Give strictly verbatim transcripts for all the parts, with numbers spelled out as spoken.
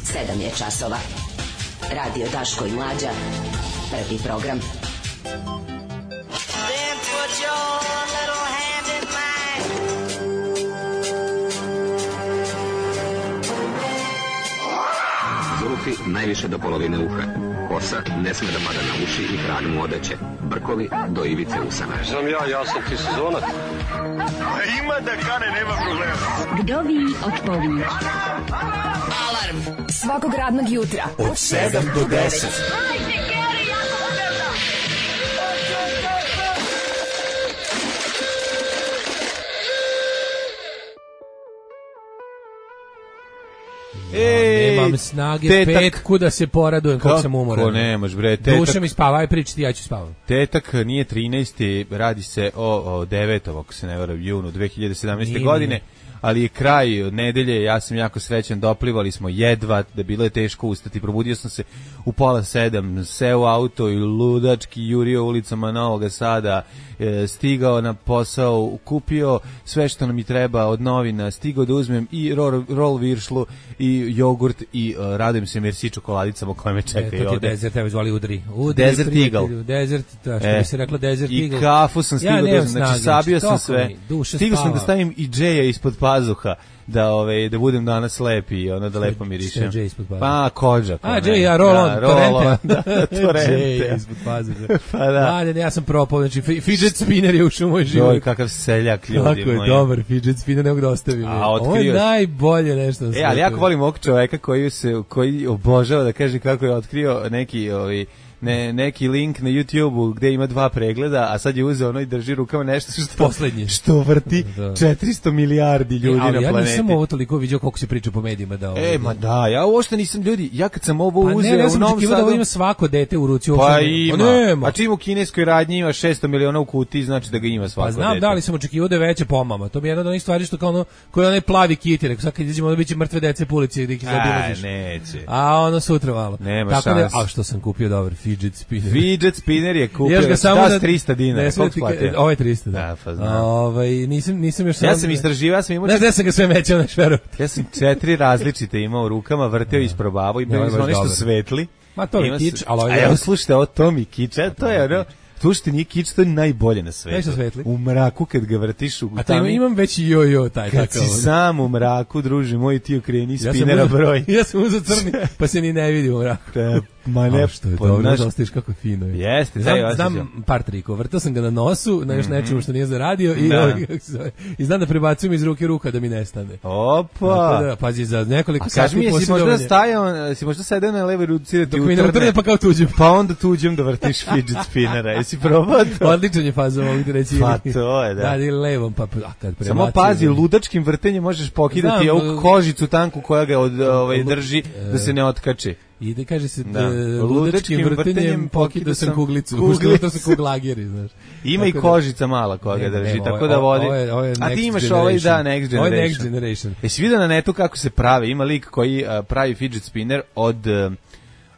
sedam je časova. Radio Daško i Mlađa. Prvi program. Then put your little hand in mine. Zulufi najviše do polovine uha. Kosa ne sme da pada na uši i hranu mu odeće. Brkovi do ivice usana. Znam ja, ja sam ti sezonac. A ima da kane, nema problema. Vdovi otpovi. Alarm svakog radnog jutra od sedam do deset. Ej, nemam snage tetak, petku da se poradujem kako sam umoran. Kako nemaš bre, tetak. Duša mi spava, aj pričati, ja ću spavam. Tetak nije trinaesti, radi se o, o devetom, ako se ne varam, junu dve hiljade sedamnaeste. Nije, godine. Nije. Ali je kraj nedelje, ja sam jako srećan, doplivali smo jedva, da bilo je teško ustati, probudio sam se u pola sedam, seo u auto i ludački jurio ulicama Novog Sada, e, stigao na posao, kupio sve što nam i treba od novina, stigao da uzmem i rol, rol viršlu i jogurt i uh, radujem se Merci čokoladicama koje me čekaju e, to ovde. To je Desert, evo zvali Udri. Udri Desert Eagle. Desert, to što e, bi se reklo Desert i Eagle. I kafu sam stigao, ja da, znači sabio sam sve. Stigao sam da stavim i džeja ispod pazuha, da ove da budem danas lep i ono da lepo mirišem. Pa kođa. A džej, ja roll on, torrente. Da, torrente. Ispod pazuha. Pa da. Mladen, ja sam propao, znači fidget spinner je ušao u moj život. Joj, kakav seljak, ljudi moji. Kako je dobar fidget spinner, nego da ostavim. Ovo je najbolje nešto. E, ali jako volim ovog čoveka koji se koji obožava da kaže kako je otkrio neki ovi ne, neki link na YouTubeu gde ima dva pregleda, a sad je uzeo ono i drži rukama nešto što, poslednje. Što vrti da. četiristo milijardi ljudi e, na planeti. Ja nisam ovo toliko vidio koliko se priča po medijima da ovo. E, ma da, ja uopšte nisam ljudi, ja kad sam ovo pa uzeo ne, ja u Novom Sadu... da ovo ima svako dete u ruci. Pa ima, nema. A čim u kineskoj radnji ima šesto miliona u kutiji, znači da ga ima svako dete. Pa znam, dete. Da li sam očekivao da je veće pomama, to mi je jedna od onih stvari što kao ono, koji onaj plavi kiti, rekao, sad kad izađemo da biće mrtve dece po ulici da ih zaobilaziš. A, neće. A ono sutra malo. Nema tako šans. Da, a što sam kupio dobar fidget spinner. Fidget spinner je kupio da trista dinara. Ovo je trista, da. Da, pa znam. Ovaj nisam nisam još Ja sam istraživao, ja sam imao. Ne znam sam ga sve mećao na šveru. Ja sam četiri različite imao u rukama, vrteo i isprobavao i bili smo nešto svetli. Ma to je kič, ali a evo slušajte, ovo to mi kič, to je ono. Tu što nije kič, to je najbolje na svetu. U mraku kad ga vrtiš u a to imam, imam već jo-jo taj kad takav. Kad si sam u mraku, druže moj, ti okreni spinera ja broj. Ja sam uzeo crni, pa se ni ne vidi u mraku. Ma ne, što je dobro, naš... da ostaviš kako je fino. Je. Jeste, znam, znam par trikova. Vrtao sam ga na nosu, na još nečemu što nije zaradio i, da. i znam da prebacujem iz ruke ruka da mi nestane. Opa! Da, pazi, za nekoliko sati posjedovanja. A kaži mi, jesi možda stajao, si možda sedeo na levoj ruci da ti utrne? Dok mi ne utrne, pa kao tuđem. Pa onda tuđem da vrtiš fidget spinnera. Jesi probao to? Odličan je fazom ovdje reći. Pa to je, da. Da, ili levom, pa a kad prebacujem. Samo pazi, ludačkim vrtenjem možeš pokidati ovu kožicu tanku koja ga od, ovaj, drži da se ne otkače. I da kaže se da, ludačkim vrtenjem pokidao sam kuglicu. To su kuglageri, znaš. Ima i kožica mala koja ga drži, ne, tako da vodi. Ovo je, ovo je a ti imaš ovaj da Next Generation. Ovo je Next Generation. Jesi vidio na netu kako se prave? Ima lik koji uh, pravi fidget spinner od... Uh,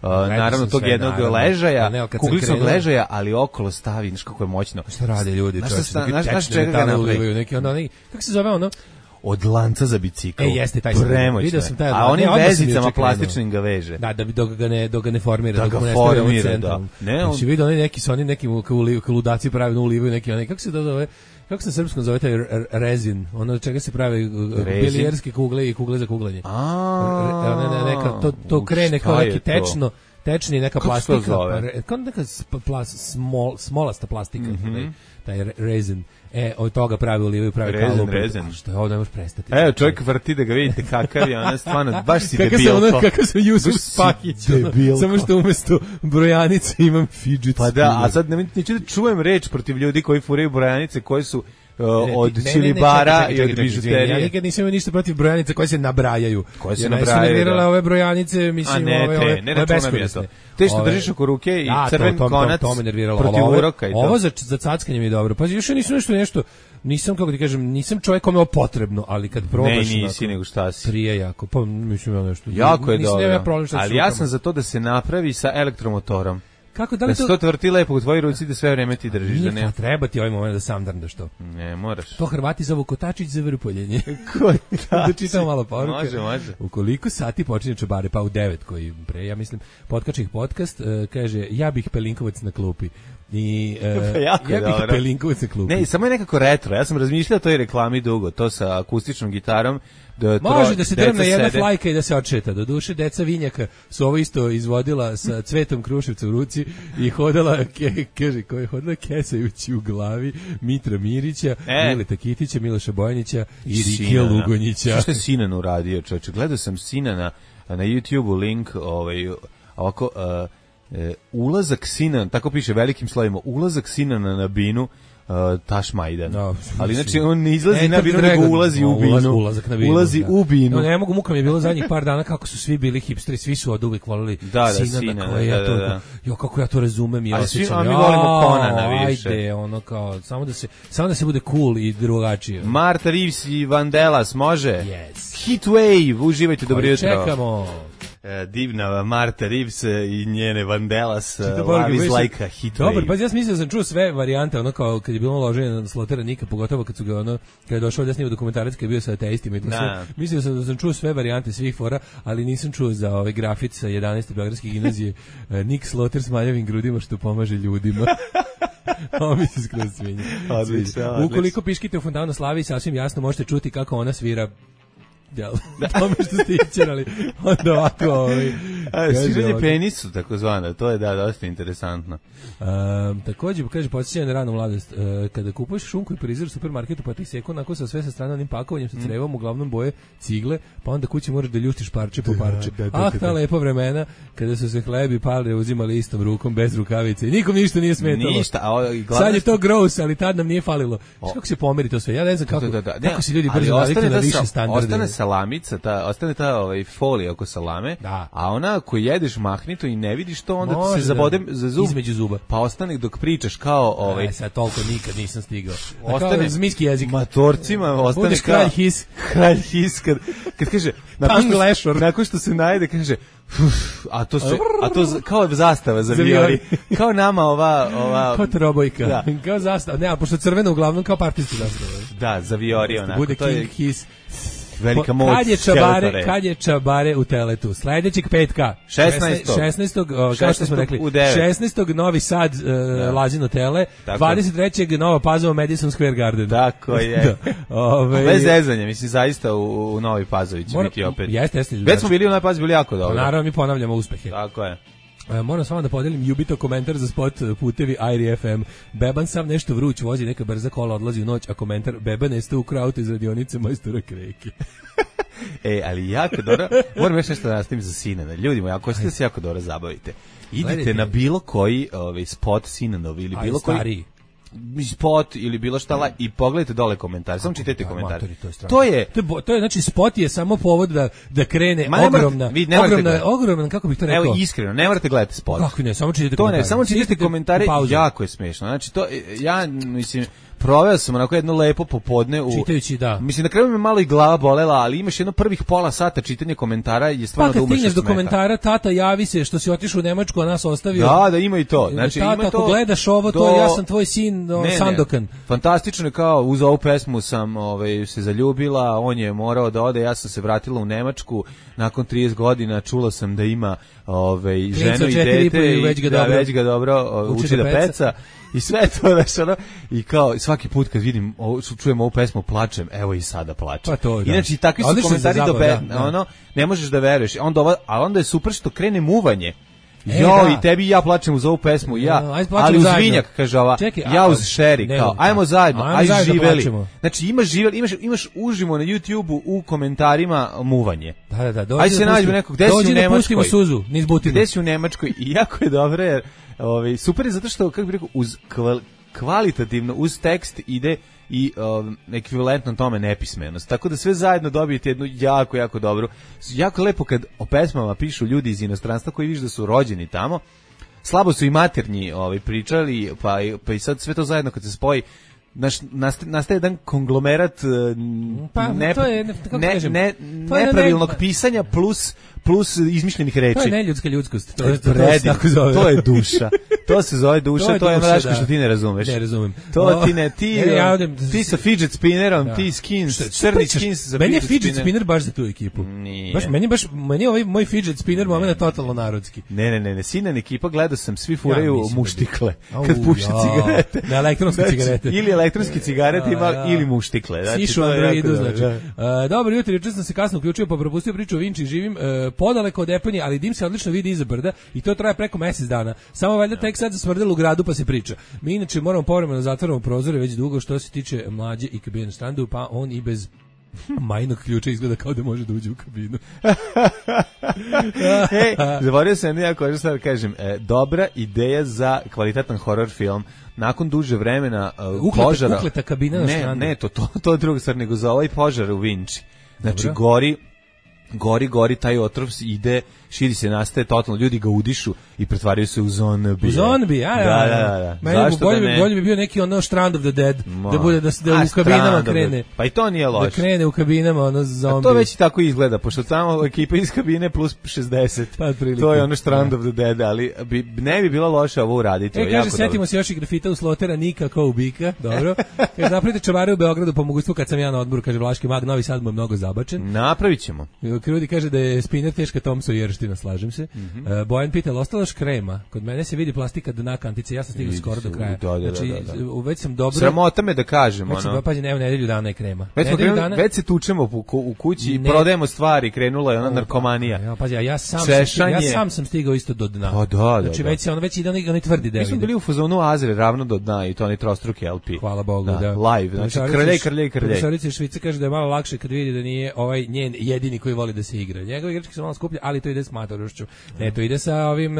Uh, naravno tog sve, jednog naravno. ležaja, ne, kuglicnog ležaja, ali okolo stavi, znaš kako je moćno. Šta rade ljudi? Znaš čega ga napravi? Neki ono, kako se zove ono? Od lanca za bicikl. E, jeste, taj premoćno. Sam taj, a onim vezicama plastičnim ga veže. Da, da bi dok ga ne, dok ga ne formira. Da dok ga formira, da. Ne, on... Si vidio oni neki, su oni neki ludaci pravilno ulivaju neki, oni, kako se to zove? Kako se na srpskom zove taj rezin? Ono od čega se prave bilijerske kugle i kugle za kuglanje. A, ne, ne, neka, to, to krene kao neki tečno, tečni neka kako plastika. Zove? Kao neka plas, smol, smolasta plastika. Mm-hmm. Taj, taj rezin. E, od toga pravi ulivaju, pravi kalup. Rezen, što je ovo, ne možeš prestati. Evo, čovjek vrti da ga vidite kakav je, ona stvarno, baš si kakav debilko. Ono, kakav sam Jusuf Spakić, ono, samo što umjesto brojanice imam fidget Pa da, a sad ne, neću da čujem reč protiv ljudi koji furaju brojanice koje su Uh, od čilibara i od bižuterije. Ja nikad nisam imao ništa protiv brojanica koje se nabrajaju. Koje se nabrajaju, da. Ove brojanice, mislim, a ne, ove, te, ove, ne, ove beskorisne. Te što držiš oko ruke i ja, crven to, to, konac to, to, to protiv ovo, uroka i to. Ovo za, za cackanje mi je dobro. Pa još nisam nešto nešto, nisam, kako ti kažem, nisam čovjek kome je ovo potrebno, ali kad probaš... Ne, nisi, nego šta si. Prije jako, pa mislim ja nešto. Jako je dobro, ja problem, ali ja sam za to da se napravi sa elektromotorom. kako da li da se to tvrti lepo u tvojoj ruci da sve vreme ti držiš, da ne. Treba ti ovaj moment da sam drndaš to. Ne, moraš. To Hrvati zovu kotačić za vrpoljenje. Kotačić. Da čitam malo poruke. Može, može. U koliko sati počinje čobare? Pa u devet koji pre, ja mislim, Potkačih podcast, uh, kaže, ja bih Pelinkovac na klupi. I, uh, pa jako ja bih dobro. Pelinkovac na klupi. Ne, samo je nekako retro. Ja sam razmišljao o toj reklami dugo, to sa akustičnom gitarom. Da može da se drvne jedna sede. flajka i da se odšeta. Do duše, deca Vinjaka su ovo isto izvodila sa Cvetom Kruševca u ruci i hodala, ke, kaže, ko je hodala kesajući u glavi Mitra Mirića, e. Mileta Kitića, Miloša Bojanića i Rike Lugonjića. Što je Sinan uradio, čovječe? Gledao sam Sinana na YouTube-u link, ovaj, ovako, uh, uh, ulazak Sinan, tako piše velikim slovima, ulazak Sinana na binu, Uh, Taš Majdan. No, ali znači on ne izlazi e, na binu, nego ulazi no, u binu. Ulaz, ulazak na binu. Ulazi da. u binu. No, ne mogu, muka mi je bilo zadnjih par dana kako su svi bili hipsteri, svi su od uvijek volili da, da, Sinana, Sinana, koje da, ja to, da, da. Jo, kako ja to razumem i ali osjećam. Svi, a mi volimo Conana više. Ajde, ono kao, samo da se, samo da se bude cool i drugačije. Marta Reeves i Vandellas, može? Yes. Heatwave, uživajte, dobro jutro. Čekamo. Divna Marta Reeves i njene Vandellas, Love is like a heat wave. Dobar, pa ja sam mislio da sam čuo sve varijante, ono kao kad je bilo loženje na Slotera Nika, pogotovo kad su ga ono, kad je došao da snima dokumentarac, kad je bio sa ateistima i to sve. Mislio sam da sam čuo sve varijante svih fora, ali nisam čuo za ove grafit sa jedanaeste Beogradske gimnazije Nik Sloter s maljavim grudima što pomaže ljudima. Ovo mi se skroz svinja. Ukoliko piškite u fontanu Slavi, sasvim jasno možete čuti kako ona svira. Ja, tome što ste ićerali, onda ovako... Ovaj, sviranje penisu, tako zvana, to je da, dosta interesantno. Um, također, kaže, podsjećanje na ranu mladost, uh, kada kupuješ šunku i prizor u supermarketu, pa ti seku onako sa sve sa strane onim pakovanjem, sa crevom, uglavnom boje cigle, pa onda kući moraš da ljuštiš parče po parče. Da, da, da, ah, ta lepa vremena, kada su se hlebi palre uzimali istom rukom, bez rukavice, i nikom ništa nije smetalo. Ništa, a o, sad je to gross, ali tad nam nije falilo. Što kako se pomeri to sve? Ja ne znam kako, da, da, da. kako se ljudi brzo naviknu na više standarde. Salamica, ta, ostane ta ovaj, folija oko salame, da. A ona ako jedeš mahnito i ne vidiš to, onda ti se zabode da, za zub, između zuba. Pa ostane dok pričaš kao... Ovaj, e, sad toliko nikad nisam stigao. Ostane zmijski jezik. Matorcima ostane budeš kao... kralj his. Kralj his, kad, kad kaže... Nakon što, nakon što se najde, kaže... Uf, a to se, a to kao zastava za viori. Kao nama ova... ova kao trobojka. Da. Kao zastava. Ne, a pošto crveno uglavnom kao partijski zastava. Da, za viori onako. Bude to king je, his. Velika moć. Kad je čabare, kad je čabare u teletu? Sledećeg petka. šesnaestog šesnaestog kao što smo rekli. šesnaestog Novi Sad, uh, da. Lazino tele. Tako. dvadeset trećeg Nova Pazova, Madison Square Garden. Tako je. Da. Ove... Bez zezanja, mislim, zaista u, u Novi Pazovi će Mora... biti opet. Jeste, jeste. Već smo bili u Novi Pazovi, bili jako dobro. Naravno, mi ponavljamo uspehe. Tako je. E, moram s vama da podelim Jubito komentar za spot putevi Airi F M. Beban sam nešto vruć, vozi neka brza kola, odlazi u noć, a komentar Beban jeste ukrao auto iz radionice majstora Kreke. E, ali jako dobro, moram još nešto da nastavim za Sinana. Ljudi moji, ako ćete se jako dobro zabavite, idite Gledajte. na bilo koji ovaj, spot Sinanov ili bilo koji... Stariji. spot ili bilo šta la, i pogledajte dole komentare, samo čitajte da, komentare. To je, to je to je to je znači spot je samo povod da da krene Ma, ogromna morate, vi ogromna ogromna kako bih to rekao. Evo iskreno, ne morate gledati spot. Kako ne, samo čitajte to komentare. Ne, samo čitajte komentare, jako je smešno. Znači to ja mislim proveo sam onako jedno lepo popodne u čitajući, da. Mislim na kraju me malo i glava bolela, ali imaš jedno prvih pola sata čitanja komentara je stvarno pa, da umreš. Pa kad stigneš do komentara, tata javi se što si otišao u Nemačku, a nas ostavio. Da, da ima i to. Znači tata, ima to. Ako gledaš ovo, do... to ja sam tvoj sin, no, ne, Sandokan. Ne. Fantastično je kao uz ovu pesmu sam ovaj se zaljubila, on je morao da ode, ja sam se vratila u Nemačku nakon trideset godina, čula sam da ima ovaj ženu i dete i već ga da, dobro, već ga dobro uči, uči da peca. peca. I sve to, znaš, ono, i kao svaki put kad vidim, ovo, čujem ovu pesmu, plačem, evo i sada plačem. Pa to, da. Inače, takvi su Odlično komentari do pe, da, ono, ne možeš da veruješ. Onda ova, a onda je super što krene muvanje. E, jo, da. I tebi i ja plačem uz ovu pesmu, ja, no, ali uz zajedno. Vinjak, kaže ova, Čekaj, ja uz Šeri, kao, ajmo zajedno, ajmo aj zajedno živeli. Plačemo. Znači, imaš živeli, imaš, imaš užimo na YouTubeu u komentarima muvanje. Da, da, da, dođi aj se da nađemo nekog, gde si u Nemačkoj? Pustimo suzu, niz butinu. Gde si u Nemačkoj? I jako je dobro, jer, ovaj, super je zato što, kako bih rekao, uz kval, kvalitativno, uz tekst ide i um, ekvivalentno tome nepismenost. Tako da sve zajedno dobijete jednu jako, jako dobru. Jako lepo kad o pesmama pišu ljudi iz inostranstva koji viš da su rođeni tamo. Slabo su i maternji ovaj, pričali, pa, pa i sad sve to zajedno kad se spoji, naš, nastaje, nastaje jedan konglomerat pa, ne, to je, ne, ne, nepravilnog pisanja plus plus izmišljenih reči. To je neljudska ljudskost. To je predivno, to, to je duša. To se zove duša, to je, to je ono što ti ne razumeš. Ne razumem. To ti ne, ti, ne, ja odem, ti sa fidget spinnerom, da. Ti skins, crni skins za meni je fidget, fidget spinner. spinner baš za tu ekipu. Nije. Baš, meni, baš, meni je ovaj moj fidget spinner moment totalno narodski. Ne, ne, ne, ne, sinan ekipa, gledao sam, svi furaju ja, muštikle da bi... kad puše cigarete. Na elektronske znači, cigarete. Ili elektronske cigarete ima, ja. ili muštikle. Znači, Sišu Androidu, znači. Da. Uh, dobro jutro, juče sam se kasno uključio pa propustio priču o Vinči, živim uh, podaleko od Eponje, ali dim se odlično vidi iza brda i to traje preko mjesec dana. Samo valjda tek sad zasmrdelo u gradu pa se priča. Mi inače moramo povremeno zatvaramo prozore već dugo što se tiče mlađe i kabine štandu, pa on i bez majnog ključa izgleda kao da može da uđe u kabinu. Ej, zaboravio sam ja koji sad kažem, e, dobra ideja za kvalitetan horror film. Nakon duže vremena uh, ukleta, požara... Ukleta kabina na ne, štandu. ne, to, to, to je druga stvar, nego za ovaj požar u Vinči. Znači, Dobro. gori... gori, gori, taj otrov ide, širi se, nastaje totalno, ljudi ga udišu i pretvaraju se u zombije. U zombije, ja, ja. Da, da, da. Meni Zašto bolje, da ne? bolje bi bio neki ono Strand of the Dead, Ma. da bude da se da A, u kabinama Strand krene. Pa i to nije loše. Da krene u kabinama ono zombi. A to već i tako izgleda, pošto tamo ekipa iz kabine plus šezdeset. Pa, to je ono Strand of the Dead, ali bi, ne bi bilo loše ovo uraditi. E, kaže, setimo se još i grafita u Slotera Nika kao ubika, dobro. Kaže, napravite čavare u Beogradu po mogućstvu kad sam ja na odmoru, kaže Vlaški mag, Novi Sad mu je mnogo zabačen. Napravit ćemo. Krudi kaže da je spinner teška Tomso jerština, slažem se. Mm -hmm. uh, Bojan pita, ostala još krema? Kod mene se vidi plastika dna kantice, ja sam stigao skoro do kraja. Da, da, znači, da, da. već sam dobro... Sramota me da kažem, već sam, ono. Pazi, evo, nedelju dana je krema. Već, krenuli, dana... već se tučemo u, u kući i ne... prodajemo stvari, krenula je ona narkomanija. Ja, pazi, ja sam, Češanje... sam, ja sam sam stigao isto do dna. Pa da, da, znači, da. već se ono, već ide onaj, onaj tvrdi deo. Mi smo bili u fazonu Azre, ravno do dna i to onaj trostruki L P. Hvala Bogu, da. da. Live, znači krljaj, krljaj, krljaj. Profesorica Švice kaže da je malo lakše kad vidi da nije ovaj njen jedini koji voli da se igra. Njegove igračke su malo skuplje, ali to ide s matorošću. Ne, to ide sa ovim,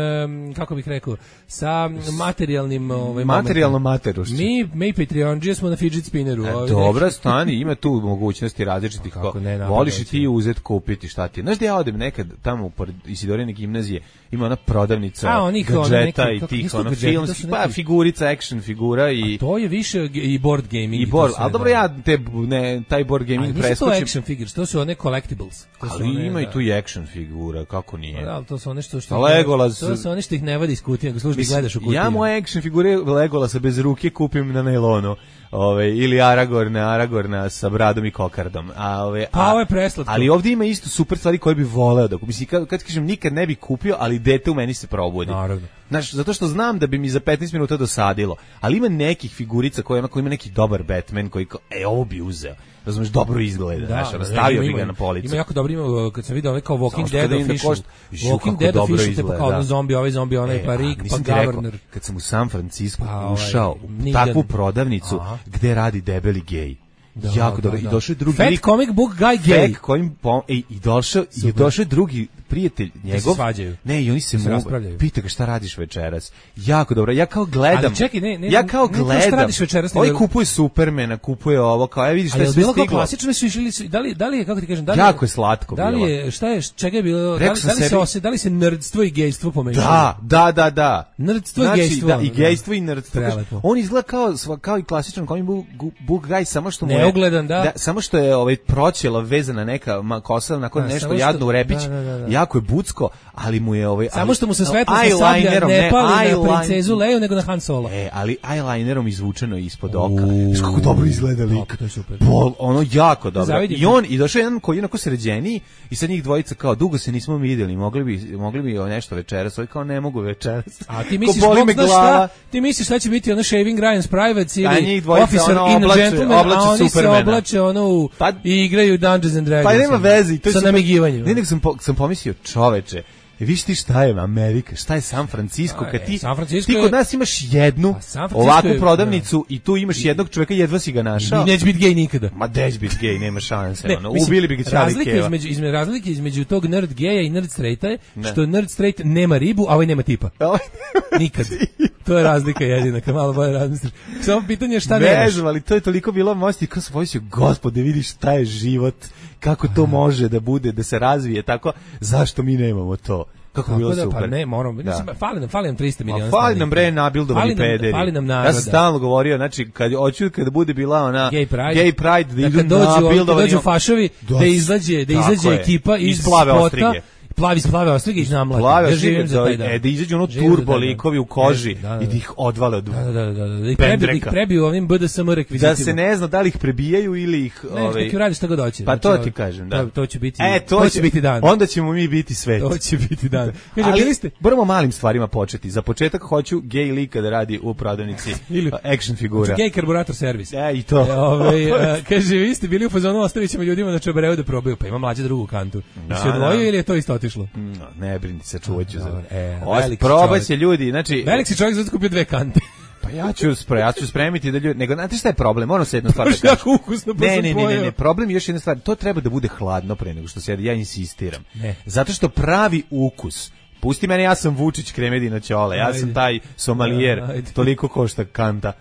kako bih rekao, sa materijalnim... Ovaj, materijalnom materošću. Mi, mi Patreonđije smo na fidget spinneru. E, dobra, stani, ima tu mogućnosti različitih. Kako ne, voliš i ti uzeti, kupiti, šta ti. Znaš da ja odem nekad tamo pored Isidorine gimnazije, ima ona prodavnica A, onih, gadžeta neki, i kako, tih, ono, gadžeti, filmskih, pa figurica, action figura i... A to je više i board gaming. I board, ali dobro, ja te, ne, taj board gaming preskočim. Ali nisu to action figures, to su one collectibles. To ali one, ima da. i tu i action figura, kako nije. Da, ali to su one što... što Legolas... To su one što ih ne vadi iz kutije, nego služi gledaš u kutiju. Ja moje action figure Legolasa bez ruke kupim na nailonu. Ove, ili Aragorna, Aragorna sa bradom i kokardom. A, ove, pa ovo je preslatko. Ali ovdje ima isto super stvari koje bi voleo da kupim. Mislim, kad, kad kažem nikad ne bi kupio, ali dete u meni se probudi. Naravno. Znaš, zato što znam da bi mi za petnaest minuta dosadilo. Ali ima nekih figurica koje onako ima neki dobar Batman koji, e, ovo bi uzeo. Razumeš, dobro izgleda, znaš, da, stavio bi ga na policu. Ima jako dobro, ima, kad sam vidio ovaj kao Walking Dead official, Walking Dead official, te pa kao ono zombi, ovaj zombi, onaj pa Rick, pa Governor. Kad sam u San Francisco pa, ušao u takvu prodavnicu aha. gde radi debeli gej. Da, jako dobro. Da, I došao je drugi Fat lik, comic book guy gay. Fat kojim pom, ej, i došao i došao je drugi prijatelj njegov. Se svađaju. Ne, i oni se, se raspravljaju. Pita ga šta radiš večeras. Jako dobro. Ja kao gledam. Ali čekaj, ne, ne, ja kao ne, gledam. Šta radiš večeras? Ovaj kupuje Supermana, kupuje ovo, kao ja vidiš šta je sve stiglo. stiglo. Ali bilo klasično su išli, da li da li je kako ti kažem, da li jako je slatko bilo. Da li je šta je čega je bilo? Da li, da li se ose, da li se nerdstvo i gejstvo pomešalo? Da, da, da, da. Nerdstvo i znači, gejstvo. Da, i gejstvo i nerdstvo. On izgleda kao kao i klasičan comic book guy, samo što mu je neugledan, da. Samo što je ovaj proćela vezana neka kosa nakon da, nešto jadno u repić, da, da, da, da. jako je bucko, ali mu je ovaj samo ali, što mu se svetlo sa sablja ne pali na princezu Leiju nego na Han Solo. E, ali eyelinerom izvučeno ispod oka. Znaš kako dobro izgleda lik. To je super. Bol, ono jako dobro. Zavidim. I on i došao jedan koji je onako sređeniji i sad njih dvojica kao dugo se nismo vidjeli, mogli bi mogli bi nešto večeras, ovaj kao ne mogu večeras. A ti misliš da šta? Ti misliš šta će biti ono Shaving Ryan's Privates ili Officer in a Gentleman, a oni se oblače ono u pa, i igraju Dungeons and Dragons. Pa nema veze, to je sa namigivanjem. Ne, nego sam po, sam pomislio, čoveče, viš ti šta je Amerika, šta je San Francisco, kad ti, ti kod nas imaš jednu ovakvu prodavnicu i tu imaš jednog čovjeka, jedva si ga našao. I neće biti gej nikada. Ma neće biti gej, nema šanse. Ne, ono, mislim, ubili bi ga cijeli razlika keva. Između, između, razlike između tog nerd geja i nerd straighta je ne. Što nerd straight nema ribu, a ovaj nema tipa. Nikad. To je razlika jedina, kad malo bolje razmisliš. Samo pitanje je šta nemaš. Vežu, ali to je toliko bilo mosti, kao sam pomislio, gospode, vidiš šta je život, kako to može da bude, da se razvije, tako, zašto mi nemamo to? Kako bi bilo da, super. Pa ne, moramo, da. Fali nam, fali nam trista miliona. Fali nam bre nabildovani pederi. Fali nam naroda. Ja sam stalno govorio, znači, kad hoću kada bude bila ona Gay Pride, gay pride da, da idu kad dođu, nabildovani. Kad dođu fašovi, da izađe, da izađe ekipa iz spota. plavi plave ostige i namlade. Plave Ja živim za taj dan. E, da izađu ono Živim za turbo taj dan. likovi u koži Da, da, da. i da ih odvale od Da, da, da, da, da. Da ih pendreka. prebiju, da ih prebiju ovim B D S M rekvizitima. Da se ne zna da li ih prebijaju ili ih... Ne, ovaj, neki radi šta god hoće. Pa Znači, to ovo- ti kažem, da. To, to će biti, E, to, će biti dan. Onda ćemo mi biti svet. To će biti dan. Kaže, Ali bili ste... moramo malim stvarima početi. Za početak hoću gej lika da radi u prodavnici Ili- action figura. Gej karburator servis. E, i to. E, ovaj, a, kaže, vi ste bili u fazonu, ostavit ćemo ljudima na Čabareu da probaju, pa ima mlađa drugu kantu. Da, se odvojio da. ili je to isto otišlo? No, ne brini se, čuvat ću za... Dobro, e, Os- veliki probat čovjek. će ljudi, znači... Velik si čovjek zato kupio dve kante. Pa ja ću, spre, ja ću spremiti da ljudi... Nego, znate šta je problem? Moram se jednu stvar da Baš kažem. jako ukusno, pa Ne, sam ne, ne, ne, pojeo. ne, problem je još jedna stvar. To treba da bude hladno pre nego što se jede. Ja insistiram. Ne. Zato što pravi ukus... Pusti mene, ja sam Vučić Kremedina Ćole, ja Ajde. sam taj somalijer, Ajde. toliko košta kanta.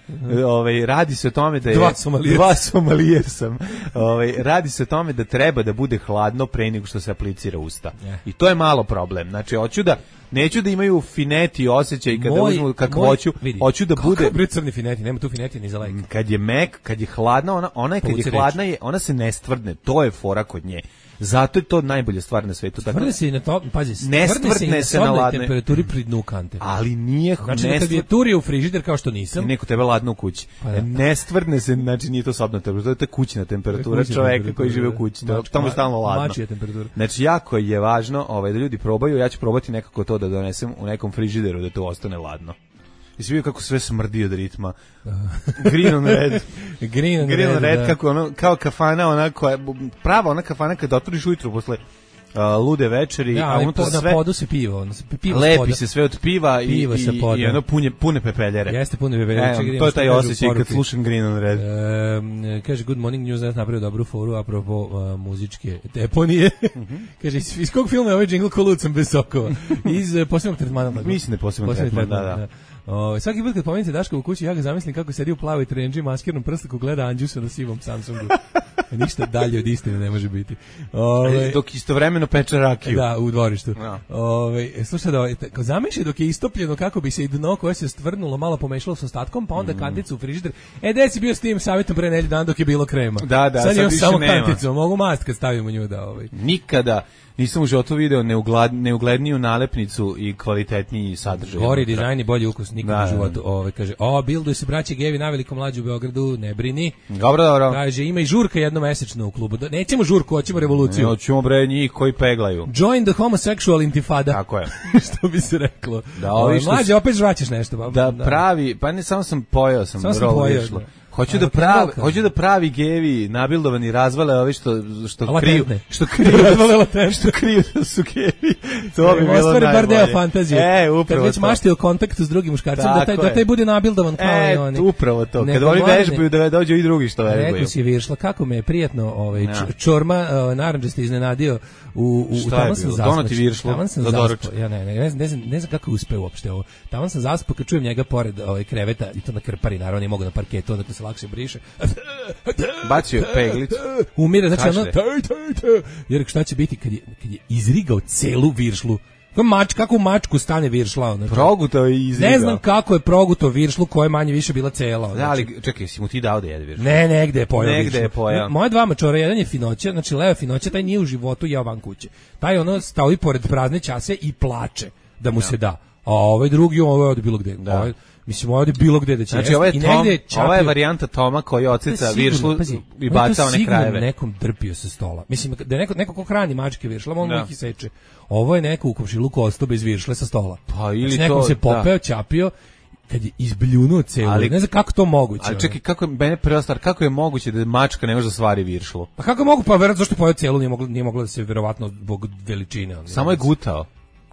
Ovaj radi se o tome da je Dva somalijer. dva somalijer sam. Ovaj radi se o tome da treba da bude hladno pre nego što se aplicira usta. Ne. I to je malo problem. Znači hoću da neću da imaju fineti osjećaj kada Moj- uzmu kako moj- hoću, vidi, hoću da kakav bude bre crni fineti, nema tu fineti ni za lajk. kad je mek, kad je hladna, ona ona je kad je Povuci hladna je, ona se ne stvrdne. To je fora kod nje. Zato je to najbolja stvar na svetu. Tako Tvrde se i na to, pazi, Ne tvrde se i stvrdne na se na sobnoj ladne. temperaturi pri dnu kante. ali nije Znači, ne kad je stvrdne- turio u frižider kao što i nisam, neko tebe ladno u kući. Pa da. Ne stvrdne se, znači nije to sobna temperatura, to je kućna temperatura Kućna čoveka temperatura, koji žive u da. kući. To, Mač- tamo je ma- stalno ladno. mačija temperatura. Znači jako je važno ovaj, da ljudi probaju, ja ću probati nekako to da donesem u nekom frižideru da to ostane ladno. I svi vidio kako sve smrdi od ritma. Green on red. Green on Green on red, red, da. kako ono, kao kafana, ona koja, prava ona kafana kad otvoriš ujutru posle uh, lude večeri, Ja, a ali unutra po, na sve... podu se pivo, ono se pivo s Lepi poda. se sve od piva i, Pivo sa i, poda. i ono punje, pune pepeljere. Jeste puno bebe. E, to je taj osjećaj kad slušam Green on Red. Um, kaže Good Morning News danas napravio dobru foru apropo uh, muzičke deponije. Kaže, iz, iz kog filma je ovaj džingl ko Lucam bez sokova? Iz uh, posebnog tretmana. tako? Mislim da je posebno Posebni tretman, da, da. O, svaki put kad pomenite Daška u kući, ja ga zamislim kako sedi u plavoj trenđi, maskirnom prstaku, gleda Anđusa na sivom Samsungu. Ništa dalje od istine ne može biti. Ove, Dok istovremeno peče rakiju. Da, u dvorištu. Ja. Ove, slušaj, da, kao zamišljaj dok je istopljeno kako bi se i dno koje se stvrnulo malo pomešalo s ostatkom, pa onda Mm. kanticu u frižider. E, gde si bio s tim savjetom pre nedelju dana dok je bilo krema? Da, da, sad, sad imam više samo nema. kanticu, mogu mast kad stavimo nju da ovaj. Nikada nisam u životu video neuglad, neugledniju nalepnicu i kvalitetniji sadržaj. Gori unutra. dizajn i bolji ukus nikad Da, u životu. da. Ove, kaže, o, bilduju se braće Gevi na velikom mlađu u Beogradu, ne brini. Dobro, dobro. Kaže, ima i žurka jednomesečno u klubu. Da- Nećemo žurku, hoćemo revoluciju. Ne, ćemo bre njih koji peglaju. Join the homosexual intifada. Tako je. Što bi se reklo. Da, Ove, ovi što mlađe, s- opet žvaćeš nešto. ba- Da pravi, pa ne samo sam pojeo sam, Samo sam rolo pojeo, išlo. da. Hoću A, da dok pravi, je hoću da pravi gevi nabildovani razvale ovi što što Latentne. kriju, što kriju, Razvale latentne. što kriju da su gevi. To bi bilo Ostvare bar deo najbolje. fantazije. E, Kad upravo već to. mašti o kontaktu s drugim muškarcem, da taj, Tako da je. taj bude nabildovan kao E, i oni. upravo to. Kad Nego oni mladene- vežbaju da dođu i drugi što vežbaju. Rekao si Viršla, kako me je prijatno ovaj, Ja. č- čorma uh, narandžaste iznenadio u, u, Šta taman je sam bilo? zaspao. Donati Viršlu Taman sam za zaspao. doručak? Ja ne, ne, ne, znam, ne, znam, ne znam kako je uspeo uopšte ovo. Taman sam zaspao kad čujem njega pored ovaj, kreveta i to na krpari, naravno nije mogu na parketu, onda to se lakše briše. Bacio je peglicu. Umire, znači ono, Kašlje. taj, taj, taj. Jer šta će biti kad je, kad je izrigao celu Viršlu? Kako mač, kako u mačku stane Viršla? Ono, Progutao i izrigao. ne znam kako je proguto Viršlu koja je manje više bila cela. Da, ali čekaj, si mu ti dao da jede viršlu? Ne, negde je pojao. Negde Viršlu. je pojao. Moja dva mačora, jedan je finoća, znači Leo finoća, taj nije u životu jeo van kuće. Taj ono stoji pored prazne čase i plače da mu se da. A ovaj drugi, ovaj ovde bilo gde. Da. Ovaj, mislim, ovde bilo gde da će Znači, jesti. ovo je, I Tom, negde je čapio- ova je varijanta Toma koji To je oceca sigurno, viršlu pazi, i on je to baca one sigurno krajeve. nekom drpio sa stola. Mislim, da je neko, neko ko hrani mačke viršle, on Da. mu ih i seče. Ovo je neko u komšiluku ostao bez viršle sa stola. Pa ili znači, nekom to, se popeo, da. ćapio, kad je izbljunuo celu. Ali- ne znam kako to moguće. Ali ono. čekaj, kako je, mene prva stvar, kako je moguće da mačka ne može da stvari viršlu? Pa kako mogu, pa verovatno zašto je pojeo celu, nije moglo, nije moglo da se verovatno zbog veličine. ono, Samo je gutao.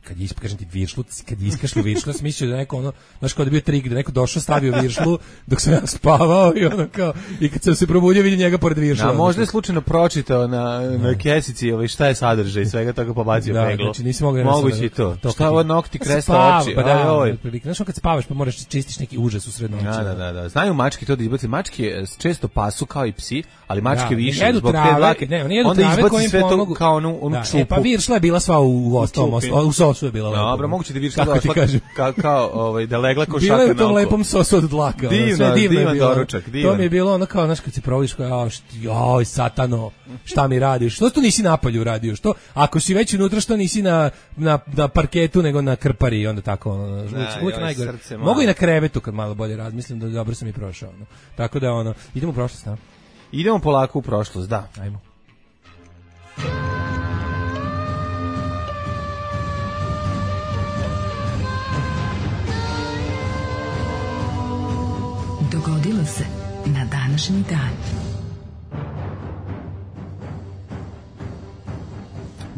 kad je kažem ti viršlu, kad je iskašlo viršlu, sam mislio da neko ono, znaš kao da je bio trik, da neko došao, stavio viršlu dok sam ja spavao i ono kao, i kad sam se probudio vidim njega pored viršla. A možda je slučajno pročitao na, na kesici ovaj, šta je sadržaj svega toga pobacio da, peglu. znači nisi mogao Moguće i to. Šta ovo nokti kresta oči? Pa da, Oj, oj. otprilike. Znaš kad spavaš pa moraš čistiš neki užas u sred noći. Da, da, da, da. Znaju mačke to da izbaci. Mačke eh, često pasu kao i psi, ali mačke Da, više jedu zbog te trave, dlake. ne, oni jedu Onda trave koje izbaci im sve to pomogu. kao onu, onu Da, čupu. e, pa viršla je bila sva u, u, ostalom, čupi. os- u sosu je bila lepa. Dobro, moguće da vidiš kako ti kažem. Kao, kao ovaj, da legla ko šaka bila na oko. Bila je u tom lepom sosu od dlaka. Divno, sve divno divan je bilo. doručak, divan. To mi je bilo ono kao, znaš, kad se provodiš, kao, joj, satano, šta mi radiš? Što to nisi napolju radio? Što, ako si već unutra, što nisi na, na, na parketu, nego na krpari i onda tako, ono, uvijek, uvijek najgore. Mogu i na krevetu kad malo bolje razmislim, da dobro sam i prošao. Ono. Tako da, ono, idemo u prošlost, da? Idemo polako u prošlost, da. Ajmo. Dogodilo se na današnji dan.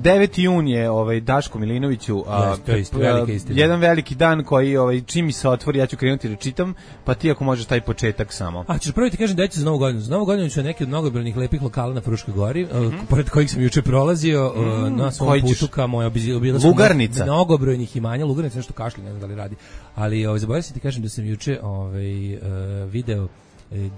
deveti jun je ovaj Daško Milinoviću, a, yes, isti, velika istina. Jedan veliki dan koji ovaj čim mi se otvori ja ću krenuti da čitam, pa ti ako možeš taj početak samo. A ćeš prvo ti kažem da će za Novu godinu. Za Novu godinu ću neki od mnogobrojnih lepih lokala na Fruškoj gori, mm -hmm. pored kojih sam juče prolazio mm, na svom putu ka moja obilasku. Lugarnica. Mnogobrojnih imanja, Lugarnica nešto kašlje, ne znam da li radi. Ali ovaj zaboravio sam ti kažem da sam juče ovaj uh, video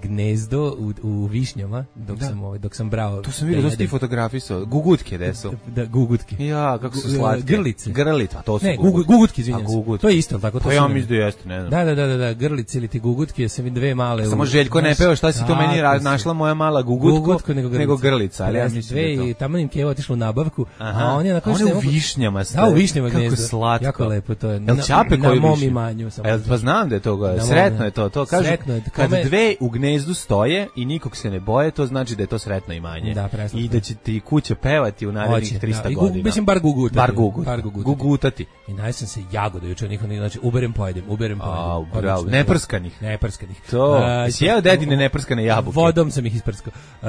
gnezdo u, u višnjama dok da. sam ovaj dok sam brao. To sam vidio da ste fotografisao. Gugutke desu. Da, da gugutke. Ja, kako su slatke. Grlice. Grlice, to su. Ne, gugutke, gugutke izvinjavam. Gugutke. To je isto, tako to. Pa ja mislim da jeste, ne znam. Da, da, da, da, da, grlice ili ti gugutke, sam vidim dve male. Samo Željko ne peva, šta si to meni rad, našla moja mala gugutko, gugutko nego, nego grlica, ali ja mislim dve i tamo im Keva otišla u nabavku, aha. a on je na koje u višnjama sta. Da, u višnjama gnezdo. Kako slatko. Jako lepo to je. Jel ćape koji na mom imanju samo. Jel pa znam da je to, sretno je to, to kaže. Kad dve u gnezdu stoje i nikog se ne boje, to znači da je to sretno imanje. Da, i da će ti kuća pevati u narednih trista godina. Mislim bar gugutati. Bar gugutati. Bar gugutati. gugutati. I najsam se jagoda juče, niko ne, znači uberem pojedem, uberem pojedem. A, bravo, neprskanih. Neprskanih. To, si jeo dedine neprskane jabuke. Vodom sam ih isprskao. Uh,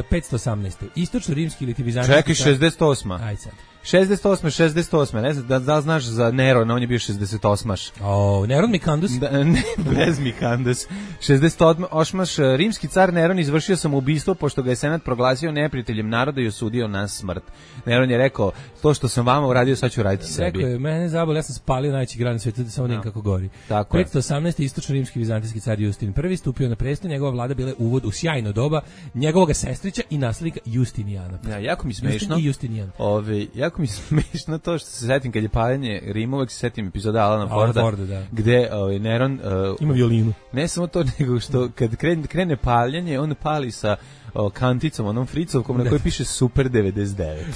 petsto osamnaeste. Istočno-rimski ili ti bizantijski. Čekaj, šezdeset osma. Aj sad. šezdeset osma, šezdeset osma, ne znam, da, da znaš za Neron, on je bio šezdeset osmaš. O, Neron Mikandus? Da, ne, bez Mikandus. šezdeset osmaš, rimski car Neron izvršio samoubistvo pošto ga je senat proglasio neprijateljem naroda i osudio na smrt. Neron je rekao, to što sam vama uradio, sad ću raditi sebi. Rekao je, mene zabol, ja sam spalio najveći grad na svijetu, da samo no. kako gori. Tako petsto osamnaeste. istočno-rimski vizantijski car Justin prvi stupio na presto, njegova vlada bila uvod u sjajno doba njegovog sestrića i naslednika Justinijana. Ja, jako mi smešno. Justin i Justinijan. Ove, jako mi smešno to što se setim kad je paljenje Rima, uvek se setim epizoda Alana Forda, Forda da. gde ovaj, Neron uh, ima violinu. Ne samo to, nego što kad krene, krene paljenje, on pali sa o, kanticom, onom fricovkom na kojoj piše Super devedeset devet.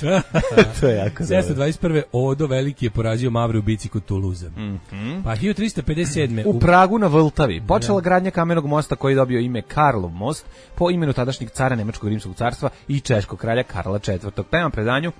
To je jako sedamsto dvadeset prve. Odo Veliki je porazio Mavre u bici kod Tuluza. Mm -hmm. Pa hiljadu trista pedeset sedme. U Pragu na Vltavi počela da. gradnja kamenog mosta koji je dobio ime Karlov most po imenu tadašnjeg cara Nemačkog rimskog carstva i češkog kralja Karla četvrtog. Prema predanju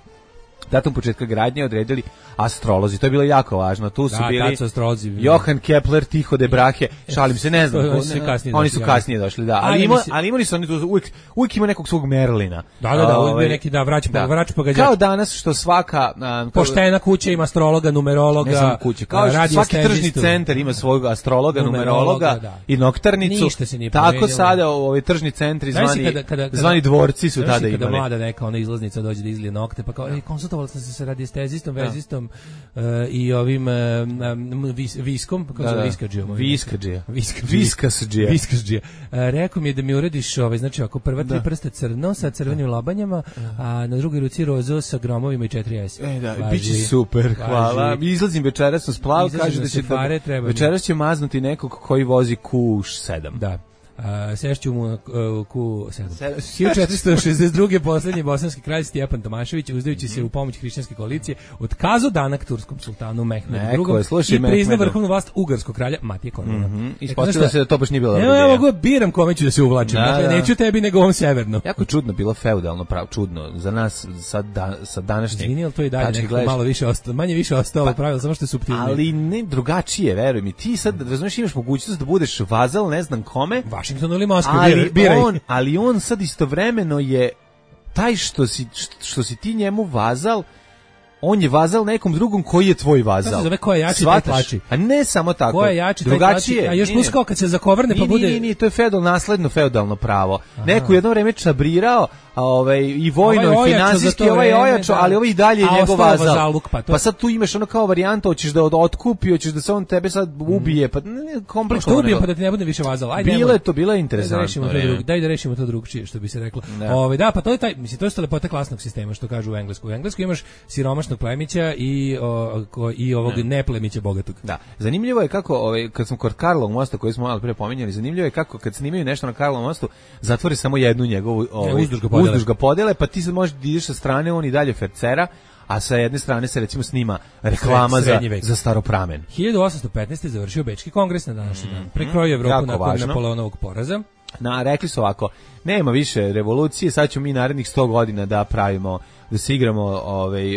datum početka gradnje odredili astrolozi. To je bilo jako važno. Tu su da, bili astrolozi, Johann Kepler, Tycho de Brahe. Šalim se, ne znam. Oni su kasnije, oni su kasnije došli, da. Ali, ima, ali imali su oni tu uvijek, uvijek ima nekog svog Merlina. Da, da, da, uvijek bio neki da vrać, da. vrać pogađač. Kao danas što svaka a, poštena kuća ima astrologa, numerologa, ne samo kuća, kao što svaki tržni centar ima svog astrologa, numerologa, numerologa da. i noktarnicu. Ništa se nije tako promenilo. Sada ovi tržni centri zvani, kada, kada, kada, zvani dvorci su tada imali. Kada mlada neka ona izlaznica dođe da izlije nokte, pa kao, ej, konsultovala sam se sa radiestezistom, vezistom uh, i ovim um, vis, viskom, kako se zove viskadžijom. Viskadžija. Viskasdžija. Viskasdžija. Uh, rekao mi je da mi uradiš, ovaj, znači ako prva tri prsta crno sa crvenim lobanjama, a na drugoj ruci rozo sa gromovima i četiri es. E da, biće super, hvala. Izlazim večeras sam splav, kaže da će fare, da, večeras će maznuti nekog koji vozi Q sedam. Da. Uh, sešću mu na uh, Q sedam. hiljadu četiristo šezdeset druge. poslednji bosanski kralj Stjepan Tomašević, uzdajući se u pomoć hrišćanske koalicije, otkazao danak turskom sultanu Mehmedu drugom i priznao vrhovnu vlast ugarskog kralja Matije Kornuna. Mm -hmm. Ispostavilo se da to baš nije bilo dobro. Evo ja mogu biram kome ću da se uvlačim. Da, dakle, da. Neću tebi nego ovom severno. Jako čudno bilo feudalno pravo, čudno za nas sa da, sa današnjeg. Izvini, ali to i dalje nekako malo više ostalo, manje više ostalo pa, pravilo, samo što je suptilnije. Ali ne drugačije, veruj mi. Ti sad razumeš, imaš mogućnost da budeš vazal, ne znam kome. Washington ili Moskva, ali biraj. on, ali on sad istovremeno je taj što si, što si ti njemu vazal, on je vazal nekom drugom koji je tvoj vazal. To se zove ko je jači, taj tlači. A ne samo tako. Ko je jači, taj drugačije. A još plus kao kad se zakovrne pa bude... Nije, nije, to je feudal, nasledno feudalno pravo. Aha. Neko jedno vreme čabrirao, a ovaj i vojno ovaj i finansijski, ovaj ojačo, da. Ali ovaj i dalje je njegov vazal. Zaluk, pa, to... pa sad tu imaš ono kao varijanta, hoćeš da od otkupi, hoćeš da se on tebe sad ubije, pa ne, komplikovano. Što ubije pa da ti ne bude više vazal. Ajde. Bilo je to, bilo je interesantno. Daj da rešimo to drugčije, što bi se reklo. Ovaj da, pa to je taj, mislim to je lepota klasnog sistema što kažu u engleskom. U engleskom imaš siromašne siromašnog plemića i, o, ko, i ovog ne. neplemića bogatog. Da. Zanimljivo je kako, ovaj, kad smo kod Karlovog mosta, koji smo malo pre pominjali, zanimljivo je kako kad snimaju nešto na Karlovom mostu, zatvori samo jednu njegovu ovaj, uzduž ga podele. uzduž ga podele, pa ti sad možeš da ideš sa strane, on i dalje fercera, a sa jedne strane se recimo snima reklama za, za Staropramen. hiljadu osamsto petnaeste. završio Bečki kongres na današnji dan. Prekrojio Evropu nakon važno. Napoleonovog poraza. Na, rekli su ovako, nema više revolucije, sad ćemo mi narednih sto godina da pravimo, da se igramo ovaj,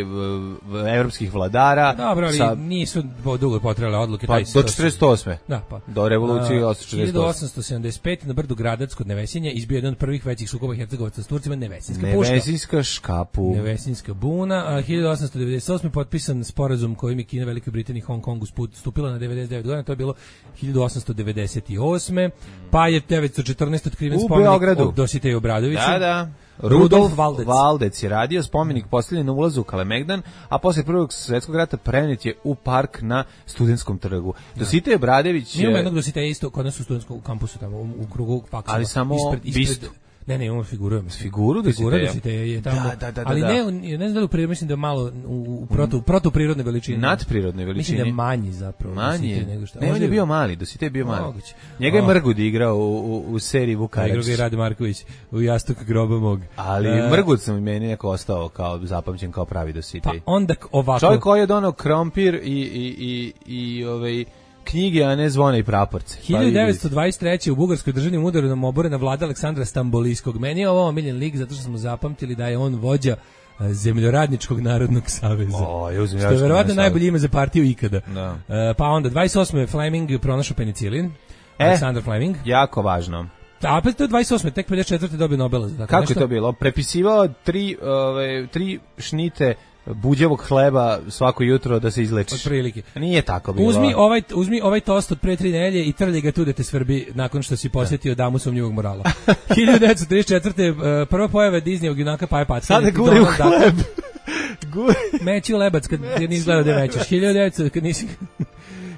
evropskih vladara. Dobro, ali sa, nisu dugo potrebale odluke. Pa, do četrdeset osme. Da, pa. Do revolucije od četrdeset osme. hiljadu osamsto sedamdeset pete. na brdu Gradac kod Nevesinja izbio jedan od prvih većih sukoba Hercegovaca s Turcima, Nevesinska puška. Nevesinska škapu. Nevesinska buna. A hiljadu osamsto devedeset osme. potpisan sporazum kojim je Kina, Velika Britanija i Hong Kongu stupila na devedeset devet godina. To je bilo hiljadu osamsto devedeset osme. Pa je devetsto četrnaeste. otkriven spomenik od Dositeja Obradovića. Da, da. Rudolf Valdec. Valdec je radio, spomenik postavljen na ulazu u Kalemegdan, a posle Prvog svjetskog rata prenet je u park na Studentskom trgu. Dositej Obradović... Mi imamo jednog Dositeja isto kod nas u studentskom kampusu, tamo u, u krugu faksova. Ali samo ispred, ispred, bistu. Ne, ne, imamo figuru. Figuru Dositeja je tamo. Da, da, da, ali da. ne, ne znam da li u prirodnoj, mislim da je malo u, u protu, protuprirodne veličine. Nadprirodne veličine. Mislim da je manji zapravo. Manji nego što. Ne, on je bio mali, Dositej je bio mali. Moguće. Njega je Mrgud igrao u, u, u seriji Vukajevć. Igrao ga je Rade Marković u Jastuk groba mog. Ali uh, Mrgud sam meni neko ostao kao zapamćen kao pravi Dositej. Pa onda ovako. Čovjek koji je donao krompir i, i, i, i ovaj... knjige, a ne zvone i praporce. hiljadu devetsto dvadeset treće. u bugarskoj državnim udarom oborena vlada Aleksandra Stambolijskog. Meni je ovo omiljen lik zato što smo zapamtili da je on vođa Zemljoradničkog narodnog saveza. O, je što je verovatno najbolje ime za partiju ikada. Da. Uh, pa onda dvadeset osme. Fleming pronašao penicilin. E, Aleksandar Fleming. Jako važno. A opet to je dvadeset osme. Tek pedeset četvrte. dobio Nobela. Tako Kako nešto? je to bilo? Prepisivao tri, ove, tri šnite buđevog hleba svako jutro da se izlečiš. Otprilike. Nije tako bilo. Uzmi ovaj, uzmi ovaj tost od pre tri nedelje i trlji ga tu da te svrbi nakon što si posjetio damu sumnjivog morala. hiljadu devetsto trideset četvrte. prva pojava Disneyog junaka Paja Patka. Sada guri u hleb. Meći u lebac kad nisi gledao da mećeš. hiljadu devetsto kad nisi...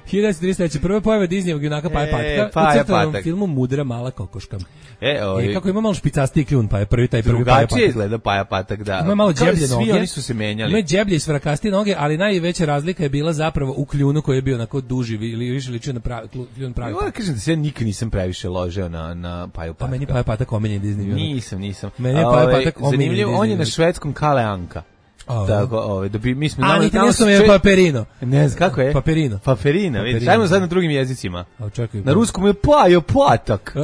hiljadu devetsto trideset treće. prva pojava Disneyog junaka Paja Patka. Paja u crtanom Patak. filmu Mudra mala kokoška. E, ovi... e, kako ima malo špicastiji kljun, pa je prvi taj prvi Paja Patak. Drugačije izgleda Paja Patak, da. Ima malo džeblje noge. Svi oni su se menjali. Ima džeblje i svrakastije noge, ali najveća razlika je bila zapravo u kljunu koji je bio onako duži ili više ličio na pravi kljun pravi. Ja kažem da se ja nikad nisam previše ložio na na Paju Patka. A meni Paja Patak omiljen Disney junak. Nisam, nisam. Meni je Paja Patak omiljen. Zanimljivo, on je na švedskom Kale Anka. Oh. Tako, ovaj, da bi mi smo A, italijanskom je Paperino. Ne znam kako je. Paperino. Paperino, vidiš. Ajmo sad na drugim jezicima. A čekaj. Na ruskom je Pajo Patak.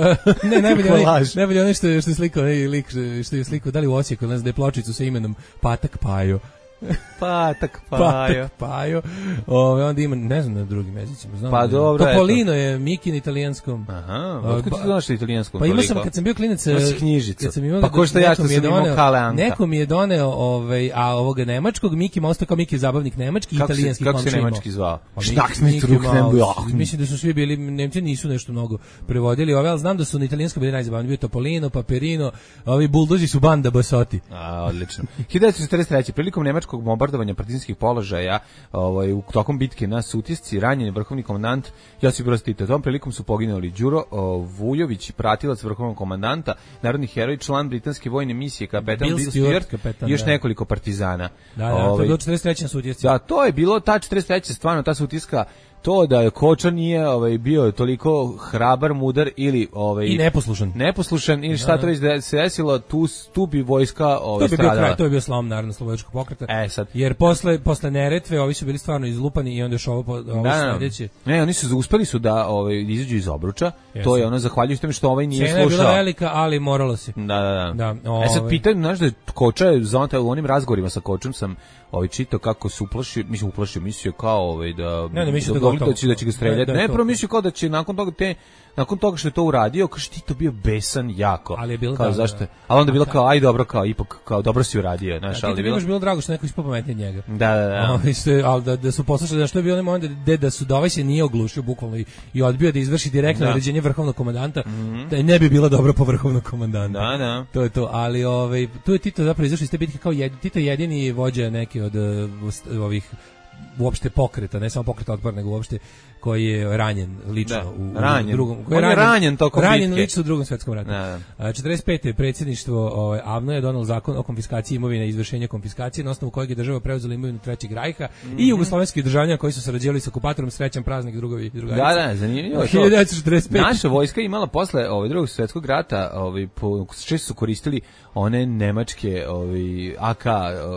Ne, najbolje onaj, najbolje onaj što je što je slikao, onaj lik što je slikao da li u Osijeku, ne znam, da je pločicu sa imenom Patak Pajo. Patak Pajo. Patak Pajo. Ove, onda ima, ne znam na drugim jezicima. Znam pa da dobro, Topolino je Miki na italijanskom. Aha, otkud ti znaš na italijanskom? Pa imao sam, kad sam bio klinac, knjižicu. Sam imao, pa ko što ja što sam imao Kale Anka. Neko mi je doneo, ovaj, a ovoga nemačkog, Miki ostao kao Miki zabavnik nemački i italijanski. Kako se nemački zvao? Štak mi truk ne Mislim da su svi bili, Nemci nisu nešto mnogo prevodili ove, ali znam da su na italijanskom bili najzabavniji. Bio Topolino, Paperino, ovi buldozi su banda Basotti. A, odlično. hiljadu devetsto četrdeset treće. prilikom nemačkog bombardovanja partizanskih položaja, ovaj, u tokom bitke na Sutjesci, ranjen je vrhovni komandant Josip Broz Tito. Tom prilikom su poginuli Đuro o, Vujović, pratilac vrhovnog komandanta, narodni heroj, član britanske vojne misije, kapetan Bill Stewart, kapetan, i još da. nekoliko partizana. Da, da, ovaj, to je bilo četrdeset treće na Sutjesci. Da, to je bilo, ta četrdeset treće stvarno, ta Sutjeska, to da je Koča nije ovaj bio toliko hrabar, mudar ili ovaj i neposlušan. Neposlušan ili šta to već da se desilo, tu tu bi vojska ovaj to bi stradala. Bio kraj, to je bio slom narodno slobodačkog pokreta. E, sad. Jer posle posle Neretve ovi su bili stvarno izlupani i onda još ovo ovo da, sledeće. Ne, oni su uspeli su da ovaj izađu iz obruča. Yes. To je ono zahvaljujući tome što ovaj nije Cena slušao. Cena je bila velika, ali moralo se. Da, da, da. da ovaj. E sad pitam, znaš da je Koča je zonta u onim razgovorima sa Kočom sam ovaj čitao kako se uplašio, mislim uplašio, mislio kao ovaj da ne, ne, mislio da, da, da, će, da će ga streljati. Ne, prvo mislio kao da će nakon toga te nakon toga što je to uradio, kaže ti to bio besan jako. Ali je bilo kao da, zašto? Ali onda je bilo kao aj dobro, kao ipak kao dobro si uradio, znaš, ali je bilo. bilo drago što neko ispao pametniji od njega. Da, da, da. Ovaj ste al da, da su poslušali da što je bio onaj moment da da su da ovaj se nije oglušio bukvalno i, i odbio da izvrši direktno naređenje vrhovnog komandanta, mm-hmm. da ne bi bilo dobro po vrhovnog komandanta. Da, da. To je to, ali ovaj tu je Tito zapravo izašao iz te bitke kao jedini Tito jedini vođa neki od uh, ovih uopšte pokreta, ne samo pokreta otpora, nego uopšte koji je ranjen lično da, u, ranjen. u drugom, koji je ranjen, ranjen tokom ranjen bitke. lično u drugom svetskom ratu. Da, da. četrdeset pete predsjedništvo ovaj A V N O je donelo zakon o konfiskaciji imovine i izvršenju konfiskacije na osnovu kojeg je država preuzela imovinu Trećeg rajha mm-hmm. i jugoslovenskih državljana koji su sarađivali sa okupatorom. Srećan praznik drugovi i drugarice. Da, da, zanimljivo. hiljadu devetsto četrdeset pete Naša vojska imala posle ovaj drugog svjetskog rata, ovaj po često su koristili one nemačke ovaj A K,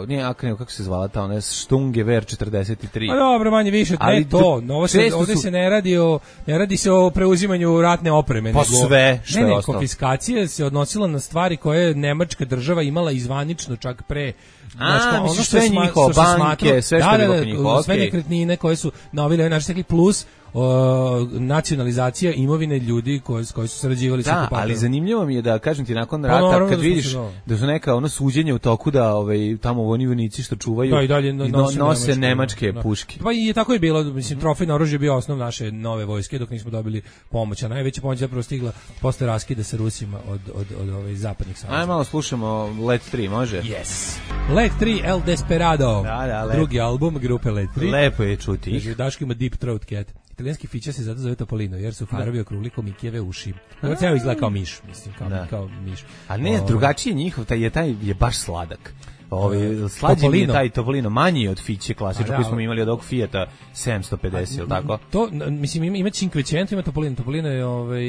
nije A K, nego kako se zvala ta, one Sturmgewehr četrdeset tri. A dobro, manje više, ne to, no, ovo se, ovdje su... se ne radi o ne radi se o preuzimanju ratne opreme, pa nego sve što ne, ne, je ostalo. Konfiskacija se odnosila na stvari koje je nemačka država imala izvanično čak pre. Znači, a, ono što je njihovo, banke, sve što da, je bilo da, njihovo, sve nekretnine koje su na ovaj način plus o, nacionalizacija imovine ljudi koji koji su sarađivali sa okupatorom. Da, ali zanimljivo mi je da kažem ti nakon rata pa, kad da vidiš da su neka ono suđenja u toku da ovaj tamo oni vojnici što čuvaju da, i dalje no, nose, nose nemačke, nemačke da. puške. Pa i tako je bilo, mislim trofejno oružje je bio osnov naše nove vojske dok nismo dobili pomoć, a najveća pomoć je zapravo stigla posle raskida sa Rusima od od od ove zapadnih saveza. Ajmo malo slušamo Let tri, može? Yes. Let tri El Desperado. Da, da, drugi album grupe Let tri. Lepo je čuti ih. Daško ima Deep Throat Cat. Italijanski fića se zato zove Topolino, jer su farovi okrugli ko Mikijeve uši. Ovo ceo izgleda kao miš, mislim, kao, kao miš. A ne, o, drugačiji njihov, taj je, taj je baš sladak. Ovi, slađi mi je taj Topolino, manji od fiće klasično, koji smo imali od ovog Fijata sedamsto pedeset, ili tako? To, mislim, ima, ima Cinquecento, ima Topolino. Topolino je ovaj,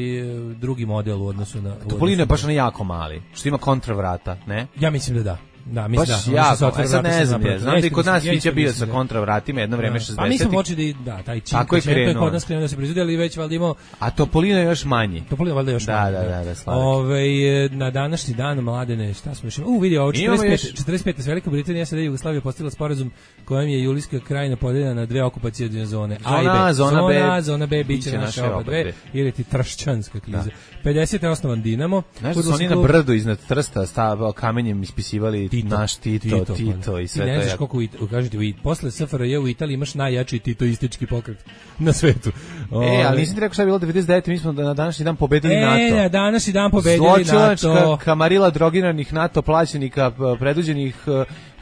drugi model u odnosu na... Topolino je baš na jako mali, što ima kontravrata, ne? Ja mislim da da. Da, mislim baš da. Ja, ja sad ne znam, je. Znam da i kod nas Fića bio sa kontravratima jedno vreme šezdesetih. Pa mi smo počeli da, da taj čin. Tako je krenuo. Kod nas krenuo da se proizvodi, ali već valjda imao... A Topolino je još manji. Topolino valjda još da, manji. Da, da, da, sladak. Ove, na današnji dan, mladene, šta smo još imali? U, vidi, ovo, četrdeset pete s Velika Britanija, sada Jugoslavija postigla sporazum kojim je Julijska krajina podeljena na dve okupacijne zone. A i B. Zona B, zona B, biće naše oba dve, ili ti tršćanska kriza. pedesete osnovan Dinamo. Znaš da su oni na brdu iznad Trsta stavao kamenjem ispisivali naš Tito. Tito, Tito i sve to. I ne znaš koliko, kažete, posle S F R J u Italiji imaš najjači titoistički pokret na svetu. E, ali nisam ti rekao šta je bilo devedeset devete mi smo na današnji dan pobedili NATO. E, na današnji dan pobedili NATO. Zločinačka kamarila drogiranih NATO plaćenika, preduđenih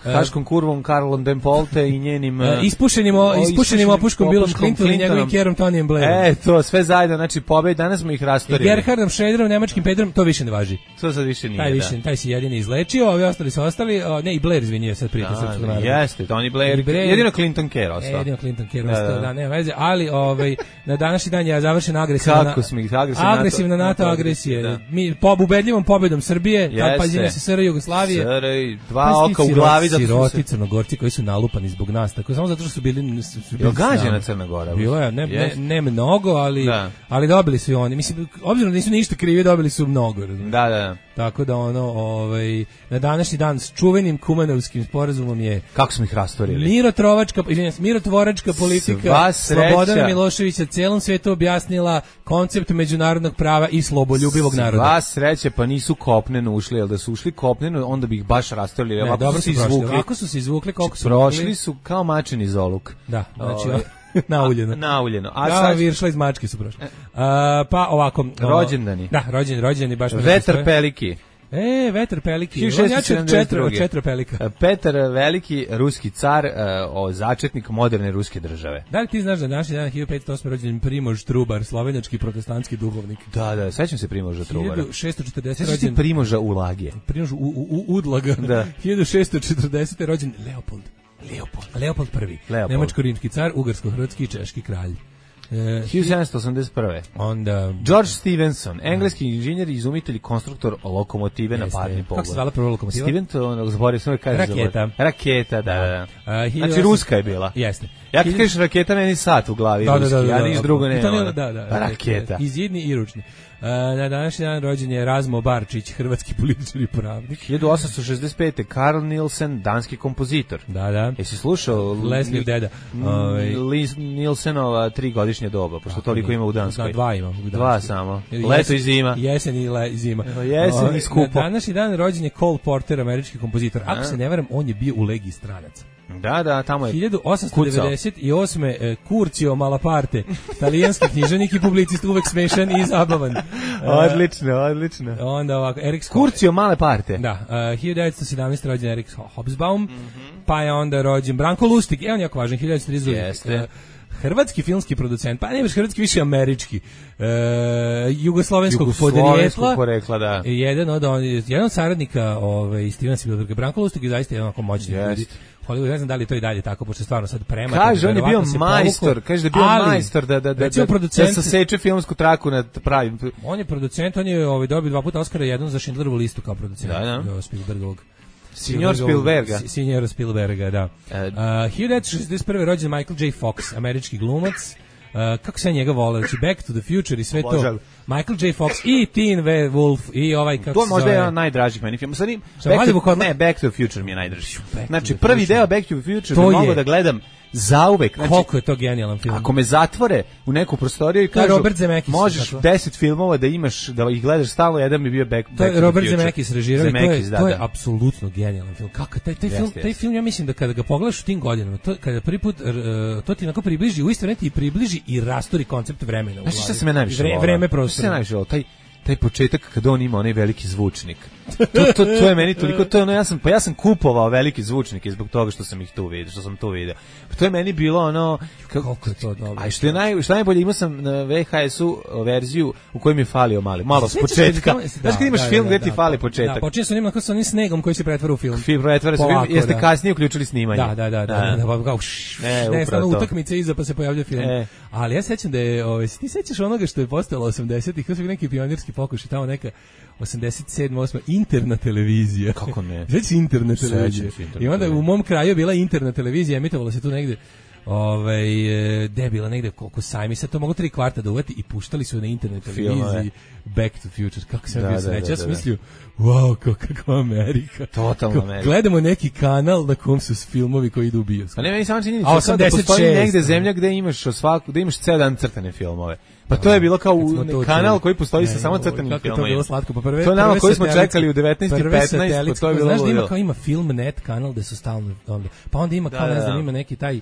Haškom kurvom, Karlom Dempolte i njenim... E, ispušenim, o, ispušenim opuškom Billom Clinton i njegovim Kerom Tonijem Blairom. E, to, sve zajedno, znači pobed, danas smo ih rastorili. I Gerhardom Schröderom, nemačkim Pedrom, to više ne važi. To sad više nije, taj više, da. Taj si jedini izlečio, ovi ostali su ostali, o, ne, i Blair, izvinio, sad prijatelj srpskog naroda. Jeste, Tony Blair, Blair, jedino Clinton Kerr ostao. Jedino Clinton Kerr ostao, da, da, da, nema veze, ali ovaj, na današnji dan je završena agresivna, Kako smo ih, agresivna, agresivna NATO, NATO agresije. Da. Mi, po ubedljivom pobedom Srbije, tad pađenje se S R Jugoslavije. Dva oka u glavi, zato Gorci koji su nalupani zbog nas, tako samo zato što su bili su bili gađena Crna Gora. Bilo je ne, ne, ne mnogo, ali da. ali dobili su i oni. Mislim, obzirom da nisu ništa krivi, dobili su mnogo. Razumiješ? Da, da. Tako da ono, ovaj na današnji dan s čuvenim Kumanovskim sporazumom je kako smo ih rastorili. Mirotrovačka, izvinjavam se, mirotvoračka politika Slobodana Miloševića celom svetu objasnila koncept međunarodnog prava i sloboljubivog naroda. Sva sreća, pa nisu kopneno ušli, jel da su ušli kopneno, onda bi ih baš rastorili. Ne, dobro su izvukli. Ako su se izvukli, koliko su prošli mogli? Su kao mačin iz oluk. Da, znači nauljeno. Nauljeno. A sad viršla iz mačke su prošli. A, pa ovako, rođendani. Da, rođen, rođendani baš. Vetar Peliki. E, Vetar Peliki. On je četiri, četiri Pelika. Petar Veliki, ruski car, o začetnik moderne ruske države. Da li ti znaš da današnji dan hiljadu petsto osme rođen Primož Trubar, slovenački protestantski duhovnik? Da, da, sećam se Primoža Trubara. hiljadu šessto četrdeset rođen. Sećam se Primoža Ulagije. Primož u, u, u, Udlaga. Da. hiljadu šessto četrdesete rođen Leopold. Leopold. Leopold prvi. Leopold. Nemačko-rimski car, ugarsko-hrvatski i češki kralj. Uh, hiljadu sedamsto osamdeset prve. Onda George Stephenson, engleski inženjer i izumitelj i konstruktor lokomotive jeste, na parni pogon. Kako se zvala prva lokomotiva? Stephenson, zaboravio sam kaže raketa. Raketa, da, da. Uh, znači ruska je bila. Jeste. Ja kad kažeš raketa, meni sat u glavi da, ruski, da, da, da, ja niš drugo ne. Da, da, da, raketa. Izjedni i ručni. Uh, na današnji dan rođen je Razmo Barčić, hrvatski političar i pravnik. hiljadu osamsto šezdeset pete. Karl Nielsen, danski kompozitor. Da, da. Jesi slušao Leslie deda? Ovaj Nielsenova trigodišnje doba, pošto toliko ima u Danskoj. Da, dva ima u Danskoj. Dva samo. Leto i zima. Jesen i le, zima. Jesen i skupo. Na današnji dan rođen je Cole Porter, američki kompozitor. Ako se ne varam, on je bio u Legiji stranaca. Da, da, tamo je hiljadu osamsto devedeset osme. Eh, Curcio Malaparte, talijanski književnik i publicist, uvek smešan i zabavan. Eh, odlično, odlično. Onda ovako, Erik Curcio Malaparte. Da, uh, hiljadu devetsto sedamnaeste. rođen Erik Hobsbawm, mm-hmm. pa je onda rođen Branko Lustig, e on je jako važan, hiljadu devetsto trideset druge. Jeste. Hrvatski filmski producent, pa ne baš hrvatski, više američki, e, jugoslovenskog Jugoslovenskog porekla, da. jedan od, on, jedan od saradnika ovaj, Stevena Spielberga. Branko Lustig je zaista jedan onako moćni ljudi. Hollywood, ne znam da li to i dalje tako, pošto stvarno sad prema. Kaže, on je bio majstor, kaže da je bio ali, majstor da, da, da, da, producent, da saseče filmsku traku na pravim. On je producent, on je ovaj, dobio dva puta Oscara, jedan za Schindlerovu listu kao producent. Da, da. Spielbergovog. Signor Spielberga. Signor Spielberga, da. Uh, hiljadu devetsto šezdeset prve rođen Michael J. Fox, američki glumac. Uh, kako se njega vole, znači Back to the Future i sve to. Michael J. Fox i Teen Wolf i ovaj kako to se možda zove. je jedan najdražih meni film. Sad Back to, ne, Back to the Future mi je najdraži. Znači prvi deo Back to the Future bi mogao da gledam zauvek. Znači, koliko je to genijalan film. Ako me zatvore u neku prostoriju i kažu možeš deset filmova da imaš, da ih gledaš stalno, jedan bi bio Back, back to the Future. To je Robert Zemeckis režirao i to je, da, to je da. apsolutno genijalan film. Kako taj, taj, film, Jeste, taj film, ja mislim da kada ga pogledaš u tim godinama, to, kada prvi put, uh, to ti onako približi, u isto vreme ti približi i rasturi koncept vremena. Znaš šta se me najviše Vre, vreme prostora. Šta se najviše volao? Taj taj početak kad on ima onaj veliki zvučnik. To, to, to je meni toliko, to je ono, ja sam, pa ja sam kupovao veliki zvučnike zbog toga što sam ih tu vidio, što sam tu video. Pa to je meni bilo ono, kako je to dobro. A što je naj, što najbolje, imao sam na V H S-u verziju u kojoj mi je falio mali, malo s početka. Znaš kad imaš film gdje ti fali početak. Da, počinje sa onim, sa onim snegom koji se pretvara u film. Film pretvara se u film, jeste kasnije uključili snimanje. Da, da, da, da, da, kao ne, stvarno utakmice iza pa se pojavlja film. Ali ja sećam da je, ovaj, ti sećaš onoga što je postojalo osamdesetih, kao su neki pionirski pokušaj, tamo neka osamdeset sedma osma interna televizija. Kako ne? Znači interna televizija. I onda u mom kraju bila interna televizija, emitovalo se tu negde ovaj gde je bila negde koliko sajmi, sad to mogu tri kvarta da uvati i puštali su na internet televiziji Back to the Future. Kako sam bio srećan, ja sam mislio wow, kakva Amerika. Totalno Amerika. Gledamo neki kanal na kom su filmovi koji idu u bioskop. A ne, meni samo čini da postoji negde zemlja gde imaš svaku, da imaš ceo dan crtane filmove. Pa to je bilo kao u, kanal koji postoji sa samo crtanim filmima. To je bilo slatko. Pa prve, to je nama koji smo čekali u devetnaest i petnaest, pa to je bilo. Znaš da ima kao ima Filmnet kanal gde su stalno onda. Pa onda ima kao, ne znam, ima neki taj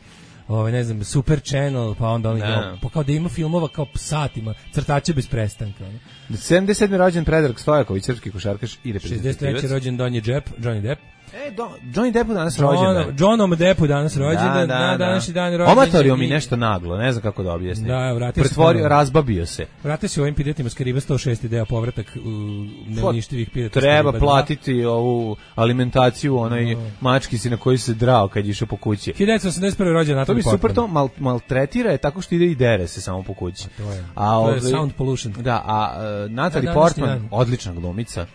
ovaj ne znam Super Channel, pa onda oni pa kao da ima filmova kao satima, crtače bez prestanka. sedamdeset sedmi rođen Predrag Stojaković, srpski košarkaš i reprezentativac. šezdeset treći rođen Donji Depp, Johnny Depp. E, do, Johnny Depp danas rođendan. Johnom Deppu danas rođendan, da, na današnji dan rođendan. Omatorio mi nešto naglo, ne znam kako da objasnim. Da, vratio se. Pretvorio, razbabio se. Vratio se ovim piratima s Kariba sto šest deo povratak u neuništivih pirata. Treba platiti ovu alimentaciju onaj no. mački si na koji se drao kad je išao po kući. hiljadu devetsto osamdeset prve rođendan Natalie Portman. To bi super to mal, maltretira je tako što ide i dere se samo po kući. A to je, a, to ove, je sound pollution. Da, a uh, Natalie Portman, odlična glumica.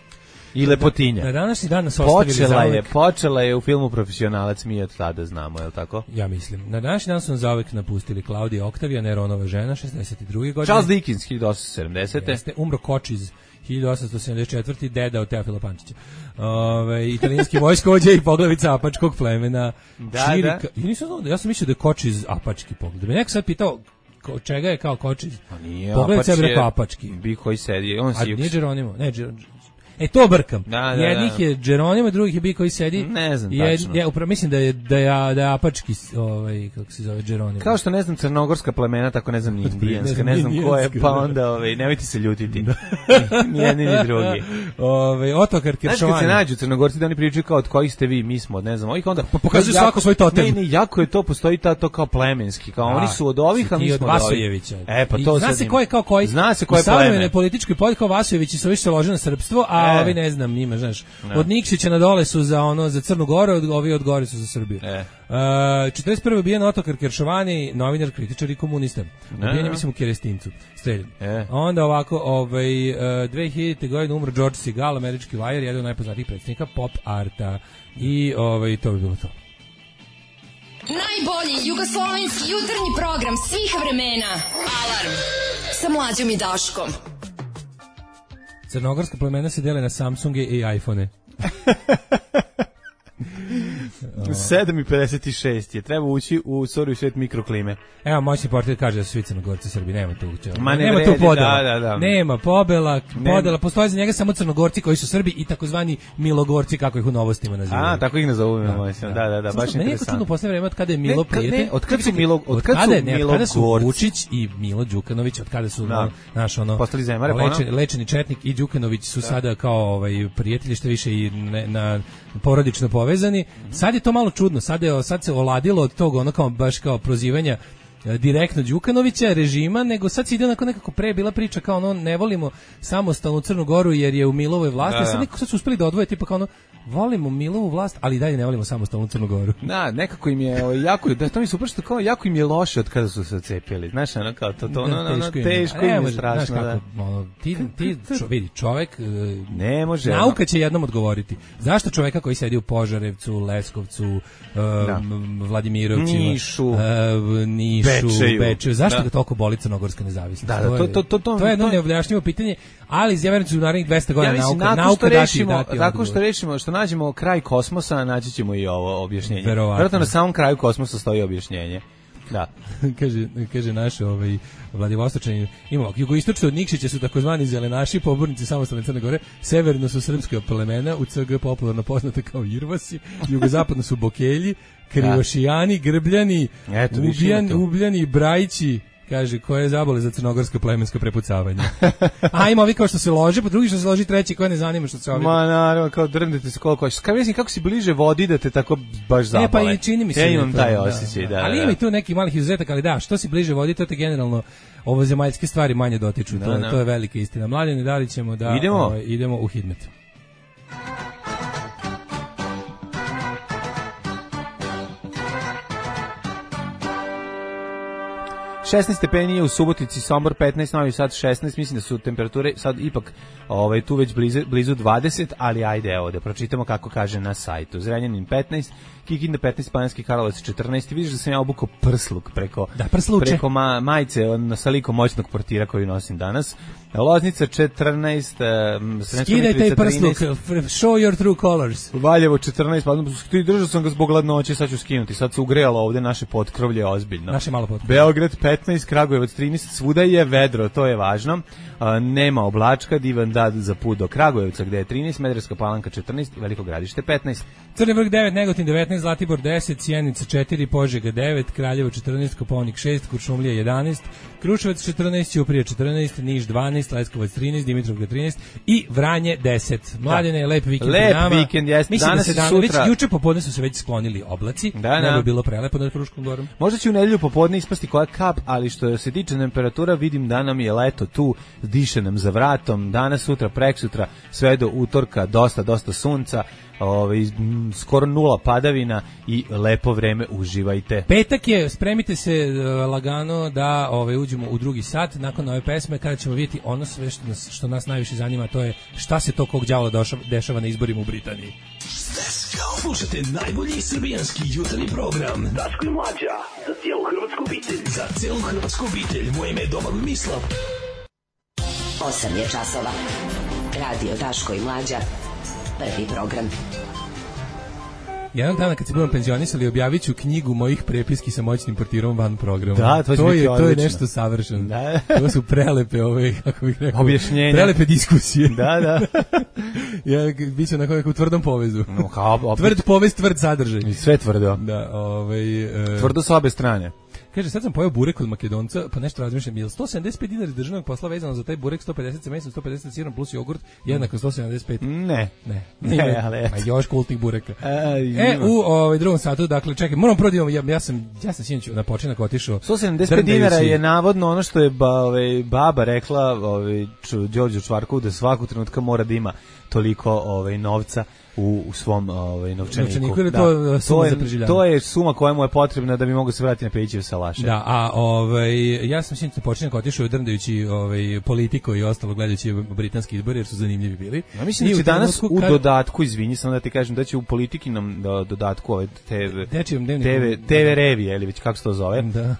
I lepotinja. Na današnji dan nas ostavili počela zauvek. je, počela je u filmu Profesionalac, mi od tada znamo, je li tako? Ja mislim. Na današnji dan su nas zauvek napustili Klaudija Oktavija, Neronova žena, šezdeset druge godine. Charles Dickens, hiljadu osamsto sedamdesete Jeste, umro Kočiz, hiljadu osamsto sedamdeset četvrte deda od Teofila Pančića. Ove, italijanski vojskovođa i poglavica apačkog plemena. Da, Čirika. da. Ja nisam znao, ja sam mislio da je Kočiz apački pogled. Da me neko sad pitao ko, čega je kao Kočiz. Pa nije, pogledac je rekao apački. Bi koji sedi, on si. A nije Geronimo, ne Geronimo. E to brkam. Da, da, jednih da. je Geronimo, drugih je bi koji sedi. Ne znam Jed, tačno. Ja upravo mislim da je da je da je apački ovaj kako se zove Geronimo. Kao što ne znam crnogorska plemena, tako ne znam ni indijanska, ne znam ko je, pa onda ovaj nemojte se ljutiti. Ni jedni ni drugi. Ovaj Otokar Kiršovani. Znaš kad se nađu Crnogorci da oni pričaju kao od kojih ste vi, mi smo od ne znam, ovih onda pa pokazuju svako svoj totem. Ne, ne, jako je to, postoji ta to kao plemenski, kao da, oni su od ovih, a mi smo od Vasojevića. E pa to zna se ko je kao koji. Zna se ko je pleme. Savremene političkoj pod kao Vasojevići su više lože na srpstvo, a e. ovi ne znam njima, znaš. No. Od Nikšića na dole su za ono za Crnu Goru, od ovi od gore su za Srbiju. E. Uh, četrdeset prve ubijen Otokar Kiršovani, novinar, kritičar i komunista. Ubijen je, mislim, u Kerestincu. Streljen. E. Onda ovako, ovaj, uh, dve hiljadite godine umro George Segal, američki vajar, jedan od najpoznatijih predstavnika pop arta. I ovaj, to bi bilo to. Najbolji jugoslovenski jutarnji program svih vremena. Alarm sa Mlađom i Daškom. Crnogorska plemena se dele na Samsunge i iPhone. sedam i pedeset šest je, treba ući u sorry svet mikroklime. Evo, moćni portir kaže da su svi Crnogorci Srbi, nema tu uče. Ma ne nema vredi, tu podela. Da, da, da. Nema pobela, podela, postoje za njega samo Crnogorci koji su Srbi i takozvani Milogorci, kako ih u novostima nazivaju. A, tako ih nazovemo, da, da, da, da, baš interesantno. Meni je čudno posle vreme od kada je Milo prijatelj. Od kada su Milo, od kada su Milogorci? Od kada su Vučić i Milo Đukanović, od kada su da. naš ono postali zemare, lečeni, lečeni četnik i Đukanović su da. sada kao ovaj prijatelji, što više i ne, na porodično povezani. Sad sad je to malo čudno, sad, je, sad se oladilo od tog ono kao, baš kao prozivanja direktno Đukanovića, režima, nego sad se ide onako nekako pre bila priča kao ono, ne volimo samostalnu Crnu Goru jer je u Milovoj vlasti, da, da. sad nekako sad su uspeli da odvoje tipa kao ono, volimo Milovu vlast, ali dalje ne volimo samostalnu Crnu Goru. Da, nekako im je ovaj, jako, da to mi se upravo kao jako im je loše od kada su se cepili. Znaš, ono kao to, to ono, ono, ono teško im je, im je strašno. Znaš kako, da. ono, ti, ti čo, vidi, čovek, ne može. Nauka će jednom odgovoriti. Zašto čoveka koji sedi u Požarevcu, Leskovcu, uh, da. Vladimirovcima, Nišu, uh, Nišu, Bečeju, Bečeju, zašto da. ga toliko boli crnogorska nezavisnost? Da, da, to, to, to, to, to je jedno neobjašnjivo pitanje, ali ja verujem da u narednih dvesta godina ja nauka, nauka dati, dati tako što rešimo, što nađemo kraj kosmosa, naći ćemo i ovo objašnjenje. Verovatno na samom kraju kosmosa stoji objašnjenje. Da. kaže, kaže naš ovaj, Vladivostočani, imamo, jugoistočno od Nikšića su takozvani zelenaši, pobornici samostalne Crne Gore, severno su srpske plemena, u C G popularno poznate kao Irvasi, jugozapadno su Bokelji, Krivošijani, Grbljani, Eto, Ubijan, Ubljani, Brajići, kaže, koje zabole za crnogorsko plemensko prepucavanje. A ima ovi kao što se lože, pa drugi što se loži, treći koje ne zanima što se ovi. Ma naravno, kao drndete se koliko hoćeš. Kao mislim kako si bliže vodi da te tako baš zabole. E pa i čini mi se. Ja imam to, taj osjećaj, da. da, da. Ali ima i tu neki malih izuzetaka, ali da, što si bliže vodi, to te generalno ovozemaljske stvari manje dotiču. Da, to, da. to je velika istina. Mladine, da li ćemo da idemo, ovaj, idemo u Hidmet. šesnaest stepeni je u Subotici, Sombor petnaest, Novi Sad šesnaest, mislim da su temperature sad ipak ovaj, tu već blizu, blizu dvadeset, ali ajde evo da pročitamo kako kaže na sajtu. Zrenjanin petnaest, Kikinda petnaest, Banjski Karlovac četrnaest, vidiš da sam ja obukao prsluk preko, da, preko ma, majice on, sa likom moćnog portira koju nosim danas. Loznica četrnaest, um, skidaj taj prsluk, show your true colors. Valjevo četrnaest, pa ti držao sam ga zbog gladnoće, sad ću skinuti, sad se ugrejalo ovde naše potkrovlje ozbiljno. Naše malo potkrovlje. Beograd petnaest, Kragujevac trinaest, svuda je vedro, to je važno. Uh, nema oblačka, divan dan za put do Kragujevca gde je trinaest, Smederevska Palanka četrnaest i Veliko Gradište petnaest. Crni Vrh devet, Negotin devetnaest, Zlatibor deset, Sjenica četiri, Požega devet, Kraljevo četrnaest, Kopaonik šest, Kuršumlija jedanaest, Kruševac četrnaest, Ćuprija četrnaest, Niš dvanaest, Leskovac trinaest, Dimitrovgrad trinaest i Vranje deset. Mladene, da. lep vikend lep nama. vikend, jes. Mislim danas da se dan, sutra... već juče popodne su se već sklonili oblaci, da, ne da. bi bilo prelepo nad Fruškom gorom. Možda će u nedelju popodne ispasti koja kap, ali što se tiče temperatura, vidim da nam je leto tu, diše nam za vratom, danas, sutra, preksutra, sve do utorka, dosta, dosta sunca, ovaj, skoro nula padavina i lepo vreme, uživajte. Petak je, spremite se uh, lagano da ovaj, uđemo u drugi sat nakon ove pesme kada ćemo vidjeti ono sve što nas, što nas najviše zanima, to je šta se to kog đavola dešava na izborima u Britaniji. Let's go! Slušajte najbolji srbijanski jutarnji program Daško i Mlađa, za cijelu hrvatsku obitelj. Za cijelu hrvatsku obitelj, moje ime je Domagoj Mislav. osam je časova. Radio Daško i Mlađa. Prvi program. Jedan dana kad se budem penzionisali, objavit ću knjigu mojih prepiski sa moćnim portirom van programa. Da, to, to je odlično. To je nešto savršeno. Da. To su prelepe ove, kako bih rekao, objašnjenja. Prelepe diskusije. Da, da. Ja biće na nekom tvrdom povezu. No, kao, tvrd povez, tvrd sadržaj. I sve tvrdo. Da, ovaj uh, tvrdo sa obe strane. Kaže, sad sam pojeo burek od Makedonca, pa nešto razmišljam, je li sto sedamdeset pet dinara iz državnog posla vezano za taj burek, sto pedeset sa mesom, sto pedeset sa sirom plus jogurt, jednako sto sedamdeset pet? Ne. Ne. Ne, ne ali eto. Ma još kultnih bureka. E, u ovaj, drugom satu, dakle, čekaj, moram prodijemo, ja, ja sam, ja sam sinoć na počinak otišao. sto sedamdeset pet dinara je navodno ono što je ba, ovaj, baba rekla ovaj, Đorđu Čvarkovu da svakog trenutka mora da ima toliko ovaj, novca u, u svom ovaj, novčaniku. Novčaniku ili da. to suma to je, za preživljavanje? To je suma koja mu je potrebna da bi mogao se vratiti na Pejićev salaše. Da, a ovaj, ja sam sinoć na počinak otišao drndajući ovaj, politiku i ostalo gledajući britanski izbori jer su zanimljivi bili. Ja mislim da će danas u kad... dodatku, izvini samo da ti kažem, da će u politiki nam da, dodatku ove te ve te ve revije ili već kako se to zove. Da.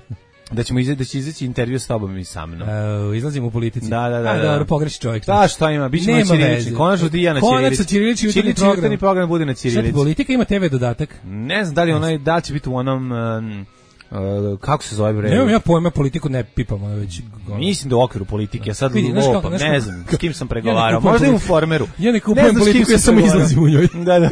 Da ćemo izaći, da će izaći intervju s tobom i sa mnom. Uh, izlazimo u politici. Da, da, da. A, da. dobro, pogreši čovjek. Da, šta ima? Biće na ćirilični. Konačno ti ja na ćirilični. Konačno ćirilični jutarnji program. Jutarnji program bude na ćirilici. Šta politika ima te ve dodatak? Ne znam da li onaj, da li će biti u onom... Um, Uh, kako se zove bre? Nemam ja pojma, politiku ne pipam, ono već. Ono. Mislim da u okviru politike, ja sad lopam, ne znam s kim sam pregovarao, ja možda i u Formeru. Ja ne kupujem politiku, ja samo izlazim u njoj. Da, da.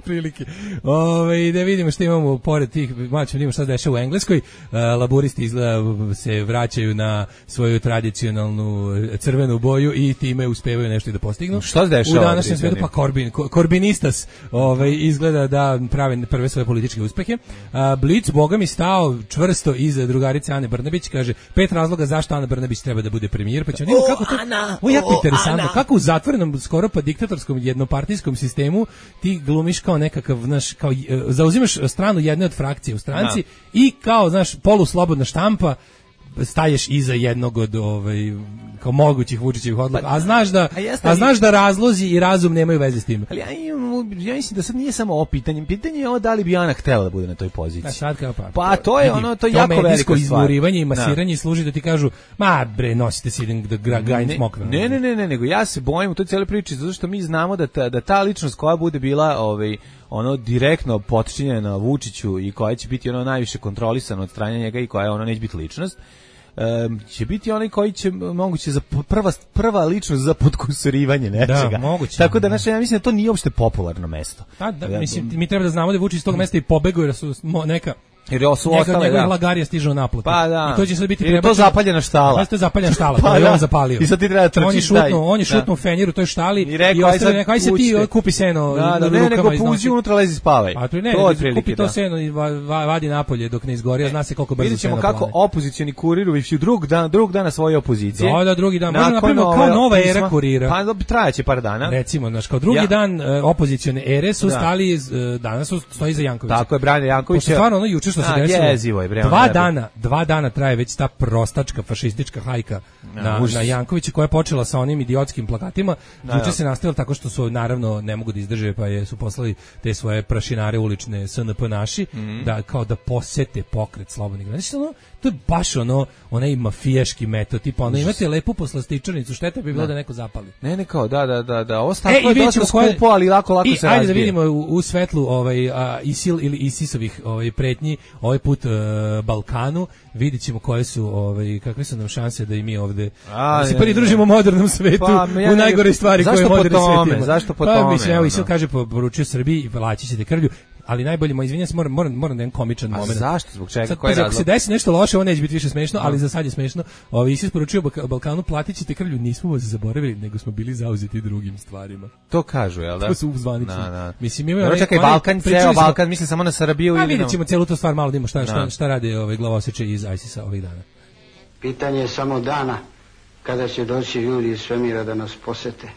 Prilike. Ove, da vidimo što imamo pored tih, malo ćemo vidimo šta se dešava u Engleskoj. Uh, laburisti izgleda se vraćaju na svoju tradicionalnu crvenu boju i time uspevaju nešto i da postignu. Šta se dešava? U današnjem svetu pa Corbyn, Corbynistas ovaj, izgleda da prave prve svoje političke uspehe. Uh, Blitz, boga mi, stao čvrsto iza drugarice Ane Brnabić, kaže pet razloga zašto Ana Brnabić treba da bude premijer, pa će vidimo kako to. Ana, o, jako o, interesantno, Ana. kako u zatvorenom skoro pa diktatorskom jednopartijskom sistemu ti glumiš kao nekakav, znaš, kao zauzimaš stranu jedne od frakcije u stranci, da. I kao, znaš, poluslobodna štampa staješ iza jednog od ovaj kao mogućih Vučićevih odluka, a znaš da a, a znaš da razlozi i razum nemaju veze s tim. Ali ja, imam, ja mislim da sad nije samo ovo pitanje, pitanje je ovo da li bi Ana htela da bude na toj poziciji. A sad kao pa. Pa to je ono, to je jako velika stvar. Izmurivanje i masiranje služi da ti kažu, ma bre, nosite se idem da gajim smokve. Ne, ne, ne, ne, nego ja se bojim u toj cijeloj priči zato što mi znamo da ta, da ta ličnost koja bude bila ovaj ono direktno potčinjena Vučiću i koja će biti ono najviše kontrolisana od strane njega i koja ono neće biti ličnost. Um, će biti onaj koji će moguće za prva prva ličnost za podkusurivanje nečega. Da, moguće. Tako da znači ja mislim da to nije uopšte popularno mesto. Da, da, mislim mi treba da znamo da Vučić iz tog mesta i pobegao jer su neka jer su ostale, njegov da. Lagarija stiže u naplatu. Pa da. I to će sad biti prebačeno. Je to zapaljena štala. Pa to je zapaljena štala, pa to je da. on zapalio. I sad ti treba trčiti. On je šutnuo, on je šutnuo fenjer u toj štali i, rekao, i ostavio nekaj se ti kupi seno da, da, ne, nego puzi unutra lezi spavaj. A to ne, to ne, kupi to da. Seno i vadi napolje dok ne izgori, a zna se koliko brzo vidjet ćemo seno kako plane. Opozicioni kurir u drugog dana, drugog dana svoje opozicije. Da, da, drugi dan. Možda napravimo kao nova era kurira. Pa trajaće par dana. Recimo, znači kao drugi dan opozicione ere su stali danas su stoji za Jankovića. Tako je, Brane Janković. Stvarno ono juče što se desilo. Jezivo je, bre. Dva dana, dva dana traje već ta prostačka fašistička hajka na, na, na Jankovića koja je počela sa onim idiotskim plakatima. Juče se nastavilo tako što su naravno ne mogu da izdrže pa je su poslali te svoje prašinare ulične S N P naši mm. da kao da posete pokret slobodnih građana. Znači ono to je baš ono onaj mafijaški metod, tipa ono imate lepu poslastičarnicu, šteta bi bilo da, da neko zapali. Ne, ne kao, da, da, da, da, ovo staklo je dosta skupo, ali lako, lako i, se ajde razbije. Da vidimo u, u svetlu ovaj, a, ISIL ili ISISovih ovaj, pretnji, ovaj put uh, Balkanu, vidit ćemo koje su, ovaj, kakve su nam šanse da i mi ovde a, da se prvi družimo u modernom svetu, pa, ja u najgore stvari koje moderni svet ima. Zašto po pa, tome? Mislim, evo, ISIL kaže, poručio Srbiji i plaći ćete krvlju, ali najbolje, mo izvinjam se, moram, moram, moram da jedan komičan moment. A zašto? Zbog čega? Sad, koji pa, razlog? Ako se desi nešto loše, ovo neće biti više smešno, ali za sad je smešno. Ovi se isporučio Balkanu, platit ćete krvlju, nismo vas zaboravili, nego smo bili zauzeti drugim stvarima. To kažu, jel da? To su uzvanični. Da, da. Mislim, imaju onaj, čekaj, Balkan, ceo Balkan, mislim samo na Srbiju. A vidjet ćemo cijelu tu stvar, malo da imamo šta, šta, da. šta rade ovaj glavoseče iz ISIS-a ovih dana. Pitanje je samo dana kada će doći ljudi iz svemira da nas posete.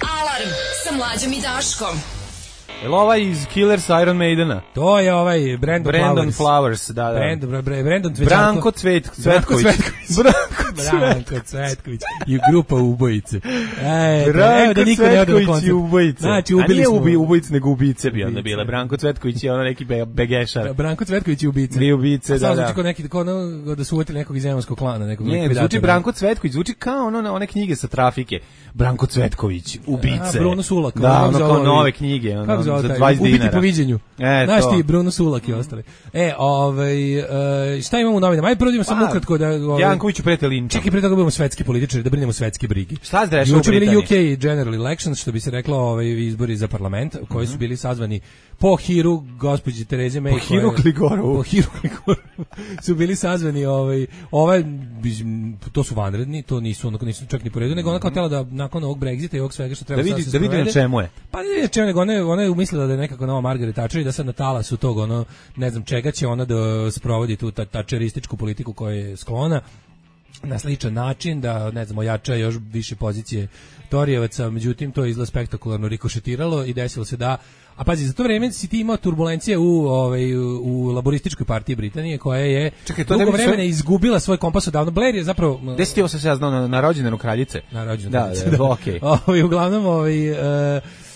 Alarm sa Mlađom i Daškom. Je li ovaj iz Killers Iron Maidena? To je ovaj Brandon, Brandon Flowers. Flowers, da, da. Brandon, Brandon Branko Cvet, Cvetković. Branko Cvetković i grupa ubojice. E, Branko evo da niko ne ode na koncert. Ubojice. Znači, ubili A nije smo... ubi, ubojice, nego ubice bi onda bile. Branko Cvetković je ono neki be, begešar. Branko Cvetković i ubice. Tri ubice, da, da. Samo zvuči neki, kao ono, da su uvjetili nekog iz zemunskog klana. Nekog ne, zvuči Branko Cvetković, zvuči kao ono, one knjige sa trafike. Branko Cvetković, ubice. A, Bruno Sulak. Da, ono kao nove knjige, ono, za dvadeset dinara. Po viđenju. E, znaš ti, Bruno Sulak i ostali. E, ovaj, uh, šta imamo u novinama? Ajde, prvo idemo samo ukratko da... Ovaj, Jankoviću prete linčom. Čekaj, pre toga budemo svetski političari, da brinemo svetske brigi. Šta se dešava u Britaniji? U K General Elections, što bi se reklo, ovaj, izbori za parlament, koji su bili sazvani po hiru gospođe Tereze May. Po hiru Kligorovu. Po hiru Kligorovu. Su bili sazvani, ovaj, ovaj, to su vanredni, to nisu, ono, nisu čak ni po redu, nego ona kao tela da nakon ovog Brexita i ovog svega što treba da vidi, da vidi na čemu je. Pa ne vidi na čemu, nego ona je, ona je umislila da je nekako nova Margaret Thatcher i da sad na talasu tog, ono, ne znam čega će ona da sprovodi tu tačerističku politiku koja je sklona na sličan način, da, ne znam, ojača još više pozicije Torijevaca, međutim, to je izgleda spektakularno rikošetiralo i desilo se da, a pazi, za to vreme si ti imao turbulencije u, ovaj, u laborističkoj partiji Britanije, koja je Čekaj, dugo vremena sve... izgubila svoj kompas odavno. Blair je zapravo... Gde si ti ovo se ja znao, na, na rođendanu kraljice? Na rođendanu kraljice. Da, da, okej. Okay. Ovaj, uglavnom, ovaj... Uh,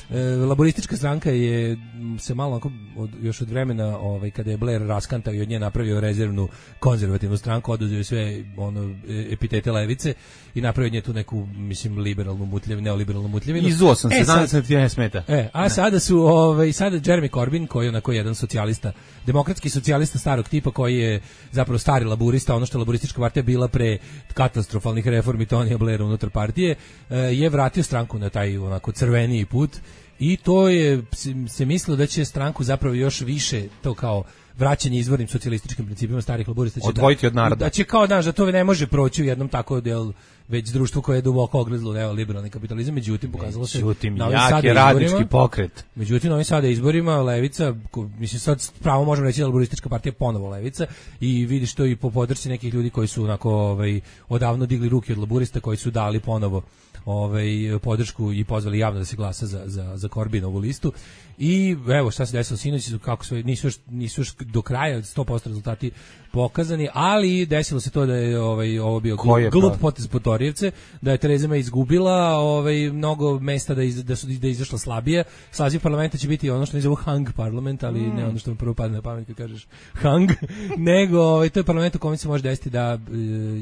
e, laboristička stranka je se malo onako od, još od vremena ovaj kada je Blair raskantao i od nje napravio rezervnu konzervativnu stranku, oduzeo sve ono epitete levice i napravio od nje tu neku mislim liberalnu mutljevinu, neoliberalnu mutljevinu. Izuo sam se, znam da ti ne smeta. E, a ne. sada su ovaj sada Jeremy Corbyn koji je onako jedan socijalista, demokratski socijalista starog tipa koji je zapravo stari laburista, ono što je laburistička partija bila pre katastrofalnih reformi Tonija Blaira unutar partije, je vratio stranku na taj onako crveniji put i to je se mislilo da će stranku zapravo još više to kao vraćanje izvornim socijalističkim principima starih laburista će odvojiti da, od naroda. Da će kao znaš da to ne može proći u jednom tako del već društvo koje je duboko ogrezlo neoliberalni kapitalizam, međutim pokazalo se međutim jak je radnički pokret. Međutim ovim sada izborima levica, mislim sad pravo možemo reći da laburistička partija ponovo levica i vidiš to i po podršci nekih ljudi koji su onako ovaj odavno digli ruke od laburista, koji su dali ponovo ovaj podršku i pozvali javno da se glasa za za za Corbinovu listu. I evo šta se desilo sinoć, kako su nisu još, nisu još do kraja sto posto rezultati pokazani, ali desilo se to da je ovaj ovo bio glup, glup potez Potorijevce, da je Tereza May izgubila ovaj mnogo mesta da iz, da su da je izašla slabije. Saziv parlamenta će biti ono što ne zovu hung parlament, ali mm. ne ono što mi prvo padne na pamet kad kažeš hung, nego ovaj to je parlament u kome se može desiti da e,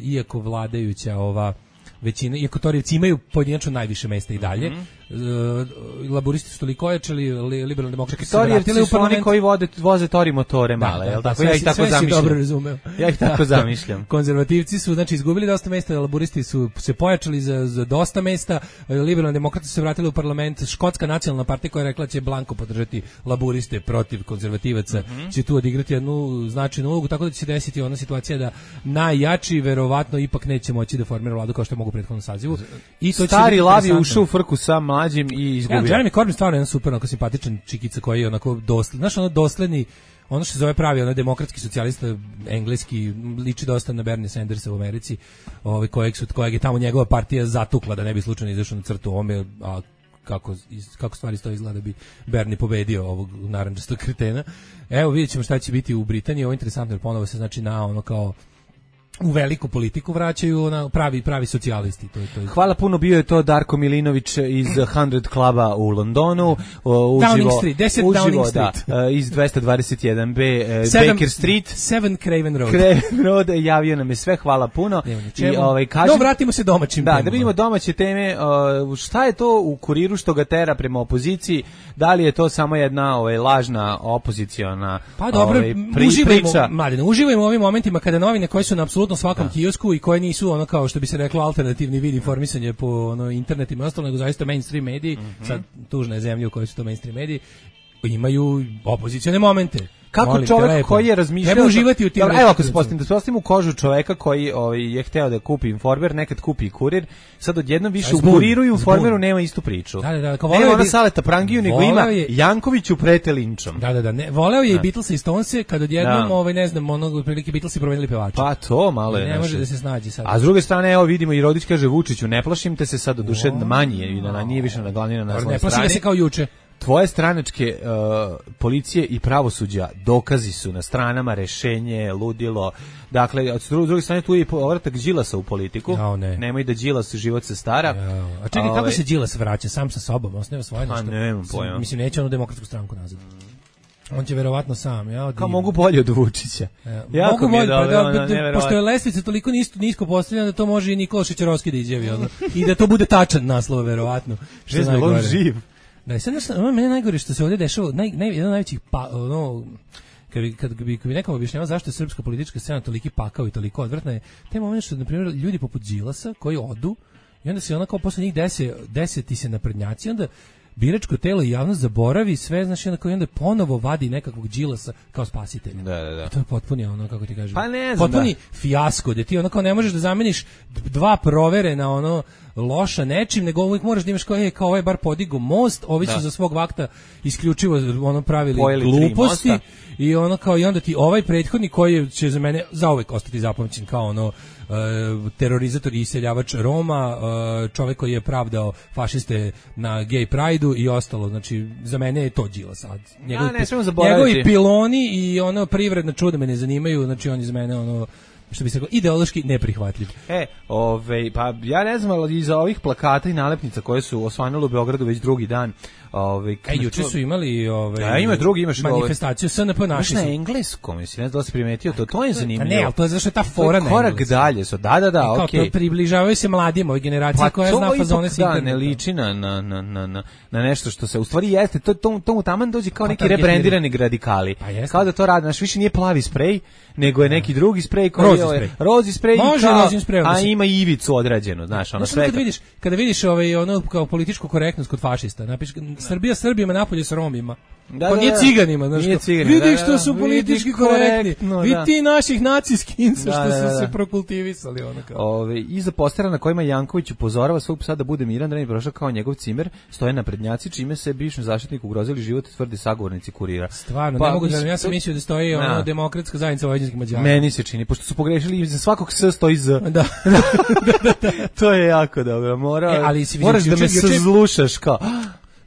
iako vladajuća ova većina, iako Torijevci imaju pojedinačno najviše mesta i dalje, mm-hmm. laburisti su toliko ojačali, liberalni demokrati su vratili u parlament. Oni koji vode, voze Tori motore male, da, jel da, tako? Ja ih tako zamišljam. Dobro razumeo. Ja ih tako zamišljam. Konzervativci su znači izgubili dosta mesta, laburisti su se pojačali za, za dosta mesta, liberalni demokrati su se vratili u parlament, Škotska nacionalna partija koja je rekla će blanko podržati laburiste protiv konzervativaca, mm-hmm. će tu odigrati jednu značajnu ulogu, tako da će se desiti ona situacija da najjači verovatno ipak neće moći da formira vladu kao što je mogu u prethodnom sazivu. I to stari lav je ušao u frku sa mlađim i izgubio. Ja, Jeremy Corbyn stvarno je jedan super, onako simpatičan čikica koji je onako dosledni, znaš, ono dosledni, ono što se zove pravi, ono demokratski socijalista, engleski, liči dosta na Bernie Sandersa u Americi, ovaj kojeg su kojeg je tamo njegova partija zatukla da ne bi slučajno izašao na crtu ome, a kako kako stvari stoje izgleda bi Bernie pobedio ovog narandžastog kretena. Evo vidjećemo šta će biti u Britaniji, ovo je interesantno jer ponovo se znači na ono kao u veliku politiku vraćaju ona pravi pravi socijalisti. To je, to je. Hvala puno, bio je to Darko Milinović iz sto kluba u Londonu, uživo, Downing Street, deset uživo, Downing Street. Da, iz dvesta dvadeset jedan be Seven, Baker Street, sedam Craven Road. Craven Road, javio nam je sve, hvala puno. I ovaj kažem, no, vratimo se domaćim da, temama. Da vidimo domaće teme, šta je to u Kuriru što ga tera prema opoziciji, da li je to samo jedna ovaj, lažna opoziciona pa dobro, ovaj, pri, uživajmo, priča. Mladine, uživajmo u ovim momentima kada novine koje su na apsolutno svakom da. kiosku i koje nisu ono kao što bi se reklo alternativni vid informisanja po ono internetima i ostalo, nego zaista mainstream mediji, mm-hmm. sad tužna je zemlja u kojoj su to mainstream mediji, imaju opozicione momente. Kako Molim, čovjek lepo. koji je razmišljao... Treba uživati u tim... Dobro, evo ako se postavim, da se postavim u kožu čoveka koji ovaj, je hteo da kupi Informer, nekad kupi i Kurir, sad odjednom više u Kuriru i Informeru nema istu priču. Da, da, da. Kao nema ona bi... Saleta Prangiju, nego ima je... Jankoviću prete linčom. Da, da, da. Ne, voleo je i Beatlesa i Stonese, kad odjednom, ovaj, ne znam, onog, otprilike Beatlesi promenili pevača. Pa to malo je. Ne naše. može da se snađi sad. A s druge strane, evo vidimo i Rodić kaže Vučiću, ne plašim te se sad, oduše manji je, na, nije više na glavnina na svojoj strani. Ne plašim se kao juče. Tvoje stranačke uh, policije i pravosuđa dokazi su na stranama, rešenje, ludilo. Dakle, od druge strane tu je i povratak Đilasa u politiku. Jao, ne. Nemoj da Đilas život se stara. Jao. A čekaj, kako se Đilas vraća? Sam sa sobom, osneva svoje nešto? A nemam pojma. Mislim, neće onu demokratsku stranku nazad. On će verovatno sam, ja. Kao mogu bolje od Vučića. Ja, mogu bolje, pa da, da, da, pošto je lestvica toliko nisko, nisko postavljena da to može i Nikola Šećerovski da izjavi. Ono. I da to bude tačan naslov, verovatno. Što je najgore. Živ. Da, sad nešto, ono mene najgore što se ovdje dešava, naj, naj, jedan od najvećih, pa, ono, kad bi, kad bi, kad bi nekom objašnjavao zašto je srpska politička scena toliki pakao i toliko odvratna je, taj moment što, na primjer, ljudi poput Đilasa koji odu i onda se ona kao posle njih dese, deseti se naprednjaci, onda biračko telo i javnost zaboravi sve, znači onda, onda ponovo vadi nekakvog Đilasa kao spasitelja. Da, da, da. I to je potpuni ono, kako ti kažem, pa ne znam, potpuni da. fijasko, gde ti ono kao ne možeš da zameniš dva provere na ono loša nečim, nego uvijek moraš da imaš kao, e, kao ovaj bar podigo most, ovi su da. za svog vakta isključivo ono pravili Pojeli gluposti i ono kao i onda ti ovaj prethodni koji će za mene zauvek ostati zapamćen kao ono Uh, terorizator i iseljavač Roma, uh, čovjek koji je pravdao fašiste na gay pride-u i ostalo, znači za mene je to Đilas sad. Njegovi, ja, ne smemo zaboraviti. Njegovi piloni i ono privredna čuda me ne zanimaju, znači on je za mene ono što bi se reklo, ideološki neprihvatljiv. E, ovaj, pa ja ne znam, ali iza ovih plakata i nalepnica koje su osvanule u Beogradu već drugi dan, ovaj, e, juče su imali ovaj, ja, ima drugi, imaš manifestaciju S N P naši na engleskom, mislim, ne znam da se primetio, to, to je zanimljivo. Ne, ali to je zašto je ta fora na korak dalje su, da, da, da, okej. Okay. Približavaju se mladima, ovoj generaciji pa koja zna fazone s interneta. Da, ne liči na, na, na, na, na nešto što se, u stvari jeste, to, to, to mu taman dođe kao pa neki rebrendirani radikali. Pa kao da to radi, znaš, više nije plavi sprej, nego je neki drugi sprej koji je rozi sprej, a ima i ivicu odrađenu, znaš, ono sve. Kada vidiš, kada vidiš ovaj ono kao političku korektnost kod fašista, napiš Srbija Srbima napolje s Romima. Da, da, nije ciganima, znaš, vidi što su politički korektni, vidi ti naših naciskinca što da, da, da. su se prokultivisali. Ono kao. Ove, iza postera na kojima Janković upozorava svog psa da bude miran, da ne bi prošao kao njegov cimer, stoje naprednjaci, čime se bivšem zaštitniku ugrozili život, tvrdi sagovornici Kurira. Stvarno, pa, ne mogu da, ja sam mislio da stoji na. ono demokratska zajednica vojvođanskih Mađara. Meni se čini, pošto su pogrešili, za svakog S stoji Z. Da. To je jako dobro, mora, e, ali moraš da me sazlušaš kao...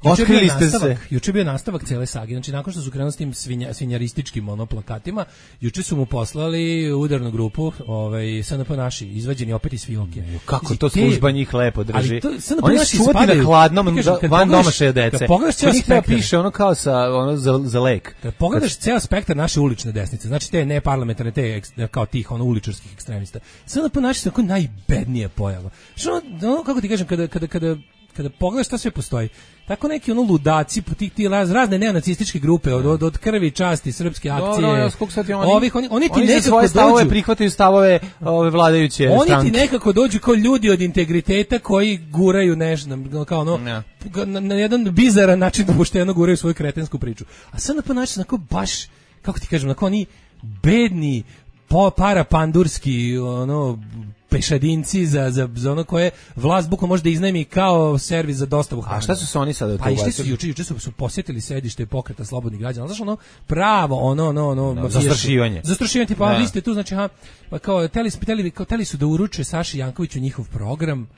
Otkrili ste se. Juče bio nastavak cele sage. Znači nakon što su krenuli s tim svinja, svinjarističkim ono plakatima, juče su mu poslali udarnu grupu, ovaj S N P naši, izvađeni opet iz fioke. Kako to služba njih lepo drži. To, oni su čuvati na hladnom van domašaje dece. Pogledaš ceo spektar, piše ono kao sa ono za, za lek. Kad pogledaš ceo spektar naše ulične desnice, znači te neparlamentarne, te kao tih ono uličarskih ekstremista. S N P naši su tako najbednija pojava. Što ono, kako ti kažem, kada kada kada kada pogledaš šta sve postoji, tako neki ono ludaci, ti, ti raz, razne neonacističke grupe, od, od, od krvi, časti, srpske akcije, do, do, do, sad oni, ovih, oni, oni ti oni nekako svoje stavove dođu, prihvataju stavove ove vladajuće oni stranke. Oni ti nekako dođu kao ljudi od integriteta koji guraju nešto, kao ono, ja. na, na jedan bizaran način pošteno guraju svoju kretensku priču. A sad na ponašaju onako baš, kako ti kažem, onako oni bedni, po, parapandurski, ono, pešadinci za, za, za ono koje vlast bukvalno može da iznajmi kao servis za dostavu hrane. A šta su se oni sada pa išli su juče, juče su, su posjetili sedište pokreta slobodnih građana. Znaš ono pravo ono ono ono no, zastrašivanje. Zastrašivanje tipa vi ste tu znači ha pa kao teli spitali kao teli su da uruče Saši Jankoviću njihov program.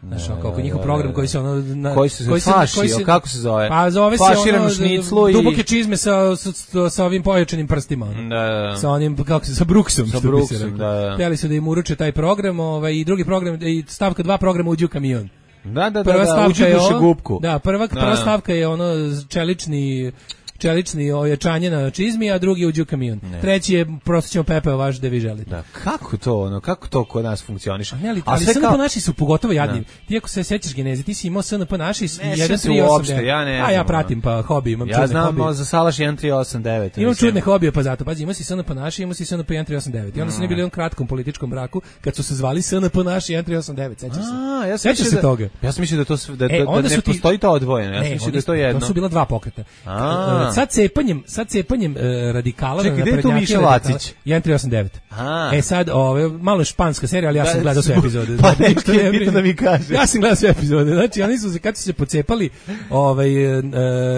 Znaš, kako njihov program koji se ono na, koji se koji se, faši, koji se, kako se zove? Pa zove se ono šniclu i duboke čizme sa, sa sa ovim pojačanim prstima. Da, da. Sa onim kako se sa Brooksom, sa Brooksom, da, da. Hteli su da im uruče taj program, ovaj i drugi program i stavka dva programa uđu u kamion. Da, da, prva da, da, uđu u gubku. Da, prva da, prva stavka je ono čelični čelični ojačanje na čizmi, a drugi uđe u kamion. Ne. Treći je prosto ćemo pepeo vaš da vi želite. Da, kako to, ono, kako to kod nas funkcioniše? Ali, ali S N P kao... naši su pogotovo jadni. Ne. Ti ako se sećaš geneze, ti si imao S N P naši jedan tri osam devet. Ja ne. A ja pratim pa hobi, imam ja čudne znam, hobije. Ja znam za Salaš jedan tri osam devet. Imam čudne hobije pa zato. Pazi, imao si S N P naši, imao si S N P jedan tri osam devet. I onda su ne bili u jednom kratkom političkom braku kad su se zvali S N P naši jedan tri osam devet. Sećaš se? A, ja sećaš se toga. Ja sam mislio da to da da ne postoji to odvojeno. Ja sam mislio da to je jedno. To su bila dva pokreta. Sad cepanjem sad cepanjem e, radikala Čekaj, na naprednjake radikala jedan tri osam devet. A. E sad, ove, malo španska serija, ali ja sam da, gledao sve epizode. Pa nešto je bitno da mi kaže. Ja sam gledao sve epizode. Znači, oni su se, kad su se pocepali ovaj, e,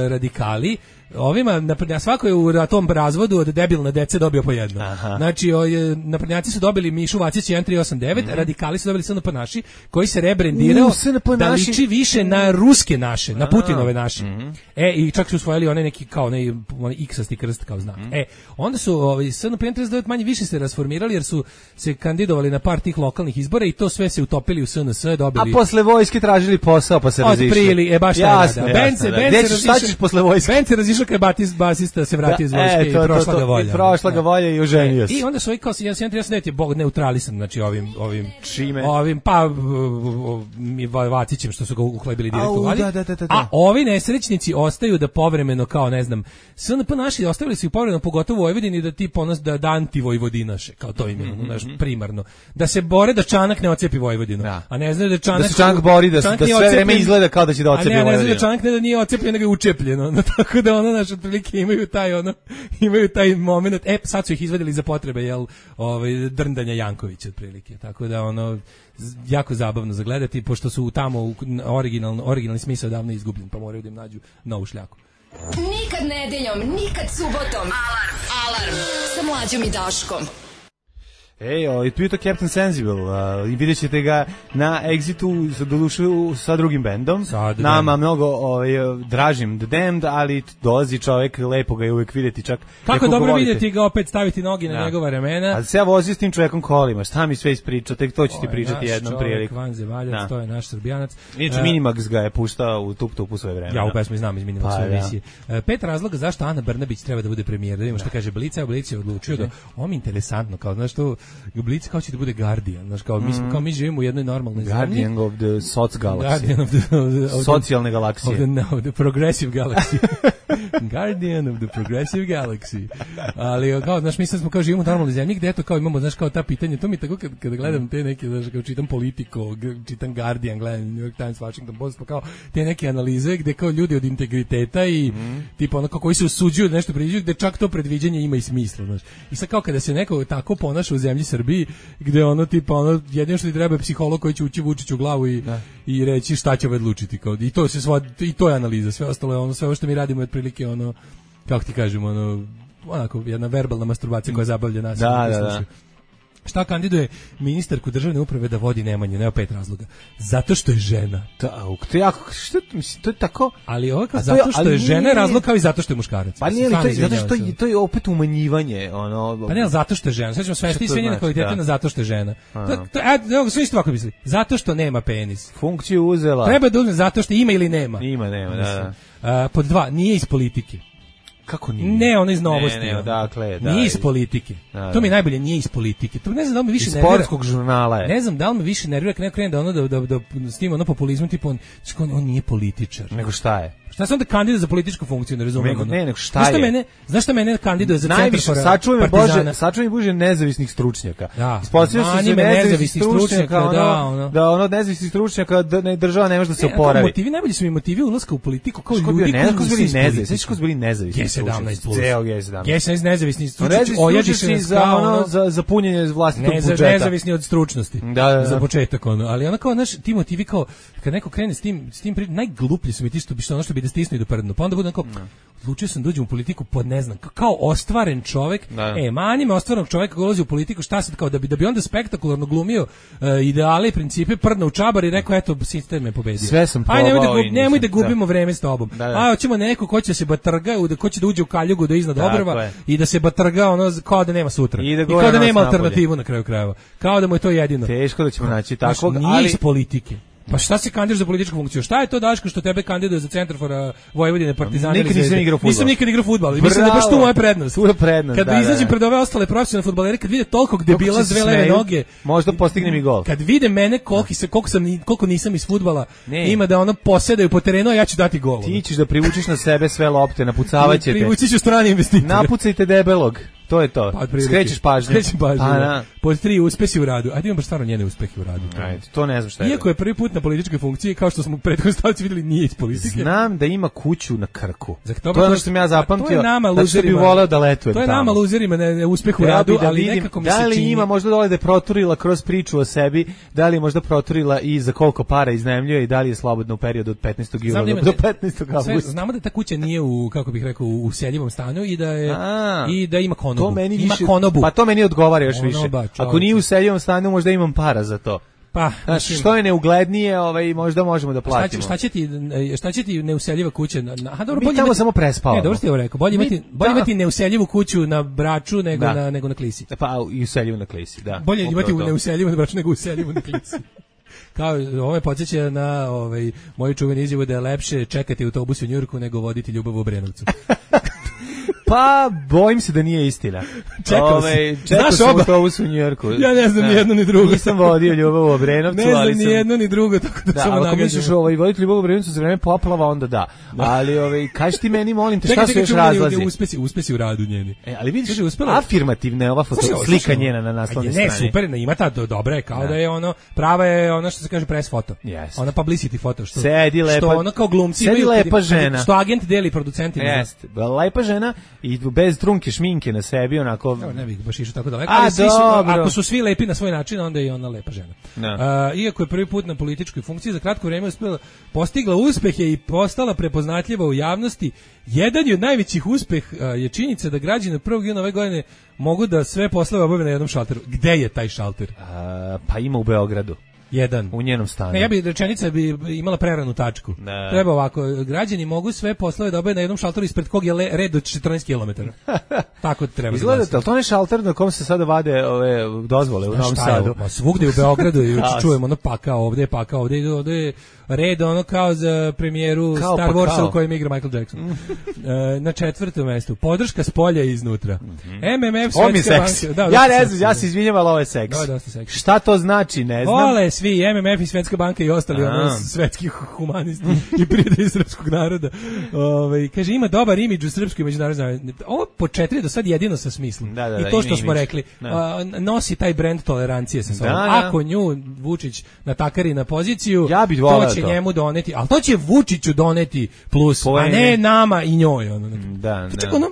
radikali, ovima, naprednjaci, svako je u tom razvodu od debilne dece dobio po jedno. Aha. Znači, o, je, naprednjaci su dobili Mišu Vacić jedan tri osam devet, mm. radikali su dobili S N P naši, koji se rebrendirao uh, da liči više na ruske naše, na Putinove naše. Mm. E, i čak su usvojili onaj neki, kao onaj, onaj iksasti krst kao znak. Mm. E, onda su ovaj, S N P trideset devet manje više se rasformirali, jer su se kandidovali na par tih lokalnih izbora i to sve se utopili u S N S, dobili... A posle vojske tražili posao, pa se razišli. Otprili, e, baš jasno, taj jasno, Bence, da. Bence, Bence, šta ćeš posle vojske? Bence razišao kad batis, basista se vratio iz vojske e, to, i prošla to, to, ga volja. I prošla ga volja i oženio se. I onda su ovi kao jedan trideset devet je bog neutralisan, znači ovim ovim čime? Ovim pa Vacićem što su ga uhlebili direktno vladi. Da, da, da, da. A ovi nesrećnici ostaju da povremeno kao ne znam, S N P naši ostavili su i povremeno pogotovo u Vojvodini da ti ponos da, da anti-vojvodinaše, kao to im je mm-hmm. naš primarno. Da se bore da Čanak ne ocepi Vojvodinu. Da. A ne znaju da Čanak da se Čanak bori da, Čanak da sve vreme izgleda kao da će da ocepi Vojvodinu. A ne, ne znaju da Čanak ne da nije ocepljen, nego je učepljen. No, tako da ono naše otprilike imaju taj ono imaju taj momenat. E, sad su ih izvadili za potrebe jel ovaj drndanja Jankovića otprilike. Tako da ono jako zabavno za gledati pošto su tamo originalno originalni smisao davno izgubljen, pa moraju da im nađu novu šljaku. Nikad nedeljom, nikad subotom. Alarm, alarm sa Mlađom i Daškom. Ej, ovaj, tu je to Captain Sensible, uh, i vidjet ćete ga na Exitu, sa, dodušu, sa drugim bendom, Sad, nama da. mnogo ovaj, dražim The Damned, ali dolazi čovek, lepo ga je uvek vidjeti čak. Kako dobro vidjeti ga opet staviti nogi na da. njegova remena. A se ja vozio s tim čovekom kolima, šta mi sve ispričao, tek to ću ti pričati jednom prilikom. Vanze Valjac, to je naš Srbijanac. Inače, uh, Minimax ga je puštao u Tup Tup u svoje vreme. Ja u pesmi znam iz Minimaxove pa, emisije. Ja. Pet razloga zašto Ana Brnabić treba da bude premijer. Da vidimo šta kaže Blic, a Blic je odlučio da ovo mi interesantno, kao znaš to, Blic kao će da bude Guardian, znaš kao mi smo kao mi živimo u jednoj normalnoj zemlji. Guardian of the Soc Galaxy. Guardian of the, of the, of the socijalne galaksije. Of the, no, the progressive galaxy. Guardian of the progressive galaxy. Ali kao znaš mi sad smo kao živimo u normalnoj zemlji gde eto kao imamo znaš kao ta pitanja, to mi tako kad kad gledam te neke znaš kao čitam Politico, čitam Guardian, gledam New York Times, Washington Post, pa kao te neke analize gde kao ljudi od integriteta i mm. tipa ono kao koji se usuđuju nešto predviđaju, gde čak to predviđanje ima i smisla, znaš. I sad kao kada se neko tako ponaša u zemlji Srbiji, gde ono tipa ono jedino što ti treba je psiholog koji će ući Vučiću u glavu i da. I reći šta će ovaj odlučiti kao i to se sva, i to je analiza, sve ostalo je ono sve ovo što mi radimo je otprilike ono kako ti kažemo ono onako jedna verbalna masturbacija koja zabavlja nas. Da, da, da. Šta kandiduje ministarku državne uprave da vodi Nemanju, nema pet razloga. Zato što je žena. Da, to je jako, što mislim, to je tako. Ali ovo kao zato što je, je žena je razlog kao i zato što je muškarac. Pa nije li to, zato što je, to je opet umanjivanje, ono. Pa ne, zato što je žena. Sad ćemo svesti sve njene kvalitete na zato što je žena. To, to, a, evo, sve isto ovako misli. Zato što nema penis. Funkciju uzela. Treba da uzme zato što ima ili nema. Ima, nema, da, da. A, pod dva, nije iz politike. Kako nije? Ne, ono iz novosti. Ne, ne, odakle, da. Nije iz politike. Da, da. To mi je najbolje, nije iz politike. To ne znam da li me više nervira. Iz sportskog žurnala je. Ne znam da li me više nervira kad neko krene da ono da da da, da s tim ono populizmom tipa on, on, on nije političar. Nego šta je? Šta se onda kandiduje za političku funkciju, ne razumem. Ne, ne, nego šta znaš je? Mene, znaš šta mene kandiduje za najviše centar sačuvaj me Bože, sačuvaj me Bože nezavisnih stručnjaka. Da. Ispostavio se se nezavisnih stručnjaka, ono, da, ono, da ono nezavisnih stručnjaka da ne država ne može da se oporavi. Ne, motivi najbolji su mi motivi ulaska u politiku kao ljudi koji su bili nezavisni, sve su bili nezavisni. G sedamnaest plus. Ceo G sedamnaest. G sedamnaest nezavisni stručnjaci, ojadiše za ono za za punjenje vlastitog budžeta. Nezavisni od stručnosti. Da, da, za početak ono, ali ona kao naš ti motivi kao kad neko krene s tim s tim najgluplji su mi ti što bi što ono što bi da stisnu i do prdnu. Pa onda bude onako, odlučio sam da uđem u politiku pod ne znam, kao ostvaren čovjek, da. E, mani me ostvarenog čovjeka koji ulazi u politiku, šta sad, kao da bi, da bi onda spektakularno glumio uh, ideale i principe, prdno u čabar i rekao, eto, sistem me pobedio. Sve sam probao. Aj, nemoj da, gub, nemoj da gubimo da. vreme s tobom. Da, da. Aj, hoćemo neko ko će se batrga, da, ko će da uđe u kaljugu do iznad obrva i da se batrga ono, kao da nema sutra. I, da I kao da nema alternativu na kraju krajeva. Kao da mu je to jedino. Teško da ćemo naći takvog, ali... Nije iz politike. Pa šta se kandiduješ za političku funkciju? Šta je to Daško što tebe kandiduje za centar for uh, Vojvodine, Partizana? Nikad nisam igrao fudbal. Nisam nikad igrao fudbal. Mislim da baš tu moja prednost. Tu je prednost. Kad da, izađem da. pred ove ostale profesionalne fudbalere, kad vide toliko debila s dve leve noge, možda postignem i gol. Kad vide mene koliko se koliko sam koliko nisam iz fudbala, ima da ono posedaju po terenu, a ja ću dati gol. Ti ćeš da privučeš na sebe sve lopte, napucavaćete. Privući ću strane investitore. Napucajte debelog. To je to. Pa, skrećeš pažnju. Skrećem pažnju. Da. Pod tri, uspesi u radu. Ajde imam baš stvarno njene uspehe u radu. Ajde, to ne znam šta je. Iako je prvi put na političkoj funkciji, kao što smo u prethodnoj stavci vidjeli, nije iz politike. Znam da ima kuću na Krku. To, to je ono što sam ja zapamtio. To je nama luzerima. Da bi voleo da letujem to je tamo. nama luzerima ne, ne uspeh u ja radu, da ali vidim, nekako mi se čini. Da li ima možda dole da je proturila kroz priču o sebi, da li je možda proturila i za koliko para iznajmljuje i da li je slobodno u periodu od petnaestog jula do petnaestog avgusta. Znamo da ta kuća nije u, kako bih rekao, u useljivom stanju i da je A, i da ima konobu. To meni ima više, konobu. Pa to meni odgovara još Onoba, više. čovječe. Ako nije u useljivom stanu, možda imam para za to. Pa, znači, što je neuglednije, ovaj, možda možemo da platimo. Šta će, šta će ti, šta će ti neuseljiva kuća? Aha, dobro, mi bolje tamo imati, samo prespavamo. Ne, dobro ste ovo rekao. Bolje imati, bolje imati neuseljivu kuću na Braču nego da. na nego na Klisi. Pa i useljivu na Klisi, da. Bolje imati u neuseljivu na Braču nego useljivu na Klisi. Kao ove podsjeća na ovaj moju čuvenu izjavu da je lepše čekati autobus u Njujorku nego voditi ljubav u Obrenovcu. Pa, bojim se da nije istina. Čekao Ove, čekao sam oba. Autobus u Njujorku. Ja ne znam ni jedno ni drugo. Nisam vodio ljubav u Obrenovcu, ne ali znam sam... ni jedno ni drugo, tako da, da samo nagađam. Ako misliš ovaj, voditi ljubav u Obrenovcu za vreme poplava, onda da. da. Ali ovaj, kaži ti meni, molim te, šta čekaj, su još razlazi? Uspesi, uspesi u radu njeni. E, ali vidiš, afirmativna je ova foto, slika njena na naslovnoj strani. Ne, super, ne, ima ta dobra je, kao da. da je ono, prava je ono što se kaže press foto. Yes. Ona publicity foto, što, sedi lepa, što ono kao glumci sedi imaju, lepa žena. Što agent deli producentima. Jeste, lepa žena i bez trunke šminke na sebi, onako... Evo, ne bih baš išao tako daleko, A, ali svi su, dobro. ako su svi lepi na svoj način, onda je i ona lepa žena. Da. Uh, iako je prvi put na političkoj funkciji, za kratko vrijeme uspela, postigla uspehe i postala prepoznatljiva u javnosti. Jedan od najvećih uspeha uh, je činjenica da građani prvog juna ove godine mogu da sve poslove obave na jednom šalteru. Gde je taj šalter? A, pa ima u Beogradu. Jedan. U njenom stanu. Ne, ja bi rečenica bi imala preranu tačku. Ne. Treba ovako, građani mogu sve poslove da obave na jednom šalteru ispred kog je le, red od četrnaest kilometara. Tako treba. Izgledate, ali to ne šalter na kom se sada vade ove dozvole u Znaš Novom šta je, Sadu? ma svugde u Beogradu i čujemo ono pakao ovde, pakao ovde, ovde je red ono kao za premijeru Kao Star pa Warsa kao. u kojem igra Michael Jackson. e, na četvrtom mestu, podrška s polja i iznutra. Mm-hmm. M M F, Ovo mi je Svetska seks. banka. Da, Ja ne seks, znam, ja se izvinjam, ali ovo je seks. Da, dosta seksi. Šta to znači, ne znam. Vole svi M M F i Svetska banka i ostali A. ono svetski humanisti i prijatelji srpskog naroda. Ovaj kaže ima dobar imidž u srpskoj međunarodnoj. Ovo po četiri do sad jedino sa smislom. Da, da, I da, to što ima smo imidž. rekli, Da. a, nosi taj brend tolerancije sa sobom. Da, da. Ako nju Vučić natakari na poziciju, Ja bih voleo to će to. njemu doneti, ali to će Vučiću doneti plus, Poene. a ne nama i njoj. Ono. Da, Čak da. ono,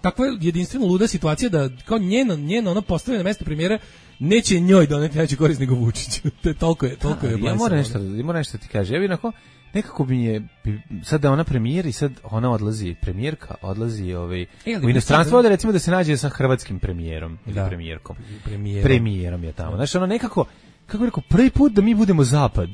takva je jedinstveno luda situacija da kao njeno, njeno ono postavljeno mesto premijera neće njoj doneti neće korist nego Vučiću. To je toliko je, toliko je Ja blesavo, moram ono. nešto, ja moram nešto ti kaže. Ja bih onako, nekako mi je, bi- sad da ona premijer i sad ona odlazi, premijerka odlazi ovaj, E, ali u bi inostranstvo, sad- da recimo da se nađe sa hrvatskim premijerom ili Da. premijerkom. Premijerom. Premijerom je tamo. Znači ono nekako, kako bih rekao, prvi put da mi budemo zapad.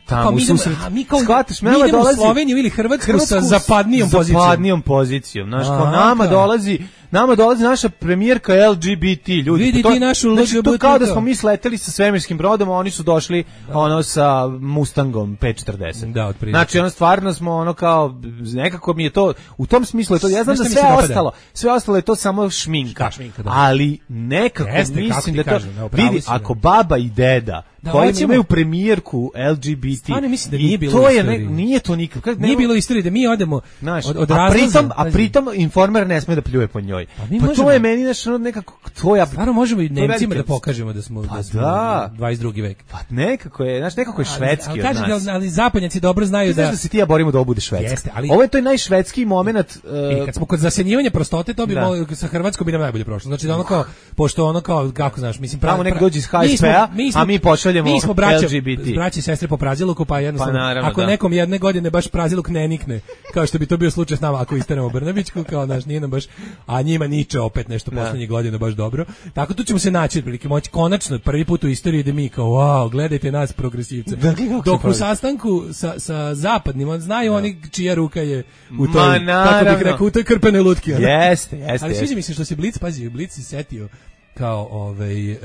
Tamo Kao u mi idemo, susret. a mi kao Shvataš, mi nama idemo u dolazi Sloveniju ili Hrvatsku, Hrvatsku sa zapadnijom pozicijom. Zapadnijom pozicijom. Znaš, kao Aha, nama kao. dolazi, nama dolazi naša premijerka L G B T ljudi. Vidi Pa to- ti našu znači, to L G B T kao da kao. smo mi sleteli sa svemirskim brodom, a oni su došli ono sa Mustangom pet četrdeset. Da, otprilike. Znači, ono stvarno smo ono kao nekako mi je to u tom smislu je to. Ja znam Znaš da šta mi sve se dopada? ostalo, sve ostalo je to samo šminka. Da, šminka, da. Ali nekako Jeste, kako mislim ti da to kažem, da, upravo vidi si, da. ako baba i deda Da, koji hoćemo- imaju premijerku L G B T. Stvarno mislim da i nije bilo to u je ne, istoriji. nije to nikad. Kad Nije bilo istorije da mi odemo Znaš, od, od a razloza, pritom, a pazi. pritom Informer ne sme da pljuje po njoj. Pa mi Pa, možemo- to je meni znaš, ono nekako to ja Stvarno možemo i to je Nemcima da velika- pokažemo da smo, Pa da smo da. dvadeset drugi vek. Pa nekako je, znaš, nekako je Ali- švedski ali, od kažem, nas. ali, ali zapadnjaci dobro znaju Ti znaš da... da se ti ja borimo da ovo bude švedski. Jeste, ali- Ovo je to najšvedski moment. Uh, E, kad smo kod zasenjivanja prostote, to bi Da. malo, sa Hrvatskom bi nam najbolje prošlo. Znači da ono kao, pošto ono kao, kako znaš, mislim... pra- Tamo nek pra- dođe iz mi smo- H S P-a, mi smo- a mi pošaljemo mi smo braća, L G B T. braće i sestre po praziluku, pa jednostavno, Pa naravno, ako da. nekom jedne godine baš praziluk ne nikne, kao što bi to bio slučaj s nama ako isteramo Brnabićku, kao naš nije nam baš, a njima niče opet nešto Da. poslednjih godina baš dobro. Tako tu ćemo se naći, otprilike moći konačno prvi put u istoriji da mi kao, wow, gledajte nas progresivce. Da, kako Dok se u pravi. sastanku sa, sa zapadnim, on znaju oni čija ruka je u toj, Ma, kako bih naravno. rekao, u toj krpenoj lutki. ono. Jeste, jeste. Ali jeste. sviđa mi se što se Blic, pazi, Blic se setio kao ovaj, e,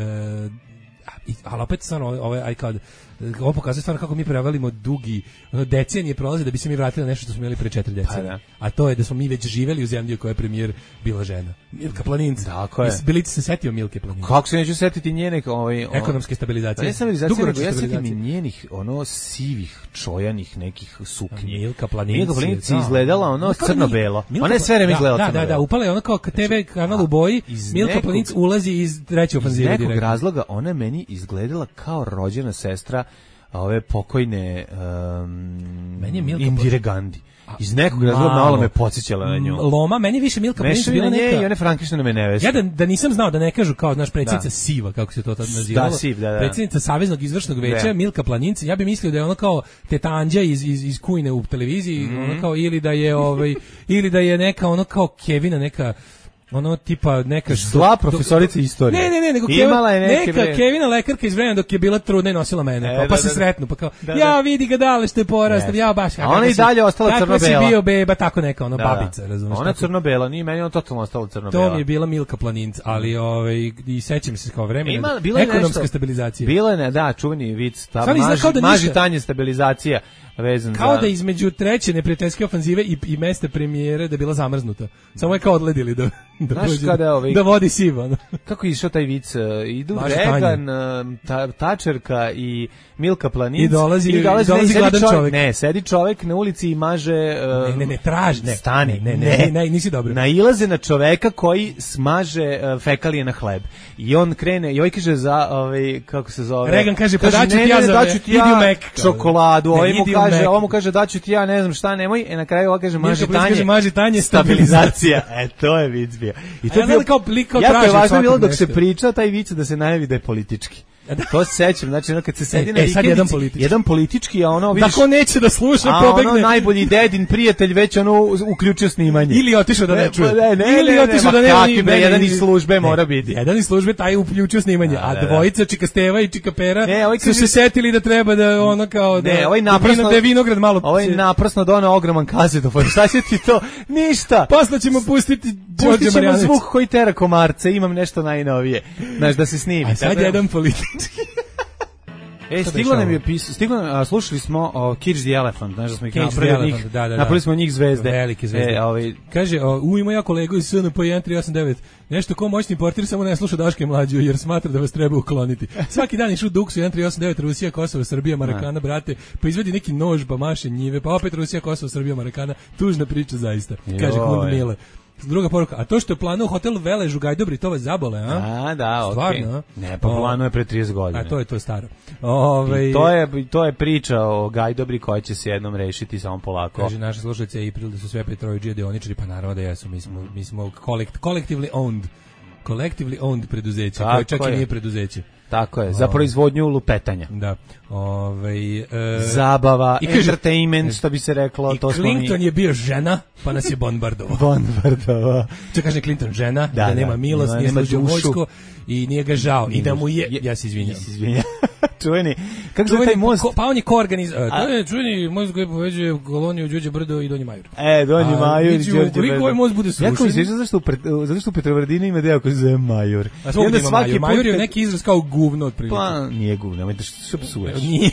i- ali opet stvarno ovaj, aj kao, ovo pokazuje stvarno kako mi prevalimo dugi, ono, decenije prolaze da bi se mi vratili na nešto što smo imali pre četiri decenije. da. A to je da smo mi već živeli u zemlji u kojoj je premijer bila žena. Milka Planinca. Tako je. Blic se setio Milke Planinca. Kako se neću setiti njene ovaj o- Ekonomske stabilizacije. Pa ne stabilizacije, nego Dugoročne ja setim i stabilizacije. njenih ono sivih, čojanih nekih suknji. Milka Planinci. Milka Planinci da. izgledala ono Kao da crno-belo. mi- Milka Ona je sve vreme da, izgledala Da, da, crno-belo. da, upala je ona kao T V kanal u boji, iz Milka nekog- Planinc ulazi iz treće Iz ofanzive nekog direktno. razloga ona je meni izgledala kao rođena sestra ove pokojne um, Meni je Milka Indire Gandhi. Iz nekog razloga Malo. malo me podsjećala na nju. M, Loma, meni više Milka Planinc Meša mi bila na nje neka... i one Frankensteinove neveste. Ja da, da nisam znao da ne kažu kao naš predsjednica Da. Siva, kako se to tad nazivalo. Da, Siv, da, da. Predsjednica Saveznog izvršnog veća, Da. Milka Planinci. Ja bih mislio da je ona kao teta Anđa iz, iz, iz Kujne u televiziji, Mhm. ona kao, ili da je ovaj, ili da je neka, ono kao Kevina, neka ono tipa neka Zla profesorica istorije. Ne, ne, ne, nego Imala je Kevin, neke, neka bre. Kevina lekarka iz vremena dok je bila trudna i nosila mene, E, kao, pa da, se da, da. sretnu, pa kao, Da, da. ja vidi ga dale što je porastao, Jeste. ja baš. A ona i dalje ostala Kako si crno-bela. bio beba, tako neka, ono, Da, da. babica, razumiješ. Ona crno-bela, nije meni ona totalno ostala crno-bela. To mi je bila Milka Planinc, ali ovaj i sećam se kao vremena. Ima, bilo je ekonomska nešto- stabilizacija. Bilo je, ne, da, čuveni vic, ta Stvarno izgleda maži, kao da maži ništa- tanje stabilizacija vezan Kao za... da između treće neprijateljske ofanzive i, i mesta premijere da je bila zamrznuta. Samo je kao odledili da, da, Znaš dođe- kada, ovaj- da vodi siva. ono. Kako je išao taj vic? uh, Idu Maži Reagan, uh, ta, Tačerka i Milka Planinc. I dolazi- i dolazi, dolazi ne, sedi gladan čovek. Ne, sedi čovek na ulici i maže... uh, Ne, ne, ne, traži, ne. Stani, Ne, ne, ne, ne, nisi dobro. Nailaze na čoveka koji smaže uh, fekalije na hleb. I on krene, i ovaj kaže za, ovaj, kako se zove? Reagan kaže, pa daću ne, ti ja ne, za- daću ti idi u ja Mek. čokoladu. Ne, Ovaj mu idi u kaže, Mek. ovo mu kaže daću ti ja ne znam šta, nemoj, i na kraju ovo kaže maži tanje, kaže, maži tanje, stabilizacija. E, to je vic bio. I to je bio kao lik kao jako je važno bilo dok nešto. se priča taj vic da se najavi da je politički. To se sećam, znači ono kad se sedi e, na e, sad vikendici, jedan politički. jedan politički, a ono vidiš... Da ko neće da sluša, a pobegne. A ono najbolji dedin prijatelj već ono uključio snimanje. Ili otišao da ne čuje. Ne, ne, Ili ne, otišao ne, da ne... kakvi bre, jedan iz službe mora biti. Jedan iz službe taj uključio snimanje, a, a dvojica Čika Steva i Čika Pera ne, ovaj su se setili da treba da ono kao da... Ne, ovaj naprasno... Da je vinograd malo... Ovaj naprasno donao ogroman kazetofon. Šta će ti to? Ništa. Posle ćemo pustiti Pustit ćemo zvuk koji tera komarce, imam nešto najnovije. Znaš, da se snimi. A sad jedan politički... E, stiglo nam je pisao, stiglo nam, a, slušali smo o Cage the Elephant, znaš da smo ih napravili njih, da, da, da. napravili smo njih zvezde. Velike zvezde. E, ovaj... Kaže, o, u ima ja kolegu iz S N P jedan tri osam devet, nešto ko moćni portir samo ne sluša Daške mlađu jer smatra da vas treba ukloniti. Svaki dan išu Duksu jedan tri osam devet, Rusija, Kosovo, Srbija, Marakana, brate, pa izvedi neki nož, pa maše njive, pa opet Rusija, Kosovo, Srbija, Marakana, tužna priča zaista, kaže Kund Mile. Druga poruka, a to što je planu u hotelu Velež u Gajdobri, to vas zabole, a? A, da, stvarno, okay. Ne, pa planu je pre trideset godina. A to je to staro. Ove... To je to je priča o Gajdobri koja će se jednom rešiti samo polako. Kaže naša slušalica April da su sve Petrovićije deoničari, pa naravno da jesu, mi smo mi smo collect, collectively owned. Collectively owned preduzeće, koje čak je. I nije preduzeće. Tako je, za proizvodnju lupetanja. Da. Ovaj e, zabava, i entertainment, što bi se reklo, i to smo Clinton mi... je bio žena, pa nas je bombardovao. bombardovao. Što kaže Clinton žena, da, da nema da, milost, nije služio vojsko i nije ga žao i da mu je, je ja se izvinjam. Se izvinjam. Čuveni. Kako zove taj most? Pa, pa on je koorganizator. To je čuveni most koji povezuje koloniju Đurđe Brdo i Donji Majur. E, Donji Majur i Đurđe Brdo. Koliko ovaj most bude srušen? Jako mi se zašto zato što u Petrovaradinu ima deo koji se zove Majur. A svaki svaki Majur je neki izraz kao govno otprilike. Pa nije govno, nemoj da što psuješ. Nije.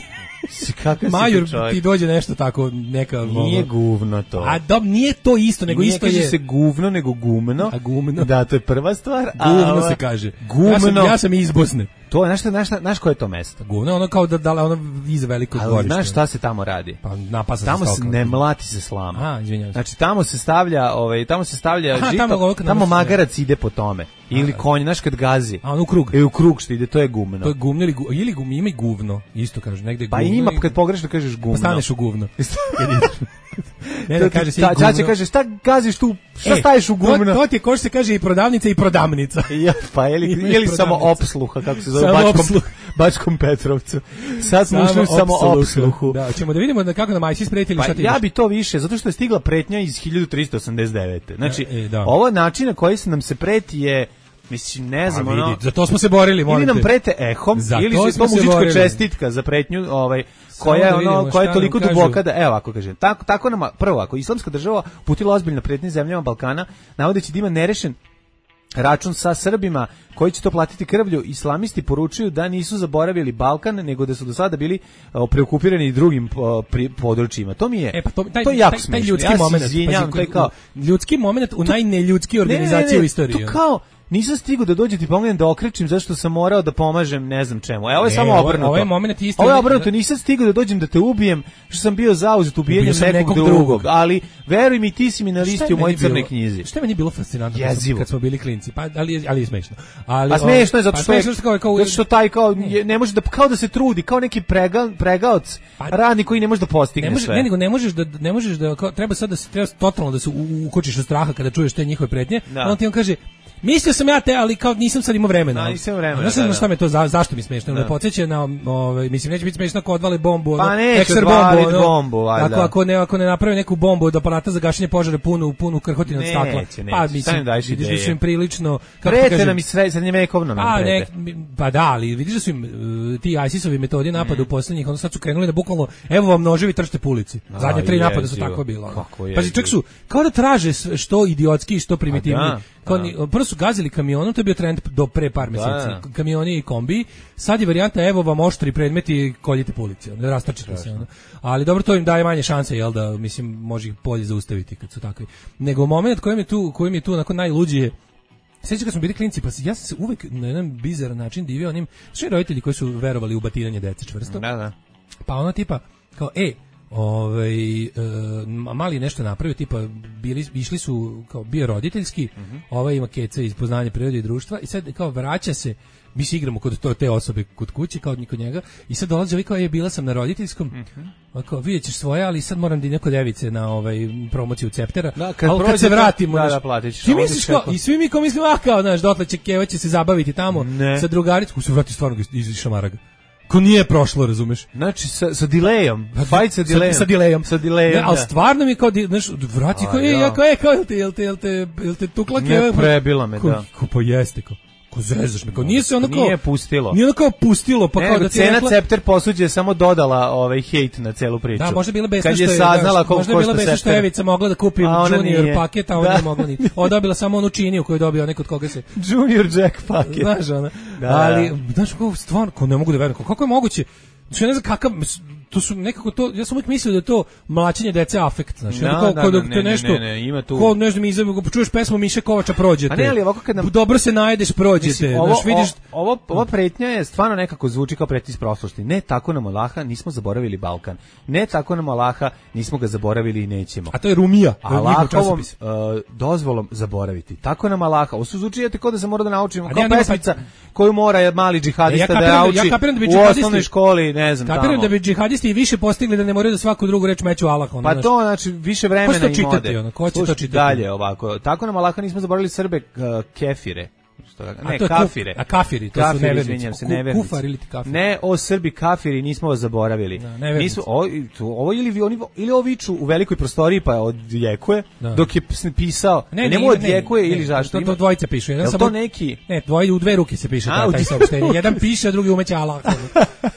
Majur ti dođe nešto tako neka nije guvno to. A dob nije to isto, nego nije isto je. je se guvno nego gumno. A gumno. Da, to je prva stvar. Guvno a, se kaže. Gumno. Ja sam, ja sam iz Bosne. To je nešto, nešto, znaš koje je to mesto? Guvno, ono kao da dale ono iza velikog dvorišta. Znaš šta se tamo radi? Pa napasa tamo se se ne mlati se slama. A, izvinjavam se. Znači tamo se stavlja, ovaj, tamo se stavlja Aha, žito, tamo, tamo magarac ide po tome. Ili konj, znaš kad gazi. A on u krug. E u krug što ide, to je gumno. To je gumno ili gu, ili gum, ima i guvno, isto kaže, negde pa guvno. Pa ima kad pogrešno kažeš gumno. Pa staneš u guvno. Ne, da kaže se ta, guvno. Čače kaže, šta gaziš tu, šta e, staješ u gumno? To, to ti je ko što se kaže i prodavnica i prodamnica. Ja, pa je li, je li samo opsluha, kako se zove, Bačkom, opsluh. Bačkom Petrovcu. Sad smo ušli samo opsluhu. Da, ćemo da vidimo da kako nam Ajsis pretili pa šta ti ja bi to više, zato što je stigla pretnja iz hiljadu trista osamdeset devete. Znači, e, da. ovo način na koji se nam se preti je, mislim, ne znam, ono... Vidi, za to smo se borili, molim te. Ili nam prete ehom, za ili to se to muzička čestitka za pretnju, ovaj, koja je ono, koja je toliko duboka da, evo ovako kažem, tako, tako nam, prvo, ako islamska država putila ozbiljno pretnje zemljama Balkana, navodeći da ima nerešen račun sa Srbima koji će to platiti krvlju, islamisti poručuju da nisu zaboravili Balkan, nego da su do sada bili o, preokupirani drugim o, pri, područjima. To mi je, e, pa to, taj, to je jako taj, taj smiješno. ljudski ja moment, izvinjam, pa, kao, ljudski moment u najneljudskoj organizaciji ne, ne, ne, u istoriji. To kao, nisam stigao da dođe ti pomognem da okrečim zašto sam morao da pomažem ne znam čemu. Evo je ne, samo obrnuto. Ovo je moment isto. Ovo je obrnuto, nisam stigao da dođem da te ubijem što sam bio zauzet ubijenjem nekog, nekog drugog. drugog. Ali veruj mi, ti si mi na listi u mojoj crnoj knjizi. Šta je meni bilo fascinantno kad, kad smo bili klinci? Pa ali ali je smešno. Ali a smešno je zato što pa, je, kao, kao, zato što taj kao ne, ne može da kao da se trudi, kao neki prega, pregaoc, pa, radnik koji ne može da postigne ne može, sve. Ne, nego ne možeš da ne možeš da kao, treba sad da se treba totalno da se ukočiš od straha kada čuješ te njihove pretnje. Da. On ti on kaže mislio sam ja te, ali kao nisam sad imao vremena. Da, nisam vremena. Ne znam da, šta me to za, zašto mi smešno. Ne podseća na ovaj mislim neće biti smešno ako odvale bombu, pa ono, ekser bombu, no, bombu, ako ako ne ako ne naprave neku bombu od aparata za gašenje požara punu punu krhotine od stakla. Neće, pa mislim da vidiš im prilično kako kažem. Nam i srednjevekovno nam prete. Pa da, ali vidiš da su im uh, ti ISIS-ovi metodi napada u poslednjih, onda sad su krenuli da bukvalno evo vam noževi trčite po ulici. Zadnje tri napada su tako bilo. Pa čak su kao da traže što idiotski i što primitivni. Kao ni, prvo su gazili kamionom, to je bio trend do pre par meseci. Da. Kamioni i kombi. Sad je varijanta evo vam oštri predmeti, koljite po ulici, ne rastačite se ono. Ali dobro, to im daje manje šanse, jel da, mislim, može ih bolje zaustaviti kad su takvi. Nego moment kojem je tu, kojem je tu onako najluđije. Sećam kad smo bili klinci, pa ja sam se uvek na jedan bizaran način divio onim sve roditelji koji su verovali u batinanje dece čvrsto. Da, da. Pa ono tipa kao ej, Ovaj e, mali nešto napravio, tipa bili išli su kao bio roditeljski, uh-huh. ovaj ima keca iz poznanja prirode i društva i sad kao vraća se, mi se igramo kod to, te osobe kod kuće kao kod njega i sad dolazi ovaj kao je bila sam na roditeljskom, uh-huh. kao vidjet ćeš svoje, ali sad moram da neko device na ovaj promociju Ceptera, da, kad, ali kad se vratimo da, da, platiš, ti misliš kao, i svi mi kao mislimo, a kao znaš, dotle će Keva će se zabaviti tamo ne. sa drugaricom, se vrati stvarno iz šamaraga. Ko nije prošlo, razumeš? Znači, sa, sa delayom. Fight sa delayom. Sa, sa delayom. Sa delayom, ne, ali stvarno mi kao, znaš, vrati ko je, ja kao je, kao, jel te, jel te, jel te, jel te tukla Keva? Ne, prebila me, ko, da. Ko pa jeste, kao. Ko zezaš me, kao nije se ono kao... Nije pustilo. Nije ono kao pustilo, pa ne, kao da ti cena rekla... Cepter posuđe je samo dodala ovaj hejt na celu priču. Da, možda je bila besna što je... Kad je saznala koliko možda je bila besna što je Evica mogla da kupi Junior nije. paket, a ona nije mogla ni... Ona dobila samo onu činiju koju je dobio neko od koga se... Junior Jack paket. Znaš, ona. Da, ali, znaš, kao stvarno, kao ne mogu da verujem, kako je moguće... Znači, ja ne znam kakav, to su nekako to, ja sam uvijek mislio da je to mlačenje dece afekt, znači, da, kao, da, kao da, da ne, te nešto, ne, ne, ima tu... kao nešto mi izabio, čuješ pesmu Miše Kovača prođete, a ne, ali ovako kad nam... dobro se najedeš prođete, mislim, ovo, znaš, vidiš... Ovo, ova pretnja je stvarno nekako zvuči kao pretnja iz prošlosti, ne tako nam Allaha, nismo zaboravili Balkan, ne tako nam Allaha, nismo ga zaboravili i nećemo. A to je Rumija, Allahovom uh, dozvolom zaboraviti, tako nam Allaha, ovo su zvučijete kao da se mora da naučimo, kao pesmica koju mora mali džihadista ja da nauči ja u osnovnoj školi, ne znam, kapiram da bi džihadisti više postigli da ne moraju da svaku drugu reč meću Allah. Pa to znači više vremena im ode. Ono, ko će to čitati? Dalje ovako. Tako nam Allah nismo zaboravili Srbe uh, kefire. Što, ne, a kafire. Kuf, a kafiri, to kafiri, su nevernici. Se, nevernici. Kufar ili ti kafir. Ne, o Srbi kafiri nismo vas zaboravili. Da, nismo, o, to, ovo ili, oni, ili ovo viču u velikoj prostoriji pa odjekuje, da. Dok je pisao, ne, ne, ne, odjekuje ili zašto. To, to dvojice pišu. Jedan samo, to neki? Ne, dvoje u dve ruke se piše a, taj saopštenje. Jedan piše, a drugi umeće Allah.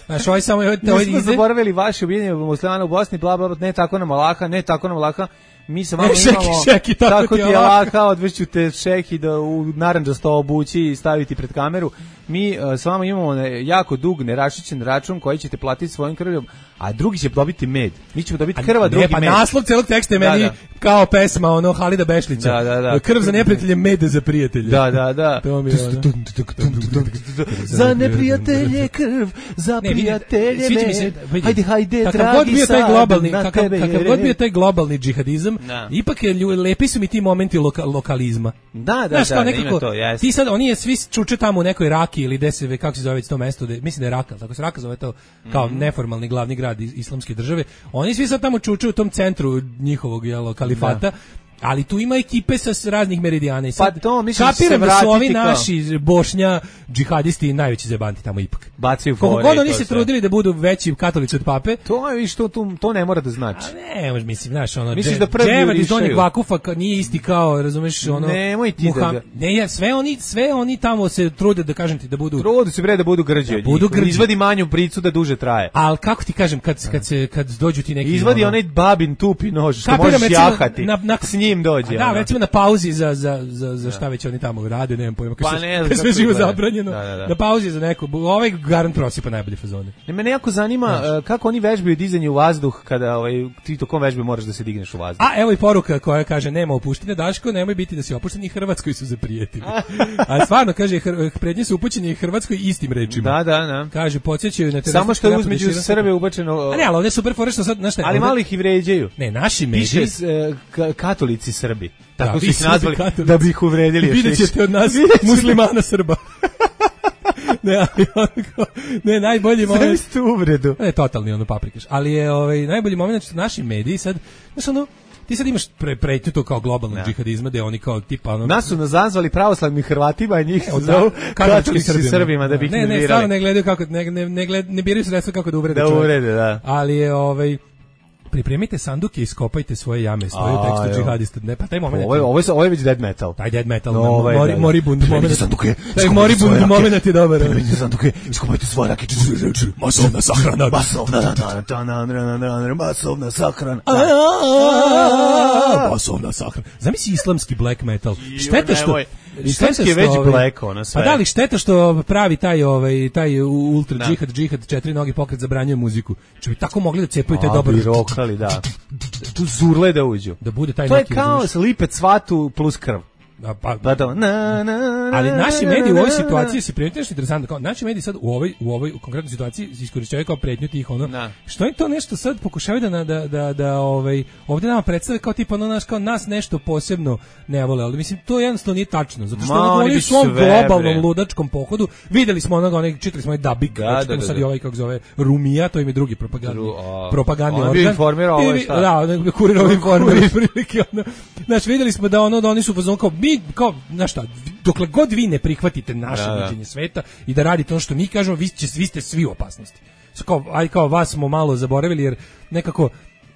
Znaš, ovaj samo... Nismo zaboravili vaše ubijenje muslimana u Bosni, bla, bla, bla, ne tako nam Allaha, ne tako nam Allaha. Mi se malo šeki, imamo, šeki, tako, tako ti je laka, odveću te šeki da u narandžasto obući i staviti pred kameru. Mi uh, s vama imamo ne, jako dug nerašićen račun koji ćete platiti svojim krvljom, a drugi će dobiti med. Mi ćemo dobiti krva, a, drugi ne, pa med. Pa naslov celog teksta je meni da, da. kao pesma, ono, Halida Bešlića. Da, da, da. Krv za neprijatelje, med za prijatelje. Da, da, da. To mi je ono. Za neprijatelje krv, za prijatelje med. Hajde, hajde, dragi sad na tebe. Kakav god bio taj globalni džihadizam, ipak je lepi su mi ti momenti loka, lokalizma. Da, da, da, nekako, to, yes. Ti sad, oni je svi čuče tamo u nekoj Raki ili gde se, kako se zove to mesto, de, mislim da je Raka, tako se Raka zove to kao mm-hmm. neformalni glavni grad islamske države. Oni svi sad tamo čuče u tom centru njihovog jelo, kalifata. Da. Ali tu ima ekipe sa raznih meridijana i sad pa to, mislim, kapiram da su ovi kao... naši Bošnja džihadisti najveći zebanti tamo ipak. Bacaju fore. Koliko god oni se trudili da budu veći katolici od pape. To je što to, to ne mora da znači. A ne, mislim, znaš, ono misliš da prvi Dževad iz Donjeg Vakufa nije isti kao, razumeš, ono. Nemoj ti Muham... da. Ne, ja, sve oni, sve oni tamo se trude da kažem ti da budu. Trude se bre da budu grđi. Da budu grđi. Izvadi manju bricu da duže traje. Al kako ti kažem kad kad se kad dođu ti neki izvadi onaj babin tupi nož što možeš jahati. Na, na, s njim dođe. Da, recimo na pauzi za za za za šta već oni tamo rade, nemam pojma kako pa se sve živo zabranjeno. Da, da, da. Na pauzi za neko, ovaj garant prosipa najbolje fazone. Ne, mene jako zanima uh, kako oni vežbaju dizanje u vazduh kada ovaj ti tokom vežbe moraš da se digneš u vazduh. A evo i poruka koja kaže nema opuštanja Daško, nemoj biti da si opušten, i Hrvatskoj su zaprijetili. A stvarno kaže prednji su upućeni Hrvatskoj istim rečima. Da, da, da. Kaže podsjećaju na samo što je uzmeđu Srbe ubačeno. A ne, ali ovdje je super fora što sad, znaš, ali malo ih i vređaju. Ne, naši mediji piše uh, katolici Srbi. Tako da, su ih nazvali katolici. Da bi ih uvredili. Vidjet ćete od nas muslimana Srba. ne, ali onako, ne, najbolji moment. Sve ste uvredu. Ne, totalni ono paprikaš. Ali je ovaj, najbolji moment što naši mediji sad, znaš ono, ti sad imaš pre, pretnju to kao globalnog džihadizma, gde oni kao tipa ono... Nas su nazvali pravoslavnim Hrvatima, a njih su zovu katoličkim Srbima da bi ih ne, ne, stvarno ne gledaju kako, ne, ne, ne, gled, ne biraju sredstva kako da uvrede da čovjek. Uvrede, da. Ali je ovaj... Pripremite sanduke i iskopajte svoje jame, stoji u tekstu džihadista. Ne, pa taj moment. Ovo je ovo je ovo je već dead metal. Taj dead metal, no, ovaj, mori, da, moribund moment. Sanduke. Taj moribund moment je dobar. Pripremite sanduke, iskopajte svoje rakiće. Masovna sahrana. Masovna sahrana. Masovna sahrana. Masovna sahrana. Zamisli islamski black metal. Šteta što islamski je već black ona sve. Pa da li šteta što pravi taj ovaj taj ultra džihad džihad četiri nogi pokret zabranjuje muziku. Če bi tako mogli da cepaju taj dobar rokali, da. Tu zurle da uđu. Da bude taj to neki. To je kao slipet svatu plus krv. Pa, pa to, na, na, na, ali naši mediji u ovoj situaciji se primetili nešto interesantno, kao naši mediji sad u ovoj u ovoj konkretnoj situaciji iskorišćavaju kao pretnju tih ono. Da. Što je to nešto sad pokušavaju da da da da ovaj ovdje nama predstave kao tipa ono naš kao nas nešto posebno ne vole, ali mislim to jednostavno nije tačno, zato što Ma, oni u svom globalnom ludačkom pohodu videli smo onoga, onog čitali smo i Dabik, da, da, da, sad da. I ovaj kako zove Rumija, to im je drugi propagandni Ru, propagandni organ. On informira ovo šta. Da, kurirovi informeri prilike ono. Znači videli smo da ono da oni su fazon kao mi kao na šta dokle god vi ne prihvatite naše da, viđenje sveta i da radite ono što mi kažemo, vi, će, vi ste svi u opasnosti. Kao, aj kao vas smo malo zaboravili jer nekako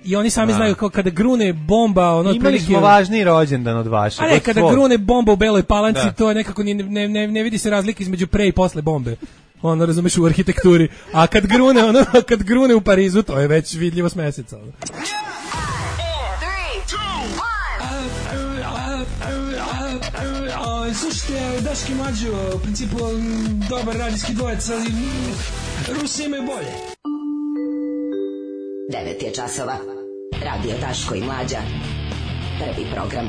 i oni sami da. Znaju kao kada grune bomba ono imali smo važniji rođendan od vašeg. A ne, kada svog. Grune bomba u Beloj Palanci da. To je nekako ne, ne, ne, ne vidi se razlike između pre i posle bombe. Ono razumeš u arhitekturi. A kad grune ono kad grune u Parizu to je već vidljivo s meseca. Ono. Slušajte, Daški Mlađo, u principu dobar radijski dvojec, ali Rusi imaju bolje. devet je časova. Radio Daško i Mlađa. Prvi program.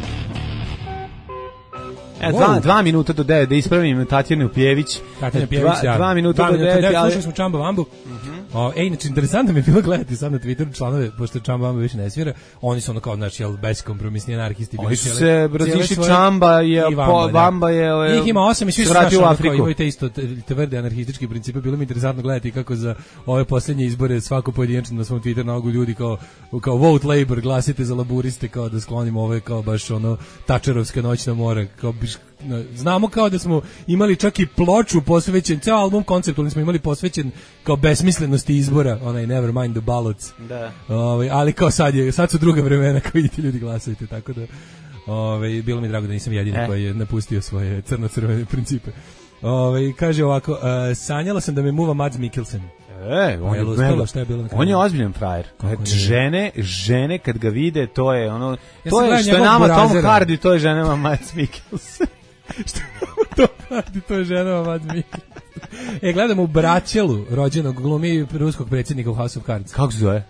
E, dva, dva minuta do devet, da ispravim Tatjanu Pjević. Tatjana Pjević, dva, ja. Dva minuta do devet, ali... Slušali smo Čamba Vambu. Uh-huh. O, ej, znači, interesantno mi je bilo gledati sad na Twitteru članove, pošto Čamba Vamba više ne svira, oni su ono kao, znači, jel, beskompromisni anarhisti. Oni su se razišli, Čamba je, i Vamba, po, Vamba je, ove, ih ima osam i svi su znaš, ono, kao, imaju te isto tvrde anarhistički principe. Bilo mi interesantno gledati kako za ove posljednje izbore svako pojedinačno na svom Twitteru nalogu ljudi kao, kao vote labor, glasite za laburiste, kao da sklonimo ove, kao baš ono, tačerovska noćna mora, kao biš, znamo kao da smo imali čak i ploču posvećen, ceo album konceptualni smo imali posvećen kao besmislenosti izbora, onaj Never Mind the Ballots. Da. Ovaj, ali kao sad je, sad su druga vremena, kao vidite ljudi glasujete, tako da ovaj, bilo mi drago da nisam jedini eh. koji je napustio svoje crno-crvene principe. Ovaj, kaže ovako, uh, sanjala sam da me muva Mads Mikkelsen. E, on je, uspelo, šta je bilo on je ozbiljan frajer. Žene, žene kad ga vide, to je ono, ja to je što je nama Tom Hardy, to je ženama Mads Mikkelsen. Što to Hardy, to je ženama Mads Mikkelsen. E, gledamo u Braćelu, rođenog glumi ruskog predsjednika u House of Cards. Kako se zove?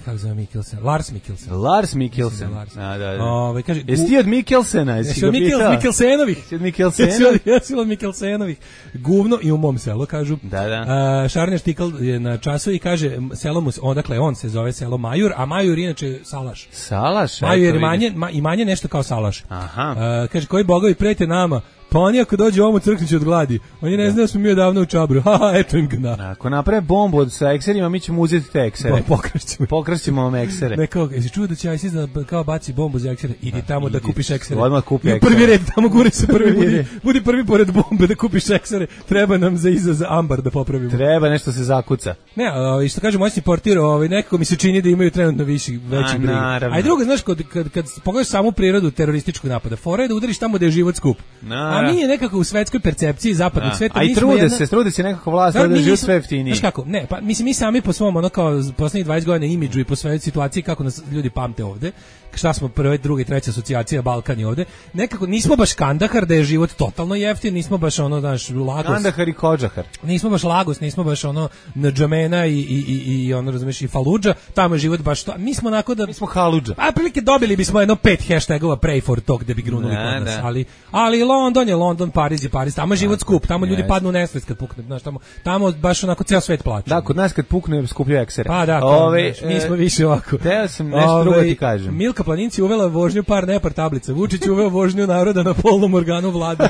Kako zove Mikkelsen? Lars Mikkelsen. Lars Mikkelsen. Lars. A, da, da. Ove, kaže, jesi ti od Mikkelsena? Jesi ga pitao? Mikkelsenovih. Jesi od Mikkelsenovih? Jesi od Mikkelsenovih. Guvno i u mom selu, kažu. Da, da. Uh, Šarner Štikl je na času i kaže, selo mu, odakle on se zove selo Majur, a Majur inače Salaš. Salaš? Majur je manje, ma, i manje nešto kao Salaš. Aha. Uh, kaže, koji bogovi prete nama? Pa oni ako dođe ovamo crknuće od gladi. Oni ne znaju da smo mi odavno u Čabru. Haha, eto im ga. Ako naprave bombu sa ekserima, mi ćemo uzeti te eksere. Pokrašćemo. Pokrašćemo vam eksere. Ne, kao, jesi čuo da će ISIS da kao baci bombu za eksere? Idi tamo da kupiš eksere. Odmah kupi eksere. Prvi red, tamo gure se prvi. Budi, budi prvi pored bombe da kupiš eksere. Treba nam za iza za ambar da popravimo. Treba nešto se zakuca. Ne, i što kaže moćni portir, ovaj, nekako mi se čini da imaju trenutno viši, veći brig. A i drugo, znaš, kad, kad, kad pogledaš samu prirodu terorističkog napada, fora je da udariš tamo da je život skup. A mi je nekako u svetskoj percepciji zapadnog da. Sveta. A i trude jedna... se, trude se nekako vlast da, da živi sve jeftinije. Znaš kako, ne, pa mislim mi sami po svom ono kao poslednjih dvadeset godina imidžu i po svojoj situaciji kako nas ljudi pamte ovde, šta smo prve, druga i treća asocijacija Balkan je ovde, nekako nismo baš Kandahar da je život totalno jeftin, nismo baš ono, znaš, Lagos. Kandahar i Kodžahar. Nismo baš Lagos, nismo baš ono Ndžamena i, i, i, i ono, razumeš, i Faludža, tamo je život baš to. Mi smo onako da... Mi smo Haludža. A prilike dobili bismo jedno pet hashtagova pray for talk da bi grunuli kod nas, ali, ali London je London, Pariz je Pariz, tamo je život skup, tamo ljudi yes. padnu u nesvest kad pukne, znaš, tamo, tamo baš onako ceo svet plače. Da, kod nas kad pukne skuplju eksere. Pa da, Ove, znaš, mi smo više ovako. Teo sam nešto Ove, drugo ti kažem. Milka Planinci uvela vožnju par nepar tablica, Vučić uveo vožnju naroda na polnom organu vlade,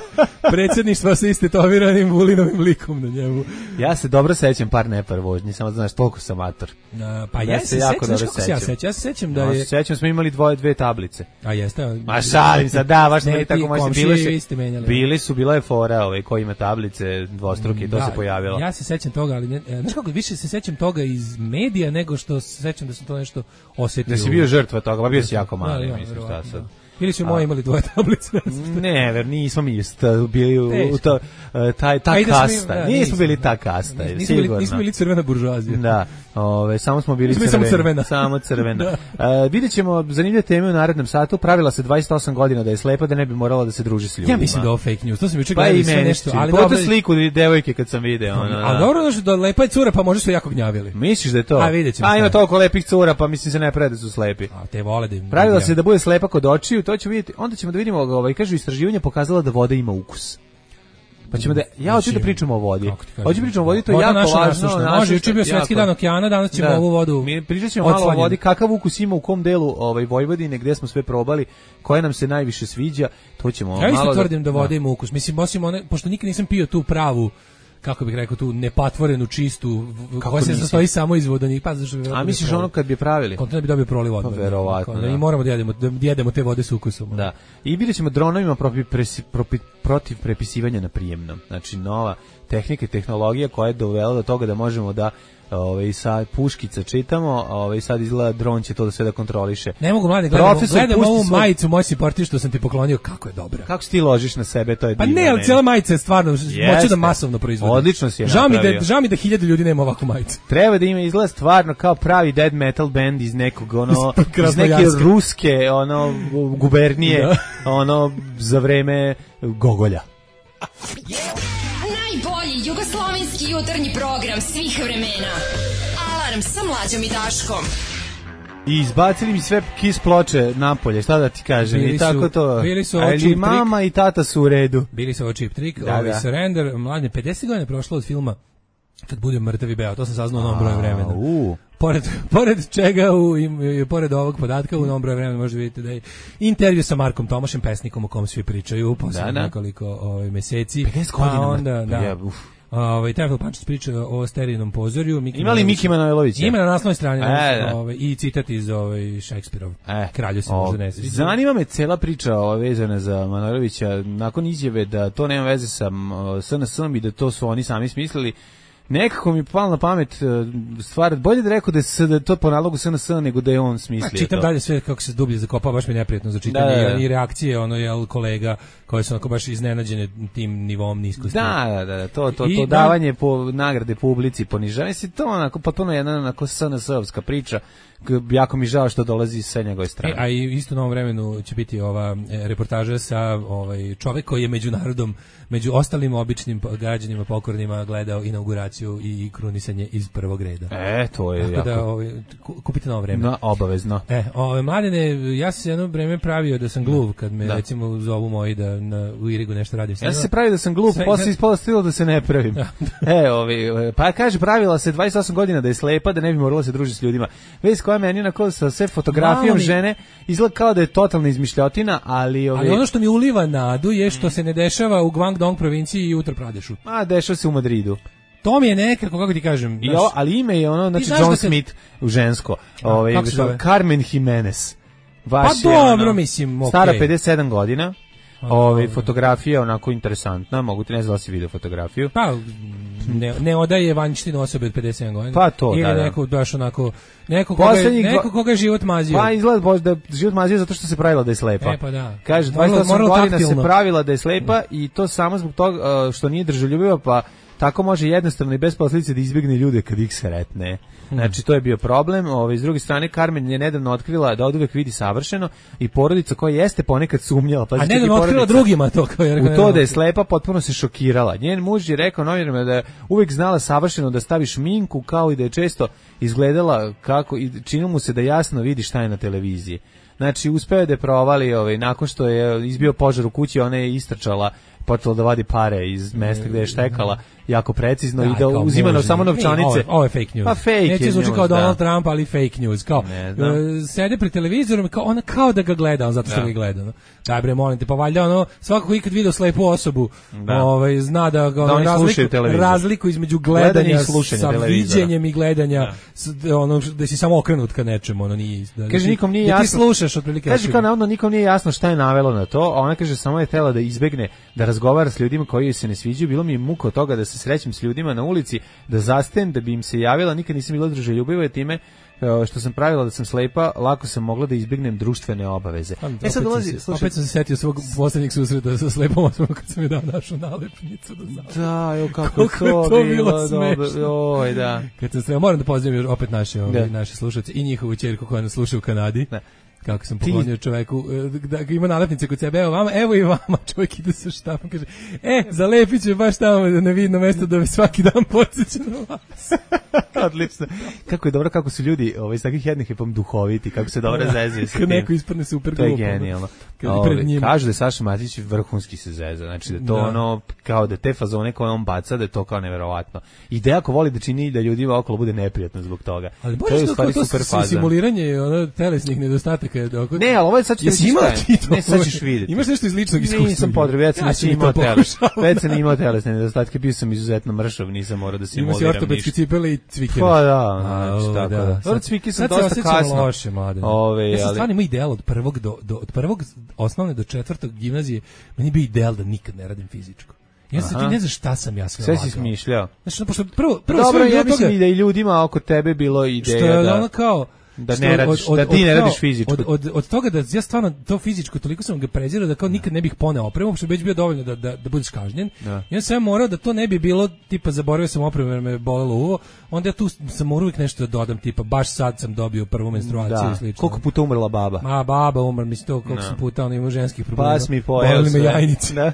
predsjedništva sa istetoviranim Vulinovim likom na njemu. Ja se dobro sećam par nepar vožnji, samo da znaš, toliko sam amator. A, pa ja, ja se, se jako dobro sećam. Ja, sećam. ja se sećam da je... No, sećam, smo imali dvoje, dve tablice. A jeste? Ma šalim se, da, baš ne, tako možda bile su, bili su, bila je fora ovaj, koji ima tablice dvostruke, to da, se pojavilo. Ja se sećam toga, ali ne, znaš kako, više se sećam toga iz medija nego što se sećam da sam to nešto osetio. Da si bio žrtva toga, pa bio si jako mali, ja, mislim, šta sad. Ili su moji imali dvoje tablice. Ne, ver, nismo mi bili u, u to, taj, ta kasta. Da, nismo, nismo bili ta kasta, nismo, nismo, bili, nismo bili crvena buržoazija. Da, ove, samo smo bili nismo crveni. Samo crvena. Samo crvena. uh, vidjet ćemo zanimljive teme u narednom satu. Pravila se dvadeset osam godina da je slepa, da ne bi morala da se druži s ljudima. Ja mislim da je fake news. To sam juče pa gledali sve nešto. Ali dobro sliku devojke kad sam video. Ono, a dobro da da lepa je cura, pa možda su jako gnjavili. Misliš da je to? A vidjet ćemo. A ima toliko lepih cura, pa mislim se ne prede su slepi. A te vole da im. Pravila se da bude slepa kod očiju, to ćemo vidjeti. Onda ćemo da vidimo, ovaj, kažu, istraživanja pokazala da voda ima ukus. Pa ćemo da, ja hoću da pričamo o vodi. Hoću pričamo o vodi, to je voda jako važno. Može, juče bio svetski dan okeana, danas ćemo da. ovu vodu. Mi pričat ćemo malo o vodi, kakav ukus ima u kom delu ovaj, Vojvodine, gde smo sve probali, koja nam se najviše sviđa, to ćemo ja malo... Ja isto tvrdim da voda ima ukus. Mislim, osim one, pošto nikad nisam pio tu pravu, kako bih rekao, tu nepatvorenu, čistu, koja se sastoji samo iz vodonika. Pa, zašto a misliš ono kad bi pravili? Kontinent bi dobio proliv odmah. Pa verovatno, da. I moramo da jedemo, da jedemo te vode s ukusom. Da. I vidjet ćemo dronovima protiv, presi, protiv, protiv prepisivanja na prijemnom. Znači, nova tehnika i tehnologija koja je dovela do toga da možemo da ovaj sa puškica čitamo, ovaj sad izgleda dron će to da sve da kontroliše. Ne mogu mladi gledamo, gledam ovu svoj... majicu moj simport što sam ti poklonio, kako je dobra. Kako si ti ložiš na sebe, to je pa divno. Pa ne, ali cijela majica je stvarno moće da masovno proizvodi. Odlično si je žao napravio. Mi da, žao mi da hiljadu ljudi nema ovakvu majicu. Treba da ima izgleda stvarno kao pravi dead metal band iz nekog ono iz neke ruske ono gubernije ono za vreme Gogolja. Najbolji jugoslovenski jutarnji program svih vremena. Alarm sa Mlađom i Daškom. I izbacili mi sve Kiss ploče napolje, šta da ti kažem, bili i tako su, to. Bili su ali mama trik. I tata su u redu. Bili su ovo Cheap Trick, da, ovi da. Surrender, mladine, pedeset godina prošlo od filma Kad budem mrtav i beo, to sam saznao u novom broju vremena. Uh. Pored, pored čega, u, i, i, pored ovog podatka, u novom broju vremena možete vidjeti da je intervju sa Markom Tomašem, pesnikom o kom svi pričaju, posle da, da. nekoliko ovaj, meseci. pedeset godina. Onda, da. Ja, Ovaj Teofil Pančić priča o Sterinom pozorju. Miki Ima li Miki Manojlović? Ima na naslovnoj strani e, ovaj i citat iz ovaj Šekspirov. E, Kralju se možda ne sviđa. Zanima me cela priča ova vezana za Manojlovića nakon izjave da to nema veze sa S N S-om i da to su oni sami smislili. Nekako mi palo na pamet stvar, bolje da rekao da je da to po nalogu S N S nego da je on smislio to. Čitam dalje sve kako se dublje zakopao, baš mi je neprijatno za čitanje da, da, da. I reakcije ono je kolega koje su onako baš iznenađene tim nivom niskosti. Da, da, da, to to to davanje po nagrade publici, ponižavanje se to onako potpuno jedna onako S N S-ovska priča. Jako mi žao što dolazi sa njegove strane. E, a i isto u novom vremenu će biti ova e, reportaža sa ovaj čovjek koji je među narodom, među ostalim običnim građanima pokornima gledao inauguraciju i krunisanje iz prvog reda. E, to je tako jako. da ovaj, kupite novo vreme. No, obavezno. E, ove mladene, ja sam se jedno vreme pravio da sam gluv kad me da. recimo zovu moji da na u Irigu nešto radim. Ja sam se pravio da sam gluv, sve, posle ispalo stilo da se ne pravim. Da. E, ovi, pa kaže pravila se dvadeset osam godina da je slepa, da ne bi morala se družiti s ljudima. Već koja meni onako sa sve fotografijom žene izgleda kao da je totalna izmišljotina, ali ovi... ali ono što mi uliva nadu je što se ne dešava u Guangdong provinciji i Uttar Pradešu. A dešava se u Madridu. To mi je nekako, kako ti kažem. I o, ali ime je ono, znači John se... Smith u žensko. Ovaj Carmen Jimenez. Baš pa dobro, ono, mislim, okay. Stara pedeset sedam godina. Ove fotografija onako interesantna, mogu ti ne znam da si video fotografiju. Pa ne, ne odaje vanjštinu osobe od pedeset sedam godina. Pa to, ili da, da. neko baš onako neko koga, je, neko koga je život mazio. Pa izgleda da život mazio zato što se pravila da je slepa. E, pa da. Kaže dvadeset osam godina taktilno. Se pravila da je slepa i to samo zbog toga što nije držoljubiva, pa tako može jednostavno i bez posljedice da izbjegne ljude kad ih sretne. Znači to je bio problem. Ove, s druge strane Carmen je nedavno otkrila da oduvek vidi savršeno i porodica koja jeste ponekad sumnjala, pa a nedavno otkrila drugima to kao je u to da je slepa, potpuno se šokirala. Njen muž je rekao novinarima da je uvek znala savršeno da stavi šminku, kao i da je često izgledala kako i činilo mu se da jasno vidi šta je na televiziji. Znači uspeo je da je provali, ovaj, nakon što je izbio požar u kući, ona je istrčala, počela da vadi pare iz mesta gde je štekala jako precizno da, i da uzima na samo novčanice. Ovo je fake news. Pa fake neće zvuči kao Donald da. Trump, ali fake news. Kao, uh, sede pred televizorom, kao, ona kao da ga gleda, on zato što da. ga gleda. No. Daj bre, molim te, pa valjda ono, svako ko ikad vidio slepu osobu, da. ovaj, zna da, ga, ono, da razliku, razliku između gledanja sa viđenjem i gledanja, da. s, ono, da si samo okrenut ka nečemu, ono nije. Da, kaže, da nikom nije da jasno. Ti slušaš otprilike. Kaže, kao navodno, nikom nije jasno šta je navelo na to, a ona kaže, samo je htela da izbegne da razgovara s ljudima koji joj se ne sviđaju. Bilo mi je muka od toga da se srećem s ljudima na ulici, da zastajem, da bi im se javila, nikad nisam bila druželjubiva je time što sam pravila da sam slepa, lako sam mogla da izbjegnem društvene obaveze. E sad dolazi, slušaj, opet sam se setio svog posljednjeg susreta sa slepom osobom kad sam mi dao našu nalepnicu do zavrata. Da, jo, kako to, to bilo smešno. Oj, da. Kad sam sreo, moram da pozdravim opet naše, ovi, naše slušalce i njihovu ćerku koja nas sluša u Kanadi. Ne. kako sam poklonio čoveku, da ima nalepnice kod sebe, evo vama, evo i vama, čovjek ide sa štapom, kaže, e, zalepit ću baš tamo na vidno mesto da me svaki dan podsjeća na vas. Odlično. Kako je dobro, kako su ljudi ovaj, iz takvih jednih epom duhoviti, kako se dobro zezio. Kad neko ispadne super glupo. To je genijalno. Kažu da je Saša Matić vrhunski se zeza, znači da to da. ono, kao da te fazone koje on baca, da je to kao neverovatno. I da jako voli da čini da ljudima okolo bude neprijatno zbog toga. Ali to je u stvari to, super faza. Simuliranje ono, telesnih nedostataka. Dok... Ne, ali ovo je sad ćeš vidjeti. Ne, sad ćeš vidjeti. Imaš nešto iz ličnog iskustva? Nisam potrebno, već sam ja imao teles. Već sam imao telesne nedostatke, bio sam izuzetno mršav, nisam morao da simuliram ništa. Imaš i ortopedske cipele i cvikere. Pa da, znači, tako da. Dobro, cvike sam dosta kasno. Loše, Ove, ja sam stvarno imao ideal od prvog do, do, od prvog osnovne do četvrtog gimnazije, meni bi ideal da nikad ne radim fizičko. Ja sam ti ne znam šta sam ja sve sve si smišljao. Znači, pošto prvo, prvo dobro, sve ja mislim i da i ljudima oko tebe bilo ideja što je da... ono kao... Da ne radiš, od, od, da ti ne od, radiš fizičko. Od, od, od toga da ja stvarno to fizičko toliko sam ga prezirao da kao nikad ne bih poneo opremu, što bi već bio dovoljno da, da, da budeš kažnjen. Da. Ja sam morao da to ne bi bilo, tipa zaboravio sam opremu jer me bolelo uvo, onda ja tu sam morao uvijek nešto da dodam, tipa baš sad sam dobio prvu menstruaciju i slično. Koliko puta umrla baba? Ma baba umrla, mislim to koliko sam puta, ono ima ženskih problema. Pas mi pojeo me jajnice.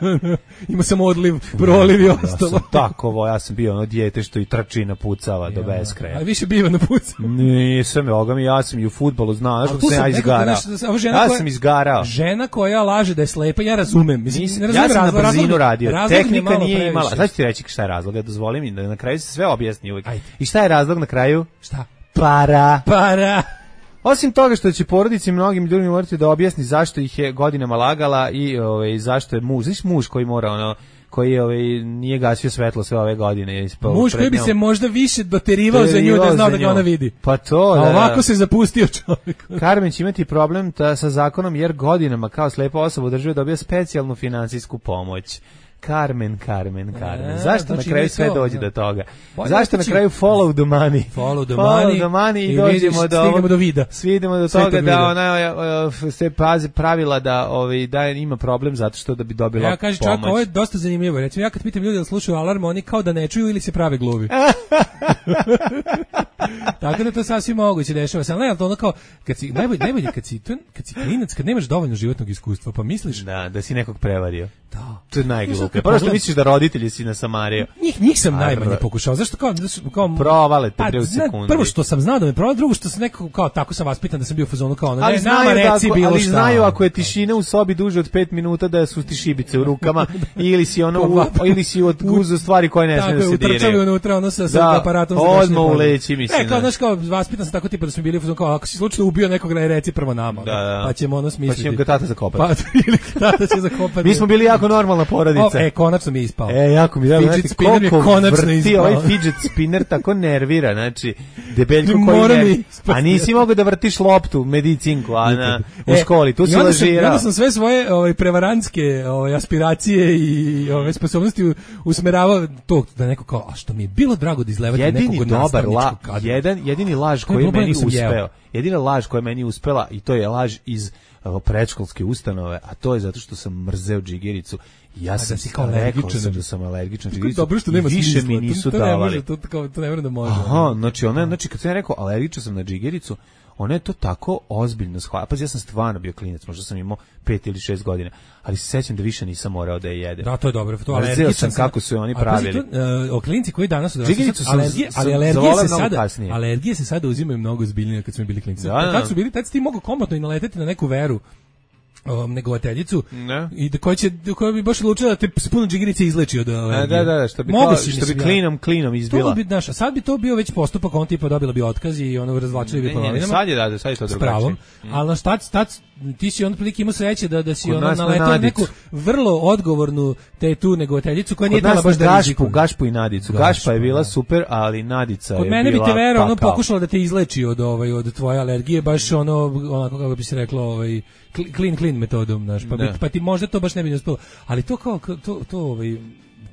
Ima sam odliv, proliv i ostalo. Ja sam takovo, ja sam bio ono dijete što i trči napucava do beskraja. A više biva napucava. Nisam, ovoga mi, ja sam i u fudbalu znao, što sam ja izgarao. Ja sam izgarao. Žena koja laže da je slepa, ja razumem. Mislim, ja sam na brzinu radio, tehnika nije imala. Sad ću ti reći šta je razlog, dozvoli mi da na kraju se sve objasni uvijek. I šta je razlog na kraju? Šta? Para. Para. Osim toga što će porodici mnogim ljudima morati da objasni zašto ih je godinama lagala i ovaj zašto je muž, znaš muž koji mora ono koji ovaj nije gasio svetlo sve ove godine. Muž koji bi se možda više doterivao za nju da znao da ga ona vidi. Pa to, da. A ovako da. se zapustio čovjek. Carmen će imati problem ta, sa zakonom jer godinama kao slepa osoba u državi dobija specijalnu finansijsku pomoć. Carmen, Carmen, Carmen. E, Zašto znači na kraju sve to, dođe do toga? Bolje Zašto na kraju follow the money? Follow the follow money. the money i, i dođemo do stignemo do vida. Svidimo do sve toga da ona se pazi pravila da ovaj da ima problem zato što da bi dobila ja, kaže, pomoć. Ja kažem, ovo je dosta zanimljivo. Recimo ja kad pitam ljudi da slušaju alarm, oni kao da ne čuju ili se prave gluvi. Tako da to sasvim moguće dešava se. Ne, to ono kao kad si najbolje najbolje kad si kad si klinac, kad nemaš dovoljno životnog iskustva, pa misliš da da si nekog prevario. Da. To je najgluplje. Prvo što misliš da roditelji si na Samario. Njih, njih sam najmanje pokušao. Zašto kao... kao provale te pre u sekundi. Prvo što sam znao da me provale, drugo što sam nekako kao tako sam vaspitan da sam bio u fazonu kao ono, ne, nama reci ako, bilo ali šta. Ali znaju ako je tišina u sobi duže od pet minuta da su ti šibice u rukama ili si ono u, ili si od guzu stvari koje ne smiju da se diraju. Tako je, unutra ono sa, sa aparatom. Da, odmah uleći mislim. Ne, kao, znaš, kao vaspitan sam tako tipa da smo bili u fazonu kao, ako si slučajno ubio nekog, reci prvo nama. Da, da. Pa ćemo ono smisliti. Pa ćemo ga tata zakopati. Pa, ili tata će zakopati. Mi smo bili jako normalna porodica. E, konačno mi je ispao. E, jako mi da, fidget spinner je konačno ispao. Ovaj fidget spinner tako nervira, znači, debeljko koji nervira. A nisi mogao da vrtiš loptu, medicinku, a na, u školi, tu si lažirao. Onda sam sve svoje ovaj, prevarantske ovaj, aspiracije i ove sposobnosti usmeravao to, da neko kao, a što mi je bilo drago da izlevati jedini nekog dobar la, kadra. jedan, jedini laž koji je meni uspeo, jedina laž koja je meni uspela, i to je laž iz predškolske ustanove, a to je zato što sam mrzeo džigericu. Ja sam si kao alergičan, da sam alergičan džigericu. Dobro što nema više mi nisu davali. To, to, to ne može da može. Aha, znači ona, znači kad sam ja rekao alergičan sam na džigericu, ona je to tako ozbiljno shvatila. Pa ja sam stvarno bio klinac, možda sam imao pet ili šest godina, ali se sećam da više nisam morao da je jedem. Da, to je dobro. To alergičan sam kako su oni pravili. Uh, o klinci koji danas odrastaju, alergije, ali alergije se sada, alergije se sada uzimaju mnogo ozbiljnije kad smo bili klinci. Da, kad su bili, tad si ti mogao komotno i naleteti na neku veru. Um, negovateljicu ne. I da koja će koja bi baš odlučila da te s puno džigerice izleči od alergije. Da, da, da, što bi kao, što bi klinom klinom izbila. To bi naš, a sad bi to bio već postupak, on tipa dobila bi otkaz i ono razvlačili bi po novinama. Sad je da, sad je to drugačije. Mm. Ali na šta tad ti si on prilike imao sreće da da si ono naletao neku vrlo odgovornu te tu negovateljicu koja nije dala baš da Gašpu, Gašpu i Nadicu. Gašpa je bila super, ali Nadica je bila. Kod mene bi te vera ono pokušala da te izleči od ovaj od tvoje alergije, baš ono onako kako bi se reklo ovaj clean clean metodom, znaš, pa, bi, pa ti možda to baš ne bi uspelo, ali to kao to to ovaj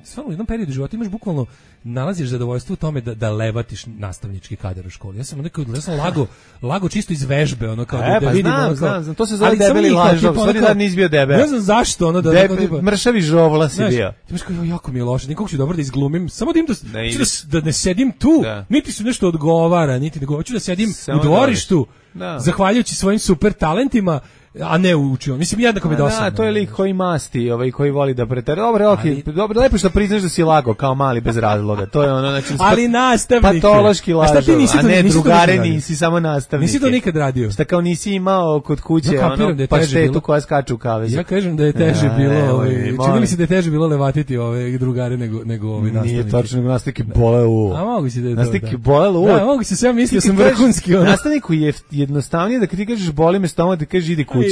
stvarno u jednom periodu života imaš bukvalno nalaziš zadovoljstvo u tome da da levatiš nastavnički kadar u školi. Ja sam onda kao ja sam lago, lago čisto iz vežbe, ono kao e, da, da pa vidim znam, ono kao. Znam, znam, to se zove debeli lažov, stvari da nisi bio debel. Ne znam zašto ono da Debe, tipa, mršavi žovla si bio. Ti baš kao jako mi je loše, nikako ću dobro da izglumim, samo da im da, da, da ne sedim tu, da. Niti su nešto odgovara, niti nego hoću da sedim samo u dvorištu, da. Zahvaljujući svojim super talentima. A ne učio. Mislim jednako mi dosadno. Da, to je lik koji masti, ovaj koji voli da pretera. Dobro, okej, okay. Dobro, lepo što priznaš da si lago kao mali bez razloga. To je ono, znači ali nastavnik. Patološki lažov, a, a ne nisi drugare, nisi samo nastavnik. Nisi to nikad radio. Šta kao nisi imao kod kuće ja ono da paštetu koja skače u kavezu. Ja kažem da je teže ja, bilo, ovaj, čini mi se da je teže bilo levatiti ove drugare nego nego ovi nastavnici. Nije tačno, nego nastavnik bole u. A mogu se da je to. Nastavnik bole u. Da, mogu se sve mislio sam vrhunski. Nastavniku je jednostavnije da kad ti kažeš boli me stomak, da kažeš idi kući.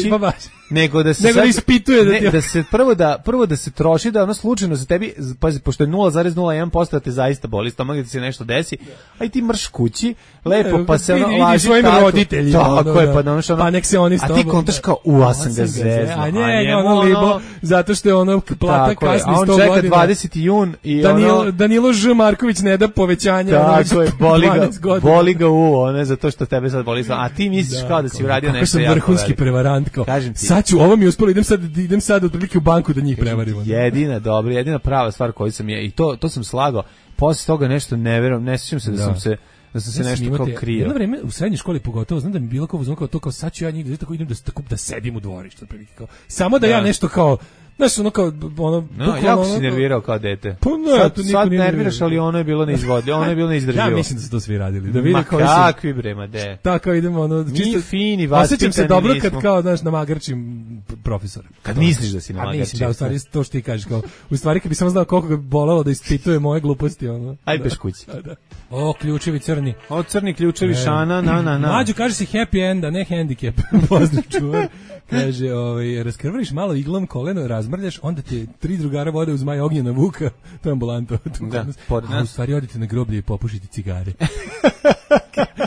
Nego da se nego sad, da ispituje da, ne, da se prvo da prvo da se troši da ono slučajno za tebi pazi pošto je nula zarez nula jedan posto da te zaista boli stomak da ti se nešto desi aj ti mrš kući lepo pa se ono laži svojim roditeljima tako je pa da ono što pa nek se oni s tobom a ti kontaš kao u ja sam ga zezno a njega ono libo zato što je ono plata kasni sto godina a on čeka dvadeseti jun i Danilo ono Danilo Ž Marković ne da povećanje tako je boli ga boli ga u one zato što tebe sad boli a ti misliš kao da si uradio nešto jako vrhunski prevarant kao sad ću ovo mi uspelo idem sad idem sad otprilike u banku da njih prevarimo. Jedina dobra, jedina prava stvar koju sam je i to to sam slagao. Posle toga nešto ne verujem, ne sećam se da, da sam se da sam se ja nešto imate, kao krio. Jedno vreme u srednjoj školi pogotovo znam da mi bilo kao uzmano kao to kao sad ću ja njih da tako idem da tako da sedim u dvorištu otprilike kao samo da, da ja nešto kao znaš, ono kao, ono... No, jako si nervirao kao dete. Pa ne, sad, to niko sad nije nerviraš, ali ono je bilo neizvodljivo, ono je bilo neizdrživo. Ja mislim da su to svi radili. Da vide ma kao kakvi bre, ma de. Tako idemo, ono... Mi fini, vaspitani osjećam se dobro kad kao, znaš, namagarčim profesora. Kad misliš da si namagarčim. A mislim da, u stvari, to što ti kažeš, kao, u stvari kad bi samo znao koliko ga bolelo da ispituje moje gluposti, ono... Ajde beš kući. Da. O, ključevi crni. O, crni ključevi, šana, na, na, na. Mlađo, kaže si happy end, a ne handicap. Pozdrav čuvar. Kaže, ovaj, raskrvariš malo iglom koleno, razmrljaš, onda te tri drugara vode uz maj ognjena vuka, to je ambulanto. Da, a u stvari odite na groblje i popušite cigare.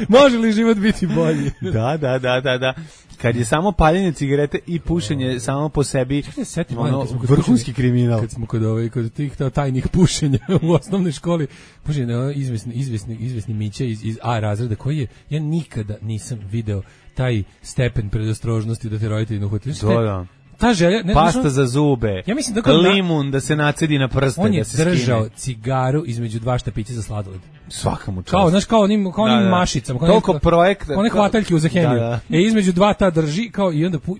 Može li život biti bolji? Da, da, da, da, da. Kad je samo paljenje cigarete i pušenje oh. samo po sebi ono, vrhunski kriminal. Kad smo kod, ovaj, kod tih tajnih pušenja u osnovnoj školi, pušenje no, izvesni, izvesni, izvesni Mića iz, iz A razreda koji je, ja nikada nisam video taj stepen predostrožnosti da te roditelji ne uhvatili. Da, da. Ta želja, ne, pasta ne, za zube, ja mislim da limun da se nacedi na prste, on je da se držao skine. Cigaru između dva štapića za sladoled. Svaka mu čast. Kao, znaš, kao onim, kao onim da, da. mašicama. Kao toliko projekt. One hvataljke za hemiju. Da, da. E, između dva ta drži, kao, i onda pu...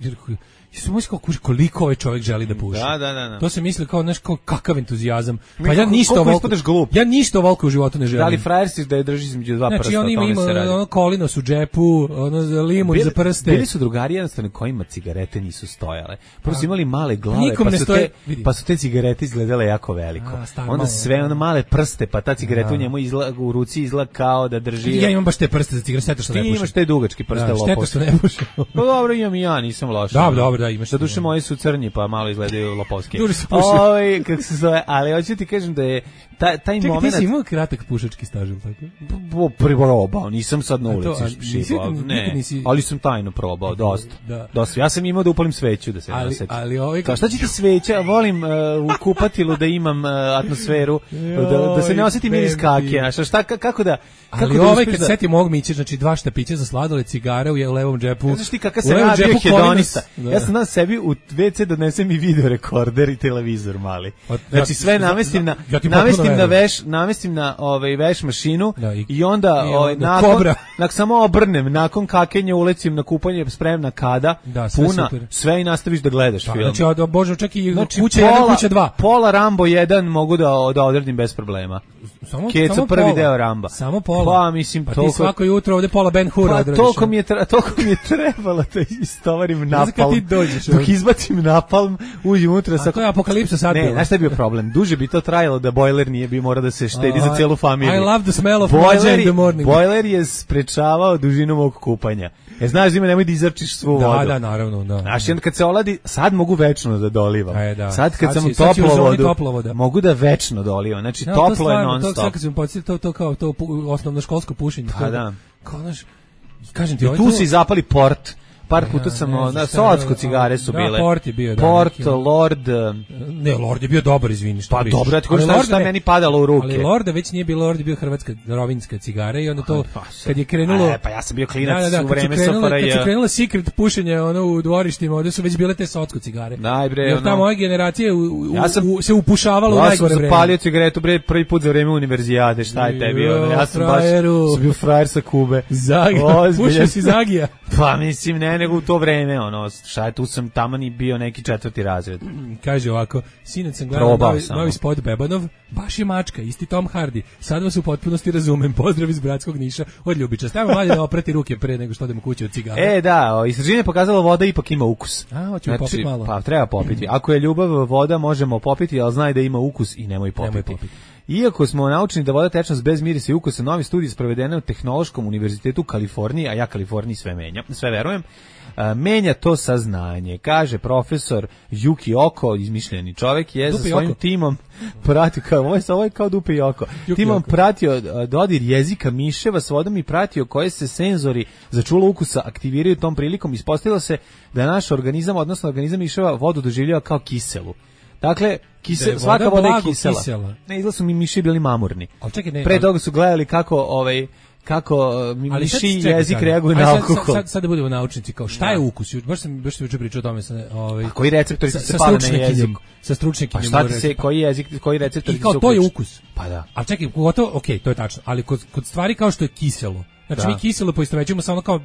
Ja sam mislio kao, koliko ovaj čovjek želi da puši. Da, da, da, da. To se misli kao, znaš, kao kakav entuzijazam. Pa ja ništa ovoliko, ja ništa ovoliko u životu ne želim. Da li frajer si da je drži između dva znači, prsta, on ima, ima ono kolinos u džepu, ono limun bili, za prste. Bili su drugari jednostavno kojima cigarete nisu stojale. Prvo su imali male glave, pa su, te, pa su te cigarete izgledale jako veliko. A, star, onda malo, sve ono male prste, pa ta cigareta u njemu izla, u ruci izgleda kao da drži. Ja imam baš te prste za cigarete, šteta što ne pušim. Ti imaš te dugački prste, da, šteta što ne pušim. Pa dobro, imam i ja, nisam loš. Dobro, dobro, da, imaš. Da duše moji su crnji, pa malo izgledaju lopovski. Oj, kako se zove, ali hoću ti kažem da je taj taj čekaj, moment. Ti si imao kratak pušački staž, tako? Po priprobao, nisam sad na ulici šibao, ne. Nisi... Ali sam tajno probao, dosta. Da. Dosta. Ja sam imao da upalim sveću da se ali, nasetim. Ali ovaj kao šta će ti sveća? Volim uh, u kupatilu da imam uh, atmosferu, da, da se ne osetim miris kakije. Šta, šta kako da kako ali da ovaj kad da... setim ovog Miće, znači dva štapića za sladoled, cigare u levom džepu. Znaš ti kakav se radio hedonista. Ja sam na sebi u ve ce donesem i video rekorder i televizor mali. Znači sve namestim na namestim na veš, namestim na ovaj veš mašinu da, i, i onda i ovaj nakon nak samo obrnem, nakon kakenja ulecim na kupanje, spremna kada, da, sve puna, super. Sve i nastaviš da gledaš da, film. Znači, od, bože, čak i znači, kuća pola, jedan, kuća dva. Pola Rambo jedan mogu da, da odredim bez problema. Samo, Keco samo prvi pola. Deo Ramba. Samo pola. Pa, mislim, pa toliko... ti svako jutro ovde pola Ben Hura pa, odradiš. Toliko mi je, tra, toliko mi je trebalo da istovarim napalm. Ti dođeš, dok izbacim napalm, uđem unutra. A to je apokalipsa sad ne, bilo. znaš šta je bio problem? Duže bi to trajalo da bojler nije bi mora da se štedi uh, za celu familiju. I love the smell of bojler, in the morning. Bojler je sprečavao dužinu mog kupanja. E, znaš, zime, nemoj da izrčiš svu da, vodu. Da, naravno, da. Znaš, da. Kad se oladi, sad mogu večno da dolivam. E, da. Sad kad sad sam si, toplo vodu, mogu da večno dolivam. Znači, no, toplo to je non stop. To, sad kad sam podsjetio, to, to kao to osnovno školsko pušenje. Pa da. Kao, znaš, kažem ti, I tu si zapali port. par puta sam, ja, na Socko cigare su da, bile. Port je bio, da. Port, neki, Lord. Ne, Lord je bio dobar, izvini, što pa pričaš. dobro, ja ti kažem šta, šta meni padalo u ruke. Ali Lorda već nije bilo, Lord je bio hrvatska rovinska cigara i onda to, pa, kad je krenulo... E, pa ja sam bio klinac da, da, da, u vreme S F R J. Kad su krenula secret pušenje ono, u dvorištima, ovde su već bile te Socko cigare. Daj bre, jer ta ono, moja generacija u, u, ja sam, u, se upušavala ja u najgore vreme. Ja sam zapalio cigaretu bre prvi put za vreme univerzijade, šta je tebi? Ono, ja sam frajeru. baš sam bio frajer sa Kube. Zaga, pušio si Zagija. Pa mislim, ne, nego u to vreme, ono, šta je, tu sam taman i bio neki četvrti razred. Kaže ovako, sinac sam gledao novi, novi spot Bebanov, baš je mačka, isti Tom Hardy. Sad vas u potpunosti razumem, pozdrav iz bratskog Niša, od Ljubića. Stavimo mlađe da oprati ruke pre nego što odemo kući od cigara. E, da, istraživanje je pokazalo voda ipak ima ukus. A, hoćemo znači, popiti malo. Pa, treba popiti. Ako je ljubav voda, možemo popiti, ali znaj da ima ukus i nemoj popiti. Nemoj popiti. Iako smo naučeni da voda tečnost bez mirisa i ukusa, novi studij sprovedene u Tehnološkom univerzitetu Kalifornije, a ja Kaliforniji sve menjam, sve verujem, a, menja to saznanje. Kaže profesor Yuki Oko, izmišljeni čovjek, je Dupe za svojim oko. timom pratio, kao, ovo, je, ovo je kao Dupe i Oko, Yuki timom oko. pratio dodir jezika miševa s vodom i pratio koje se senzori za čulo ukusa aktiviraju tom prilikom. Ispostavilo se da naš organizam, odnosno organizam miševa, vodu doživljava kao kiselu. Dakle, kisel, voda svaka voda je kisela. kisela. Ne, izgleda su mi miši bili mamurni. Čekaj, ne, Pre toga su gledali kako ovaj kako mi miši jezik reaguju na alkohol. Sad, sad, sad da budemo naučnici, kao šta da. je ukus? Baš sam baš sam juče pričao o tome sa ovaj. A koji receptori se pale na jezik? Sa stručnjakinjom. Pa šta ti se koji jezik, koji receptori se? I kao to je ukus. Pa da. A čekaj, gotovo, okej, okay, to je tačno, ali kod kod stvari kao što je kiselo. Znači da. mi kiselo poistovećujemo samo kao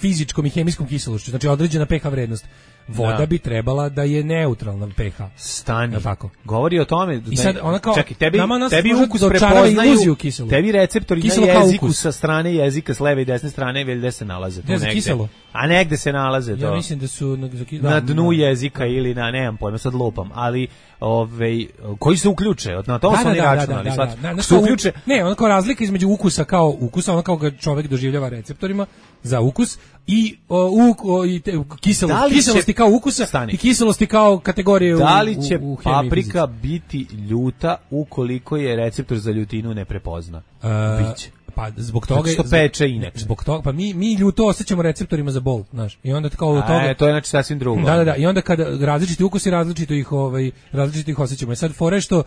fizičkom i hemijskom kiselošću, znači određena pH vrednost. Voda da. bi trebala da je neutralna pH. Stani. Tako. Govori o tome da I sad ona kao čekaj, tebi tebi ukus prepoznaju tebi receptori na jeziku sa strane jezika, s leve i desne strane, gdje se nalaze tu negde. Kiselo. A negde se nalaze to. Ja mislim da su na, da, na dnu da. jezika ili na nemam pojma, sad lupam, ali ovaj koji se uključe, na to da, su oni da, računali, da, da, da, da, se uključe. Ne, ona kao razlika između ukusa kao ukusa, ona kao ga čovjek doživljava receptorima za ukus i o, u, o, i te, kiselo, da kiselosti će, kao ukusa stani. i kiselosti kao kategorije da li će u, u paprika biti ljuta ukoliko je receptor za ljutinu ne prepozna? Uh, Biće. Pa zbog toga što peče inače. Zbog toga pa mi mi ljuto osjećamo receptorima za bol, znaš. I onda kao od toga A, to je znači sasvim drugo. Da, da, da. I onda kada različiti ukusi različito ih ovaj različito ih osjećamo. I sad fore što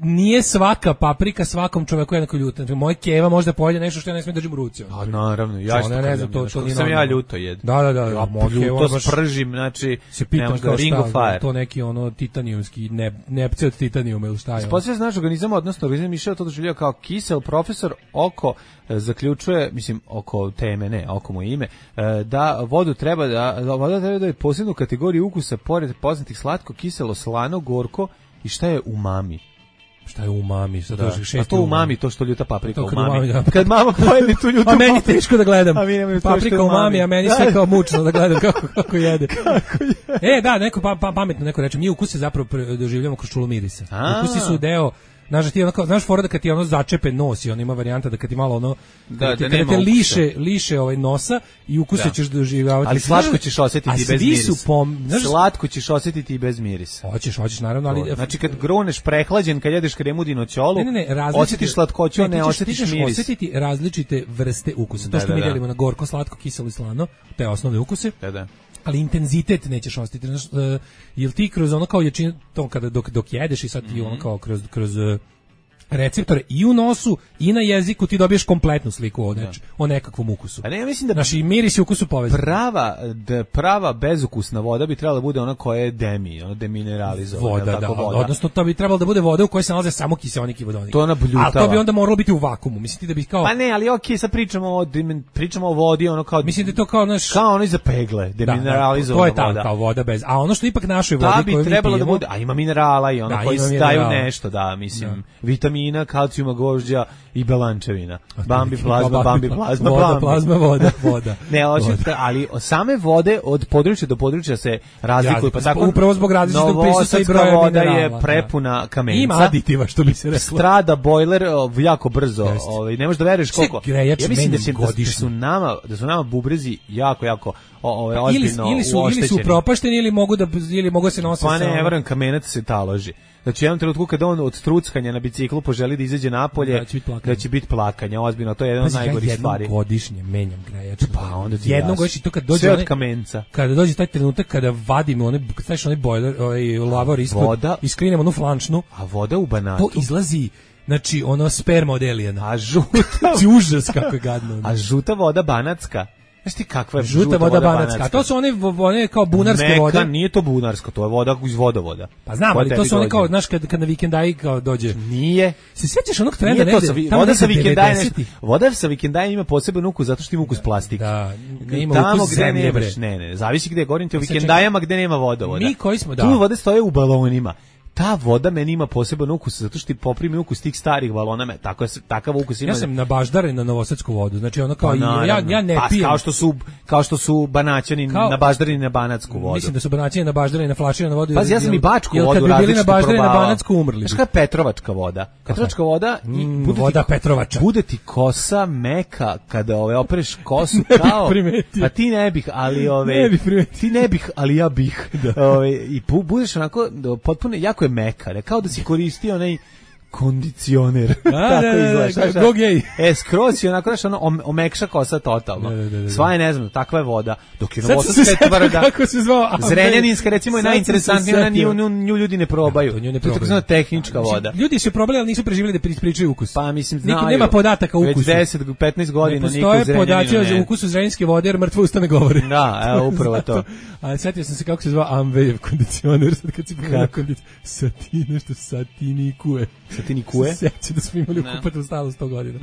nije svaka paprika svakom čoveku jednako ljuta. Znači, moje keva možda pojede nešto što ja ne smijem držim u ruci. A naravno, ja što ne znam, to, to nije sam ja ljuto jed. Da, da, da. Ja ljuto spržim, znači, se pitam kao ring of fire. To neki ono titanijumski, ne, nepce od titanijuma ili šta je. Sposlije znaš organizam, odnosno organizam miševa to doživljava kao kisel. Profesor Oko zaključuje, mislim, oko teme, ne, oko moje ime, da vodu treba da, da voda treba da je posebnu kategoriju ukusa pored poznatih slatko, kiselo, slano, gorko i šta je umami. Šta je umami? Šta da. šest A to umami, to što ljuta paprika umami. umami. Da. Kad mama pojeli tu ljutu a meni teško da gledam. A mi paprika umami, a meni sve kao mučno da gledam kako, kako jede. Kako jede. E, da, neko pa, pa, pametno neko reče, mi ukuse zapravo doživljamo kroz čulo mirisa. A. Ukusi su deo. Znaš, ti ono, znaš fora da kad ti ono začepe nos i on ima varijanta da kad ti malo ono da, ti, da kada te liše, liše ovaj nosa i ukuse da. ćeš doživljavati. Ali slatko ćeš osjetiti bez mirisa. Pom, znaš, slatko ćeš osjetiti i bez mirisa. Hoćeš, hoćeš naravno, ali znači kad gruneš prehlađen, kad jedeš kremu dinoćolu, ne, ne, ne, osjetiš slatkoću, ne, ne osjetiš miris. Osjetiti različite vrste ukusa. To što da, da, mi delimo na gorko, slatko, kiselo i slano, te osnovne ukuse. Da, da. Ali intenzitet nećeš osjetiti. Znaš, uh, jel ti kroz ono kao jačinu, to kada dok, dok jedeš i sad ti mm-hmm. ono kao kroz, kroz uh, receptore i u nosu i na jeziku ti dobiješ kompletnu sliku o, neč, o nekakvom ukusu. A ne, ja mislim da naši miris i ukus su povezani. Prava, da prava bezukusna voda bi trebala da bude ona koja je demi, ona demineralizovana. Voda, tako, da, voda. Odnosno to bi trebalo da bude voda u kojoj se nalaze samo kiseonik i vodonik. To ona bljutava. A to bi onda moralo biti u vakuumu. Mislite da bi kao Pa ne, ali okej, okay, sad pričamo o pričamo o vodi, ono kao mislim da to kao naš kao ono za pegle, demineralizovana da, da, to je voda. kao voda bez. A ono što ipak našoj vodi da bi trebalo da bude, a ima minerala i ono da, koji staju nešto, da, mislim, da. vitamina, kalcijuma, gožđa i belančevina. Bambi plazma, bambi plazma, voda, bambi. plazma, voda, voda. Ne, hoćete, ali same vode od područja do područja se razlikuju, pa tako upravo zbog različitog prisustva i broja voda minerala, je prepuna kamenca. Ima aditiva, što bi se reklo. Strada bojler jako brzo, ovaj ne možeš da veruješ koliko. Ja mislim da, se, da su nama, da su nama bubrezi jako jako ovaj ozbiljno ili, ili su ili su propašteni ili mogu da ili mogu se nositi. Pa ne, verujem kamenac se taloži. da će jednom trenutku kada on od truckanja na biciklu poželi da izađe napolje, da će biti plakanja, ozbiljno, to je jedno od najgorih stvari. Jednom godišnje menjam grejač. Pa onda ti jednom godišnje, to kad dođe sve od kamenca. Kada dođe taj trenutak kada vadimo onaj, kad staviš onaj bojler, ovaj lavor ispod, iskrinemo onu flančnu, a voda u Banatu. To izlazi, znači ono sperma od elijena. A žuta, užas kako je gadno. A žuta voda banatska. Znaš ti kakva je žuta, žuta voda, voda banatska? A to su one, one kao bunarske Neka, vode. Nije to bunarsko, to je voda iz vodovoda. Pa znam, ali to su one kao, znaš, kad, kad na vikendaji kao dođe. Nije. Se sjećaš onog trenda negde? Sa, voda, sa vikendaji voda sa vikendaji ima poseban ukus zato što ima ukus plastike. Da, ne ima tamo ukus zemlje, bre. Ne, ne, zavisi gde govorim ti o vikendajama gde nema vodovoda. Mi koji smo, da. Tu vode stoje u balonima. Ta voda meni ima poseban ukus zato što ti poprimi ukus tih starih balona, tako je takav ukus ima. Ja sam na baždaren na novosadsku vodu, znači ono kao pa, ja ja ne pa, pijem. Kao što su kao što su Banaćani kao, na baždareni na banatsku vodu. Mislim da su Banaćani na baždareni na flaširanu vodu. Pa ja sam i bačku vodu radio. Kad bi bili na baždareni na banatsku umrli. Znaš kakva je Petrovačka voda? Petrovačka voda i mm, bude voda ti, Petrovača. Bude ti kosa meka kada ove opereš kosu kao. Pa ti ne bih, ali ove ne bih ti ne bih, ali ja bih. Ove i budeš onako potpuno jako je meka, ne kao da si koristio onaj kondicioner. Tako izgleda. Go gej. E, skroz je onako, znaš, ono, omekša kosa totalno. Sva je, ne znam, takva je voda. Dok je novosadska tvrda. Kako se zvao? Zrenjaninska, recimo, je najinteresantnija, ona nju, nju, nju ljudi ne probaju. To, nju ne to je tako znamo tehnička voda. Ljudi su probali, ali nisu preživjeli da ispričaju ukus. Pa, mislim, znaju. Niko nema podataka o ukusu. Već deset do petnaest godina niko u Zrenjaninu ne. Postoje podaci o ukusu zrenjaninske vode, jer mrtvo usta ne govori. Da, evo, upravo to. A setio sam se kako se zvao Amvejev kondicioner, sad kad si pogledao kondicioner. Sati, nešto satinikue. Satinikue? Sećam da smo imali u kupatu stalo sto godina.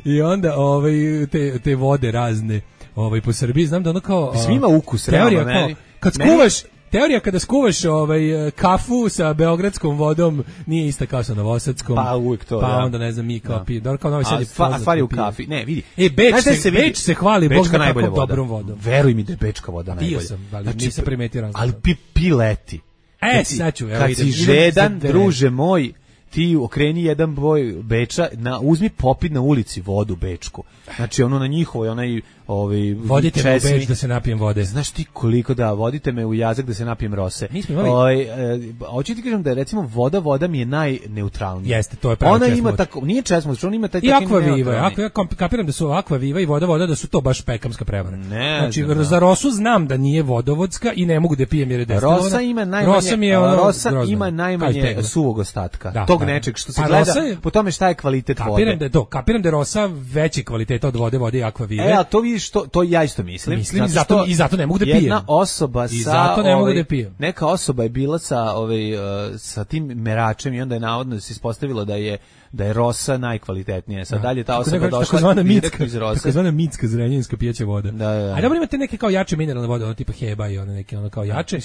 I onda ovaj, te, te vode razne ovaj, po Srbiji, znam da ono kao... Svi ima ukus, teorija realno, kao, meni, kad skuvaš, teorija kada skuvaš ovaj, kafu sa beogradskom vodom nije ista kao sa novosadskom. Pa uvijek to, pa da. onda ne znam mi kao pije. Dobro, kao Novi Sad je poznat. A stvari u kafi, ne, vidi. E, Beč se, se, Beč se hvali, Bog zna kakvom dobrom vodom. Veruj mi da je Bečka voda najbolja. Pio sam, ali znači, nisam primetio razlog. Ali pi, pi leti. E, sad ću, evo kad idem. si žedan, druže moj, ti okreni jedan boj Beča, na, uzmi popit na ulici vodu bečku. Znači ono na njihovoj, onaj ovaj vodite me u Beč da se napijem vode. Znaš ti koliko da, vodite me u Jazak da se napijem rose. Mi smo imali... Ovaj e, hoću ti kažem da je recimo voda, voda mi je najneutralnija. Jeste, to je pravo. Ona ima tako, nije česmo, ona ima taj taki Aqua Viva, ako ja kapiram da su Aqua Viva i voda voda da su to baš pekamska prevara. Ne, znači znam, za Rosu znam da nije vodovodska i ne mogu da pijem jer je destilovana. Rosa ima najmanje, Rosa, mi je ono Rosa grozno. ima najmanje suvog ostatka. Da, tog da. nečeg što se pa gleda je, po tome šta je kvalitet kapiram vode. Kapiram da je to, kapiram da je Rosa veći kvaliteta od vode, vode i Aqua Vive. E, a to vidiš, to, to ja isto mislim. Mislim, zato, zato, i zato ne mogu da pijem. Jedna osoba sa... I zato ne mogu da pijem. Neka osoba je bila sa, ovaj, uh, sa tim meračem i onda je navodno se ispostavilo da je da je Rosa najkvalitetnija. Sad dalje ta osoba došla takozvana mitska iz Rose. Takozvana mitska zrenjaninska pijeća voda. Da, da. A dobro imate neke kao jače mineralne vode, ono tipa Heba i one neke ono kao jače.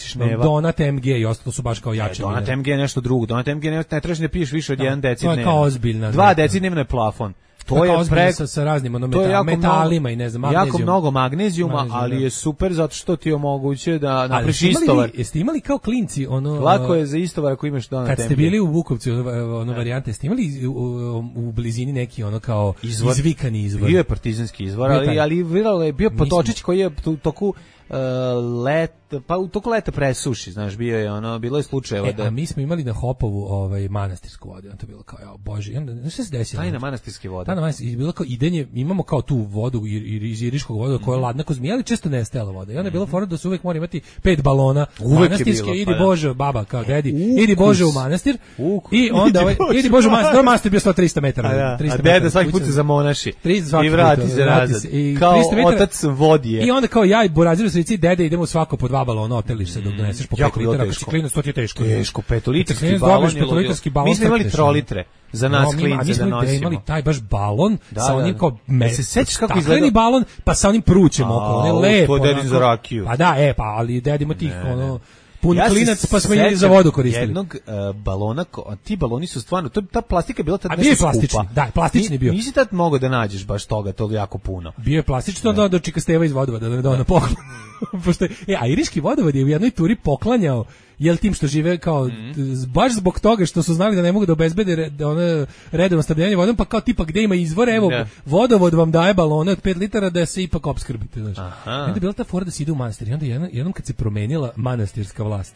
Donat M G i ostalo su baš kao jače. E, Donat M G je nešto drugo. Donat M G ne, ne trebaš da piješ više od jedan deci dnevno. To je kao ozbiljna. Dva deci dnevno je plafon. To je preko sa, sa raznim ono metal, metalima mnogo, i ne znam magnezijum. Jako mnogo magnezijuma, magnezijum, ali je super zato što ti omogućuje da napraviš istovar. Jeste imali kao klinci ono lako je za istovar ako imaš Donat M G. Kad ste bili u Vukovcu ono varijante, ste imali u, u, u blizini neki ono kao izvor, izvikani izvor. Bio je partizanski izvor, ali ali viralo je bio potočić koji je u toku Uh, let, pa u toku leta presuši, znaš, bio je ono, bilo je slučajeva e, da... a mi smo imali na Hopovu ovaj, manastirsku vodu, on to bilo kao, ja, bože, onda, znaš šta se desilo? Tajna manastirske vode. Tajna manastirske, bilo kao idenje, imamo kao tu vodu iz iriškog voda koja je ladna ko zmija, ali često nestajala voda. I onda je bilo fora da se uvek mora imati pet balona uvek manastirske, bilo, idi pa, Bože, baba, kao dedi, Ukus. idi Bože u manastir, Ukus. i onda, ovaj, idi Bože u manastir, do manastir bio sto trista metara. A, da. trista A deda svaki put se zamonaši i vrati se nazad, kao otac vodije. I onda kao ja i Boraziru slici dede idemo svako po dva balona, oteliš se dok doneseš po pet litara, ako si klinac, to ti je teško. Teško, petolitarski balon je ludilo. Mi smo imali trolitre za nas no, klince da nosimo. Mi smo imali taj baš balon da, sa onim kao me, se sećaš kako izgleda balon, pa sa onim prućem oko, on je lepo. To je dedin za rakiju. Pa da, e, pa, ali dedimo tih, ne, ono, pun ja klinac, pa smo imali za vodu koristili. Jednog uh, balona, a ti baloni su stvarno, to, ta plastika je bila tad nešto skupa. Plastični, da, plastični bio. Nisi tad mogao da nađeš baš toga, to jako puno. Bio je plastično, da do čika Steva iz vodovoda, da ne da ona poklon. Pošto je, e, a iriški vodovod je u jednoj turi poklanjao jel tim što žive kao mm. baš zbog toga što su znali da ne mogu da obezbede re, da one redovno snabdevanje vodom, pa kao tipa gde ima izvor, evo yeah. vodovod vam daje balone od pet litara da se ipak opskrbite, znači. Onda je bila ta fora da se ide u manastir i onda jednom, jednom kad se promenila manastirska vlast,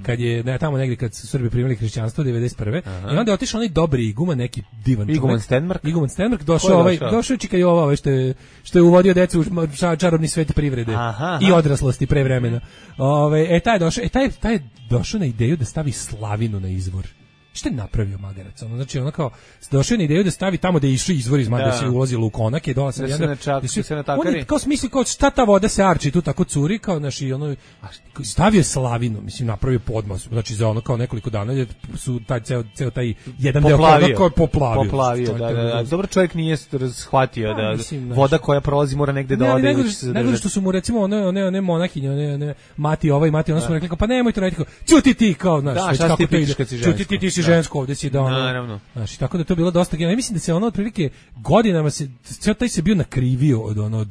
kad je ne, tamo negdje kad su Srbi primili hrišćanstvo devedeset prve i onda je otišao onaj dobri iguman, neki divan čovjek. Iguman Stenmark. Iguman Stenmark došao ovaj došao Čika Jova, ovaj što je što je uvodio decu u čarobni svet privrede aha, aha. i odraslosti pre vremena. Ovaj e taj došao, e taj taj došao na ideju da stavi slavinu na izvor. Šta je napravio magarac? Ono, znači, ono kao, došao je na ideju da stavi tamo da je išao izvor iz Mada, da se ulazilo u konake, dole sam da se načak, se, se natakari. On je kao smisli, kao šta ta voda se arči, tu tako curi, kao, naši, ono, stavio je slavinu, mislim, napravio podmas, znači, za ono, kao nekoliko dana, su taj, ceo, ceo taj jedan poplavio. deo kao poplavio. Poplavio, da, da, da. Dobro, čovjek nije shvatio da mislim, voda koja prolazi mora negde da ode. Nego što su mu, recimo, one, one, one monahinje, one, one, mati ovaj, mati, ono su mu rekli, pa nemoj to raditi, ćuti ti, kao, znaš, kako to ide, ćuti ti, ti si žensko, ovde si da ono, naravno. Znači, tako da to je bilo dosta genijalno. Ja mislim da se ono otprilike godinama se ceo taj se bio nakrivio od ono od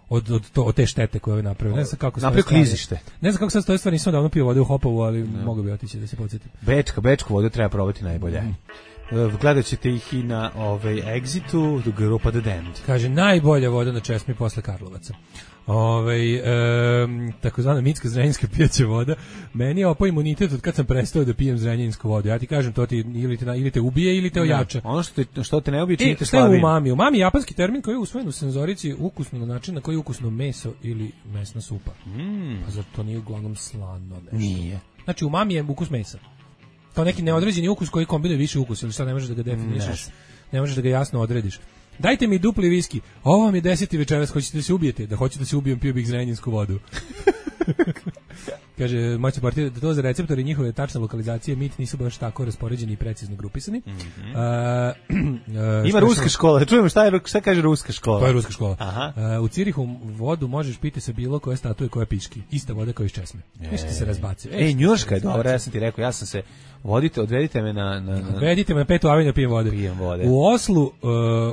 od od, to, od te štete koje je napravio. Ne znam kako se napravio klizište. Ne znam kako sad stoji stvar, nisam davno pio vode u Hopovu, ali no. mogu bi otići da se podsjetim. Bečka, bečku vodu treba probati najbolje. Mm. Gledat ćete ih i na ovaj Exitu, grupa The Damned. Kaže, najbolja voda na česmi posle Karlovaca. Ove, e, takozvana mitska zrenjinska pijaća voda. Meni je opao imunitet od kad sam prestao da pijem zrenjansku vodu. Ja ti kažem, to ti ili te, ili te ubije ili te ojača. Ja, ono što te, što te ne ubije, čini te slabijim. U mami? U mami je japanski termin koji je usvojen u senzorici ukusno na način na koji je ukusno meso ili mesna supa. Mm. Pa zato to nije uglavnom slano nešto. Nije. Znači, u mami je ukus mesa. Kao neki neodređeni ukus koji kombinuje više ukusa, ili sad ne možeš da ga definišeš, ne. ne možeš da ga jasno odrediš. Dajte mi dupli viski. Ovo vam je deseti večeras, hoćete da se ubijete? Da hoćete da se ubijem, pio bih zrenjansku vodu. Kaže, moći partija da to za receptori njihove tačne lokalizacije mit nisu baš tako raspoređeni i precizno grupisani. Mm-hmm. uh, uh, Ima ruska škola, da čujemo šta, je, šta kaže ruska škola. To je ruska škola. Aha. Uh, u Cirihu vodu možeš piti sa bilo koje statue koja piški. Ista voda kao iz česme. Nešto se razbacuje. Ej, Njurška je dobra, ja sam ti rekao, ja sam se vodite, odvedite me na... na, na... Odvedite me na petu aveniju, pijem vode. Pijem vode. U Oslu, uh,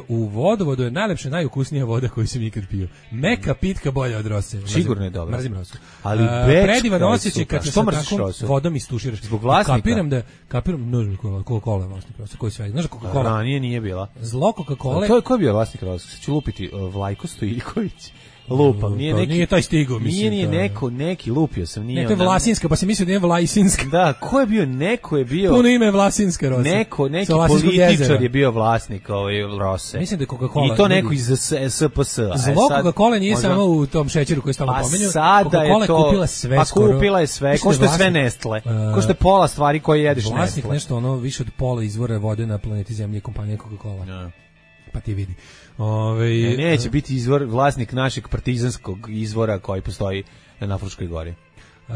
u vodovodu je najlepša, najukusnija voda koju sam ikad pio. Meka pitka bolja od rose. Mrzim, sigurno je dobra. Mrzim rosu. Ali uh, predivan osjećaj kad se tako vodom istuširaš. Zbog vlasnika? Kapiram da, kapiram, ne znam Coca-Cola je vlasnik rose, koji sve, znaš Coca-Cola? Da, nije, nije bila. Zlo Coca-Cola. To je, ko je bio vlasnik rose? Ću lupiti, uh, Vlajko Stojiković. Lupam, nije neki, nije taj stigo, mislim. Nije, nije neko, neki lupio sam, nije. Ne, to je Vlasinska, pa se mislio da je Vlasinska. Da, ko je bio, neko je bio. Puno ime je Vlasinska Rose. Neko, neki političar je bio vlasnik ove Rose. Mislim da je Coca-Cola. I to neko iz S P S. Zlo Coca-Cola nije samo u tom šećeru koji stalno pominju. Coca-Cola je kupila sve pa skoro. Pa kupila je sve, ko što je sve Nestle. Ko što je pola stvari koje jedeš Nestle. Vlasnik nešto ono više od pola izvora vode na planeti Zemlji kompanije Coca-Cola. Pa ti vidi. Ove, ne, neće biti izvor, vlasnik našeg partizanskog izvora koji postoji na Fruškoj gori. Uh,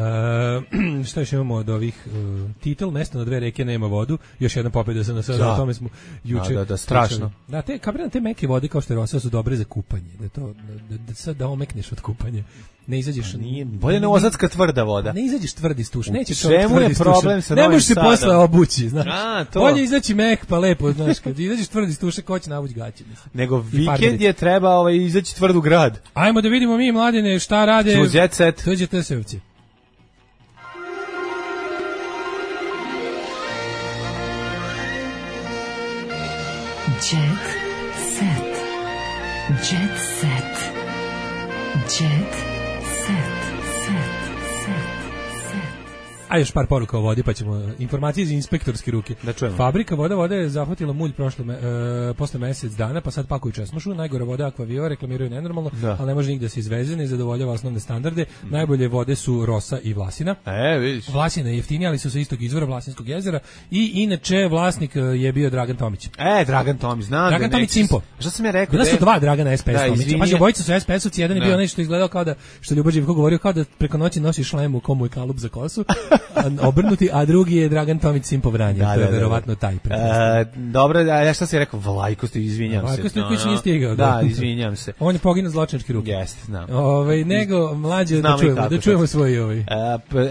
šta još imamo od ovih uh, titel, mesto na dve reke nema vodu, još jedna pobjeda se na sada, o tome smo juče. Da, da, da, strašno. Da, te, kapiram, te meke vode kao što je Rosa su dobre za kupanje, da, to, da, da sad da omekneš od kupanja. Ne izađeš, nije, bolje ne ozadska tvrda voda. Ne izađeš tvrdi stuš, neće to čemu je problem sa ne možeš se posle obući, znaš. A, to. Bolje izaći mek pa lepo, znaš, kad izađeš tvrdi stuš, ko će navući gaće, mislim. Nego vikend je treba ovaj izaći tvrd u grad. Ajmo da vidimo mi mladine šta rade. Jet set. Dođe Tesevci. Jet set. Jet set. Jet set. Set. A još par poruka o vodi, pa ćemo informacije iz inspektorske ruke. Da čujemo. Fabrika voda vode je zahvatila mulj prošle me, e, posle mesec dana, pa sad pakuju česmušu. Najgore vode Aquaviva reklamiraju nenormalno, da. Ali ne može nigde se izveze, ne zadovoljava osnovne standarde. Mm. Najbolje vode su Rosa i Vlasina. E, vidiš. Vlasina je jeftinija, ali su sa istog izvora Vlasinskog jezera. I inače vlasnik je bio Dragan Tomić. E, Dragan Tomić, znam. Dragan Tomić Simpo. Šta sam ja rekao? Bila su dva Dragana S P S Tomića. Pa obojica su S P S-ovci, jedan je bio nešto izgledao kao da, što Ljubo Živko govorio, kao da preko noći nosi šlem u komu je kalup za kosu. Obrnuti, a drugi je Dragan Tomić Simpo Vranje, da, to je da, verovatno taj. E, dobro, a ja šta si rekao, Vlajko Stojiković, izvinjam Vlajko se. Vlajko nije stigao. Da, izvinjam se. On je poginuo zločinačke ruke. Jeste, znam. Ovaj nego mlađe da čujemo, da čujemo svoj ovaj. E,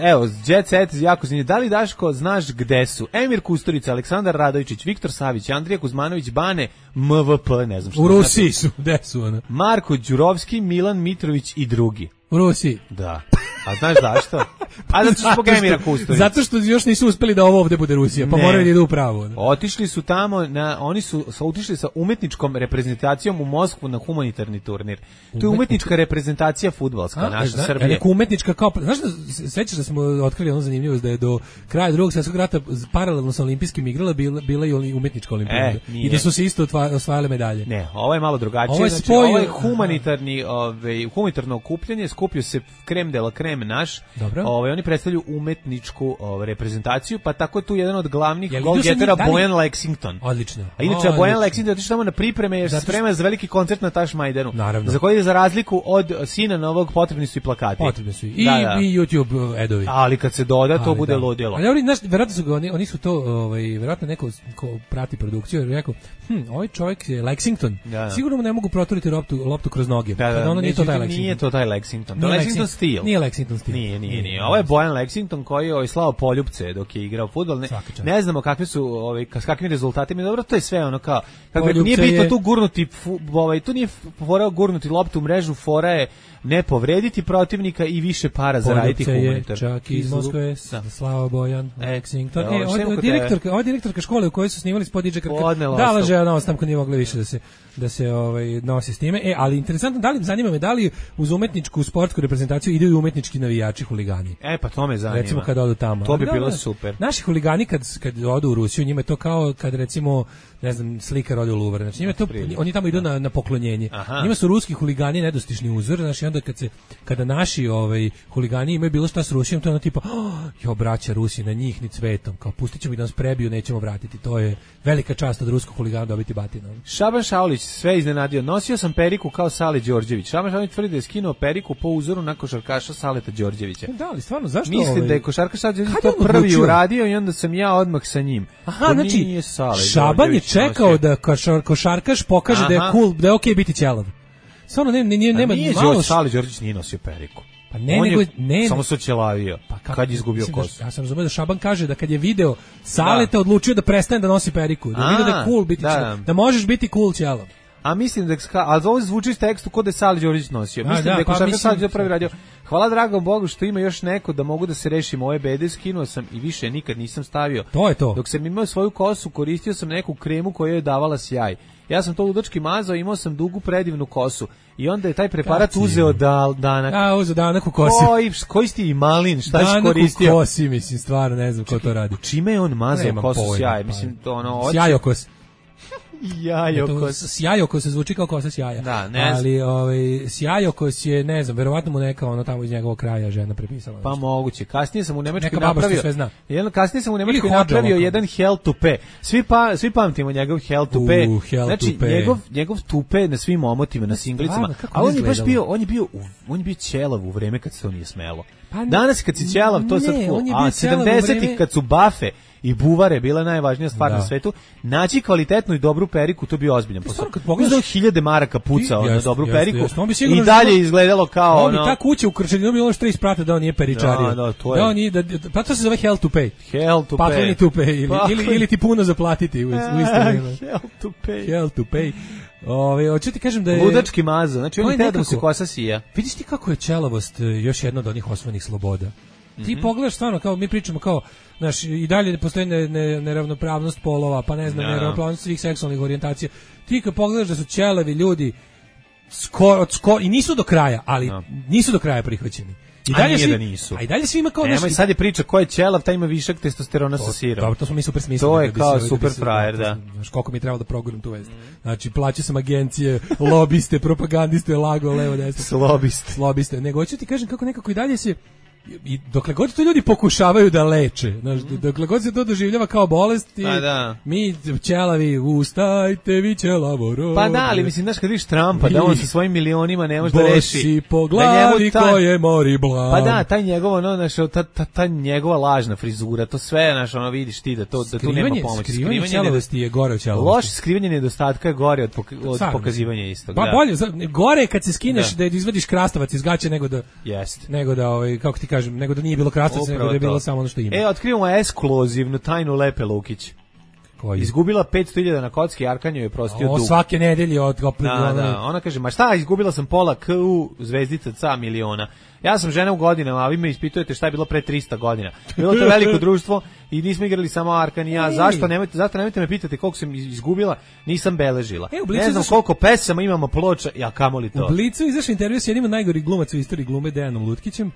evo, Jet Set jako zanimljiv. Da li Daško znaš gde su? Emir Kusturica, Aleksandar Radovičić, Viktor Savić, Andrija Kuzmanović, Bane, M V P, ne znam što. U Rusiji su, gde su ona? Marko Đurovski, Milan Mitrović i drugi. U Rusiji. Da. A znaš zašto? A zato što zbog Emira Kusturice. Zato što još nisu uspeli da ovo ovde bude Rusija, pa ne. moraju da idu u pravo. Ne? Otišli su tamo, na, oni su sa, otišli sa umetničkom reprezentacijom u Moskvu na humanitarni turnir. To je umetnička reprezentacija fudbalska, a, naša zna, Srbije. Neka umetnička kao, znaš da, sećaš da smo otkrili ono zanimljivost da je do kraja drugog svjetskog rata paralelno sa olimpijskim igrala bila, bila i umetnička olimpijada. E, i da su se isto osvajale medalje. Ne, ovo je malo drugačije. Ovo je, znači, ovo je humanitarni, ovaj, humanitarno okupljanje, skupio se krem de la krem naš. Dobro. Ovaj, oni predstavljaju umetničku ovaj, reprezentaciju, pa tako je tu jedan od glavnih golgetera Bojan Lexington. Odlično. A inače o, Bojan Lexington otišao tamo na pripreme jer se sprema za veliki koncert na Tašmajdanu. Naravno. Za koji je za razliku od sina novog potrebni su i plakati. Potrebni su i, da, da. i YouTube edovi. Ali kad se doda to ali, bude da. ludilo. Ali oni znaš, verovatno su oni, oni su to ovaj verovatno neko ko prati produkciju jer rekao, hm, ovaj čovjek je Lexington. Da, da. Sigurno mu ne mogu proturiti loptu loptu kroz noge. Da, da, ono nije to taj Lexington. Nije to taj Lexington. To je Lexington stil. Nije Lexington stil. Nije, nije, nije. Ovo je Bojan Lexington koji je slao poljupce dok je igrao fudbal. Ne, ne znamo kakvi su ovaj s kakvim rezultatima. Dobro, to je sve ono kao kako nije bitno tu gurnuti ovaj tu nije fora gurnuti loptu u mrežu, fora je ne povrediti protivnika i više para zaraditi humanitar. Čak iz Moskve, Slava Bojan, Lexington. E, od, od direktorka, od direktorka škole u kojoj su snimali spod D J Krka. Dala žena na ostamku nije mogla više da se da se ovaj nosi s time. E, ali interesantno, da li zanima me da li uz umetničku sportsku reprezentaciju idu i umetnički navijači, huligani. E, pa to me zanima. Recimo kad odu tamo. To bi bilo super. Naši huligani kad kad odu u Rusiju, njima je to kao kad recimo ne znam, slikar ode u Louvre. Znači, njima to, oni tamo idu na, na poklonjenje. Aha. Njima su ruski huligani nedostižni uzor, znači onda kad se, kada naši ovaj, huligani imaju bilo šta s Rusijom, to je ono tipa, oh, jo, braća Rusi, na njih ni cvetom, kao pustit ćemo ih da nas prebiju, nećemo vratiti. To je velika čast od ruskog huligana dobiti batina. Šaban Šaulić sve iznenadio. Nosio sam periku kao Sale Đorđević. Šaban Šaulić tvrdi da je skinuo periku po uzoru na košarkaša Saleta Đorđevića. Da, ali stvarno, zašto? Mislim ovaj... da je košarkaš Sale Đorđević to prvi uradio i onda sam ja odmah sa njim. Aha, to znači, Šaban je čekao da košar, košarkaš pokaže aha, da je cool, da je okej okay biti ćelav. Stvarno ne, ne, nema nije malo... Nije Sale Đorđević nije nosio periku. Pa ne, nego, je ne, samo se ćelavio pa kad, kad je izgubio kosu. Da, ja sam razumio da Šaban kaže da kad je video Saleta da. odlučio da prestane da nosi periku, da vidi da je cool biti da. ćelav, da možeš biti cool ćelav. A mislim da ali ovo zvuči iz tekstu kod da je Sale Đorđević nosio. Mislim da, da je košarkaš Sale Đorđević prvi radio. Hvala dragom Bogu što ima još neko da mogu da se rešim ove bede, skinuo sam i više nikad nisam stavio. To je to. Dok sam imao svoju kosu, koristio sam neku kremu koja je davala sjaj. Ja sam to ludački mazao, imao sam dugu predivnu kosu. I onda je taj preparat uzeo da, danak. A, uzeo danak u kosi. Koji, koji si ti malin, šta si koristio? Danak u kosi, mislim, stvarno ne znam ko to radi. Čime je on mazao kosu sjaj? Mislim, to ono... Sjajokos. Sjajokos. Sjajokos se zvuči kao kosa sjaja. Da, ne znam. Ali ovaj, sjajokos je, ne znam, verovatno mu neka ono tamo iz njegovog kraja žena prepisala. Pa moguće. Kasnije sam u Nemačkoj napravio. Sve zna. Jedan, kasnije sam u Nemačkoj napravio jedan hell tupe. Svi, pa, svi pamtimo njegov hell tupe. Uh, hell znači, tupe. Njegov, njegov tupe na svim omotima, na singlicama. A on je baš bio, on je bio, on je bio ćelav u vreme kad se to nije smelo. Pa danas kad si ćelav, to je sad cool. A sedamdesetih kad su bafe i buvare bila najvažnija stvar da. na svetu, naći kvalitetnu i dobru periku, to bi ozbiljan posao. Kad pogledaš hiljade maraka pucao na dobru jest, periku jest, jest. i dalje izgledalo kao ono. Ta kuća u Krčedinu bilo ono što isprate da on nije peričario. Da, da, to je. Da on nije, da, pa to se zove hell to pay. Hell to Pakleni pay. to pay ili, Pakleni. ili, ili ti puno zaplatiti u, u isto vreme. Hell to pay. Hell to pay. Ove, hoću ti kažem da je ludački mazo, znači on je teo da se kosa sija. Vidiš ti kako je ćelavost još jedna od onih osnovnih sloboda. Mm-hmm. Ti pogledaš stvarno, kao mi pričamo kao, znaš, i dalje postoji ne, ne, neravnopravnost polova, pa ne znam, no. neravnopravnost svih seksualnih orijentacija. Ti kad pogledaš da su ćelavi ljudi skoro, skoro, i nisu do kraja, ali no. nisu do kraja prihvaćeni. I dalje svi, da nisu. A i dalje svi ima kao nešto. Sad je priča ko je ćelav, taj ima višak testosterona to, sa sirom. Dobro, to smo mi super smislili. To je da kao se, super da frajer, da. Znaš, koliko mi je trebalo da proguram tu vest. Znači, plaćao sam agencije, lobiste, propagandiste, lago, levo, desno. Slobiste. Slobiste. Nego, hoću ti kažem kako nekako i dalje se i dokle god to ljudi pokušavaju da leče, znaš, dokle god se to doživljava kao bolest, i da. mi ćelavi, ustajte vi ćelavo rode. Pa da, ali mislim, znaš, kad vidiš Trumpa, da on sa svojim milionima ne može da reši. Bosi po glavi ta, koje mori blam. Pa da, taj njegov, ono, znaš, ta, ta, ta njegova lažna frizura, to sve, znaš, ono, vidiš ti da, to, da tu nema pomoći. Skrivanje ćelavosti je gore od ćelavosti. Loše skrivanje nedostatka je gore od, poka, od pokazivanja istog. Pa bolje, gore kad se skineš da, da izvadiš krastavac iz gaće nego da, jest. nego da, ovaj, kako ti kažem, nego da nije bilo krastavca, nego da je bilo samo ono što ima. E, otkrivamo ekskluzivnu tajnu Lepe Lukić. Koji? Izgubila petsto hiljada na kocki, Arkanjo je prostio dug. O, svake nedelje od da, da, ona kaže, ma šta, izgubila sam pola K U zvezdica ca miliona. Ja sam žena u godinama, a vi me ispitujete šta je bilo pre trista godina. Bilo to veliko društvo i nismo igrali samo Arkan i ja. Ej. Zašto nemojte, zato nemojte me pitati koliko sam izgubila, nisam beležila. E, ne znam izaš... koliko pesama imamo ploča, ja kamoli to. U Blicu izašao intervju s jednim od najgorih glumaca u istoriji glume, Dejanom Lutkićem.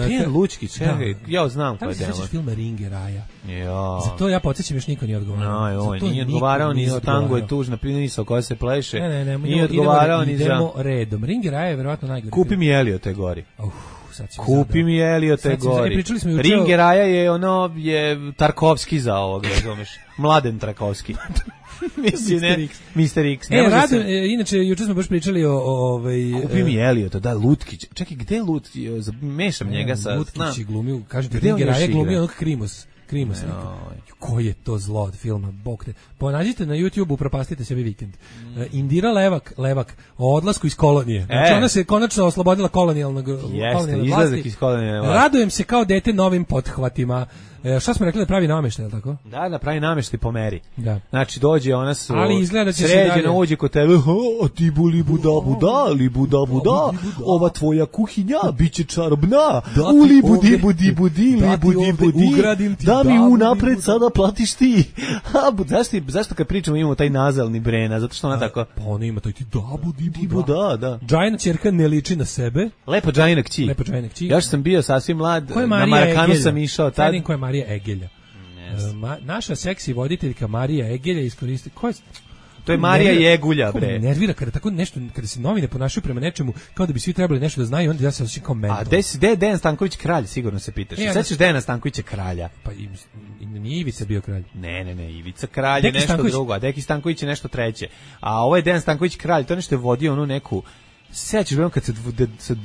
Dejan Lučkić, čekaj, ja znam ko je Dejan. Da li se filma Ringe Raja? Ja. Za to ja podsjećam, još niko nije odgovarao. No, on nije odgovarao ni za Tango je tužna pinisa koja se pleše. Ne, ne, ne, nije odgovarao ni za... Idemo redom. Ringe Raja je verovatno najgori. Kupi mi Eliote gori. Uf. Kupi mi Eliote gori. Ringe Raja je ono, je Tarkovski za ovog, razumeš? Mladen Tarkovski. Mislim, ne, mister X. Ne e, rado, se... e, inače, juče smo baš pričali o... o ovaj, Kupi mi Eliota, da, Lutkić. Čekaj, gde je Lutkić? Mešam ne, njega sa... Lutkić i glumio, kažete, Ringe Raja glumio onog Krimos. Krimos. Koji je to zlo od filma, bog te. Ponađite na YouTube-u, propastite sebi vikend. Mm. Indira Levak, Levak, o odlasku iz kolonije. Znači, e. ona se konačno oslobodila kolonijalnog Jeste, izlazak iz kolonijalne vlasti. Radujem se kao dete novim pothvatima. E, šta smo rekli da pravi nameštaj, je li tako? Da, da pravi nameštaj po meri. Da. Znači, dođe ona su ali izgleda će sređena, uđe kod tebe, a ti bu li buda buda, li buda buda, ova tvoja kuhinja biće čarobna, u li budi budi budi, li budi budi, da mi unapred sada platiš ti. A, zašto, zašto kad pričamo imamo taj nazalni brena, zato što ona tako... Pa ona ima taj ti da budi buda, da. Džajna ćerka ne liči na sebe. Lepo Džajna kći. Lepo Džajna kći. Ja što sam bio sasvim mlad, na Marakanu sam išao tad. Marija Egelja. Yes. Ma, naša seksi voditeljka Marija Egelja iskoristi... Ko je... To je Marija nervira, Jegulja, bre. Nervira kada tako nešto, kada se novine ponašaju prema nečemu, kao da bi svi trebali nešto da znaju, onda ja se osjećam kao mentor. A gde je Dejan Stanković kralj, sigurno se pitaš. E, sećaš Dejana Stankovića kralja? Pa i, i nije Ivica bio kralj. Ne, ne, ne, Ivica kralj je nešto Stanković. drugo, a Deki Stanković je nešto treće. A ovo je Dejan Stanković kralj, to nešto je vodio onu neku... Sećaš, bre, kad se, dv, se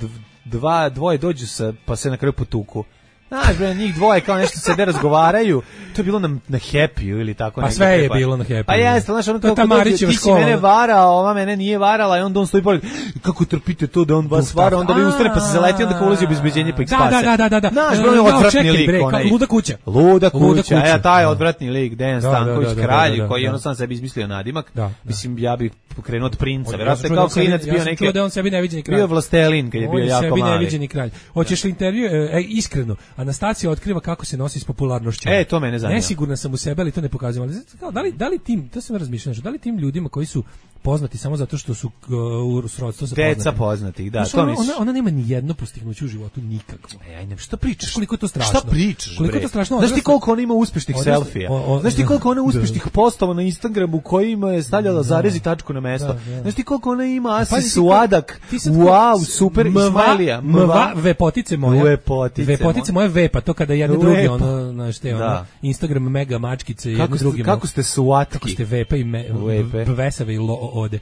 dva, dvoje dođu sa, pa se na kraju potuku. Znaš, bre, njih dvoje kao nešto sede razgovaraju, to je bilo na, na Happy-u ili tako. Pa sve je bilo na Happy-u. Pa jeste, znaš, ono kako dođe, ti si mene varao, ova mene nije varala i onda on stoji pored, kako trpite to da on vas vara, onda vi ustane pa se zaleti, onda kao ulazi u obezbeđenje pa ih spase. Da, da, da, da. Znaš, bre, on je odvratni lik. Luda kuća. Luda kuća, e, taj je odvratni lik, Dejan Stanković, kralj, koji je ono sam sebi izmislio nadimak. Mislim, ja bih pokrenuo od princa, vjerojatno kao klinac bio neki. Ja sam da on sebi neviđeni kralj. Bio vlastelin kad je bio jako mali. Sebi neviđeni kralj. Hoćeš li intervju, iskreno, Anastacija otkriva kako se nosi s popularnošću. E, to mene zanima. Nesigurna sam u sebe, ali to ne pokazujem. Ali da li, da li tim, to sam razmišljao, da li tim ljudima koji su poznati samo zato što su uh, u srodstvu sa poznati. Deca poznatih, da, znaš, to ona, misliš. Ona, ona nema ni jedno postignuće u životu, nikakvo. E, aj, ne, šta pričaš? Koliko je to strašno? Šta pričaš, koliko je to strašno? Znaš ti koliko ona ima uspešnih selfija? Znaš ti koliko ona uspešnih postova na Instagramu kojima je stavljala zarez i tačku na mesto? Znaš ti koliko ona ima asi suadak? Wow, super Ismailija. Mva, vepotice moje. Vepotice. Vepotice moje vepa, to kada jedne drugi ono, znaš te, ono, Instagram mega mačkice jedne drugima. Kako ste suatki? Kako ste vepa i vesave i ode.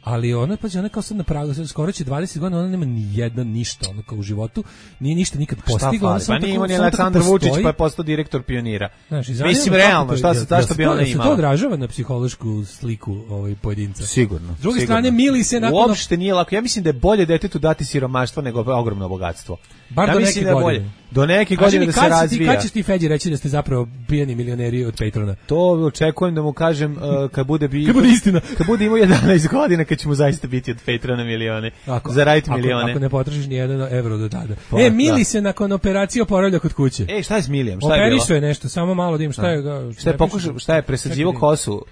Ali ona, pa ona kao sad na pragu, skoro će dvadeset godina, ona nema ni jedna ništa, ono kao u životu, nije ništa nikad postigla. Pa nije imao ni Aleksandar Vučić, pa je postao direktor Pionira. Znaš, mislim, realno, šta se, zašto bi ona imala? Se to odražava na psihološku sliku ovaj pojedinca? Sigurno. S druge strane, mili se nakon... Uopšte nije lako. Ja mislim da je bolje detetu dati siromaštvo nego ogromno bogatstvo. Bar ja do neke da godine. Do neke godine da se razvija. Kad ćeš ti Feđi reći da ste zapravo pijani milioneri od Patrona? To očekujem da mu kažem uh, kad bude bi kad bude istina. Kad bude imao jedanaest godina, kad ćemo zaista biti od Patrona milione. Zaraditi milione. Ako ne potrošiš ni jedan evro do tada. Pa, e, Mili da. se nakon operacije oporavlja kod kuće. E, šta je s Milijem? Šta je bilo? Operišao je nešto, samo malo da im šta je... Šta je pokušao, šta je presađivo kosu?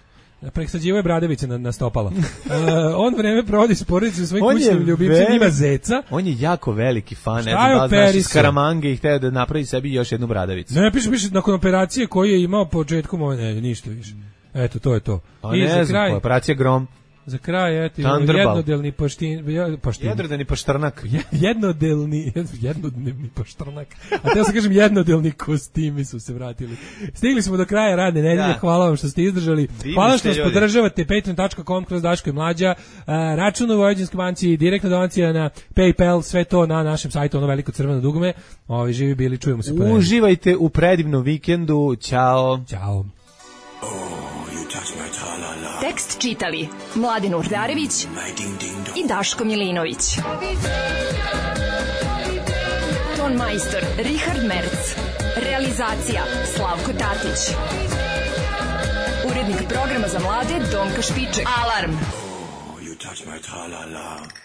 Presađivo je bradavice na, na stopala. uh, on vreme provodi s porodicom svojim kućnim ljubimcem, ima zeca. On je jako veliki fan, ne znam da znaš iz Karamange i hteo da napravi sebi još jednu bradavicu. Ne, piše, piše, nakon operacije koju je imao početkom, ne, ništa više. Eto, to je to. A I ne za znam, kraj, operacija Grom. Za kraj, eto, jednodelni poštin, poštin. Jednodelni poštrnak. Jednodelni, jednodnevni poštrnak. A teo sam kažem, jednodelni kostimi su se vratili. Stigli smo do kraja radne nedelje, da. Hvala vam što ste izdržali. Divni hvala što nas ljudi. Podržavate, patreon dot com kroz Daško i Mlađa, račun u Vojvođanskoj banci, direktna donacija na PayPal, sve to na našem sajtu, ono veliko crveno dugme. Ovi živi bili, čujemo se. Uživajte u predivnom vikendu, ćao. Ćao. Tekst čitali Mladin Urdarević i Daško Milinović. Ton majstor Richard Merc. Realizacija Slavko Tatić. Urednik programa za mlade Donka Špiček. Alarm! You touch my tra-la-la.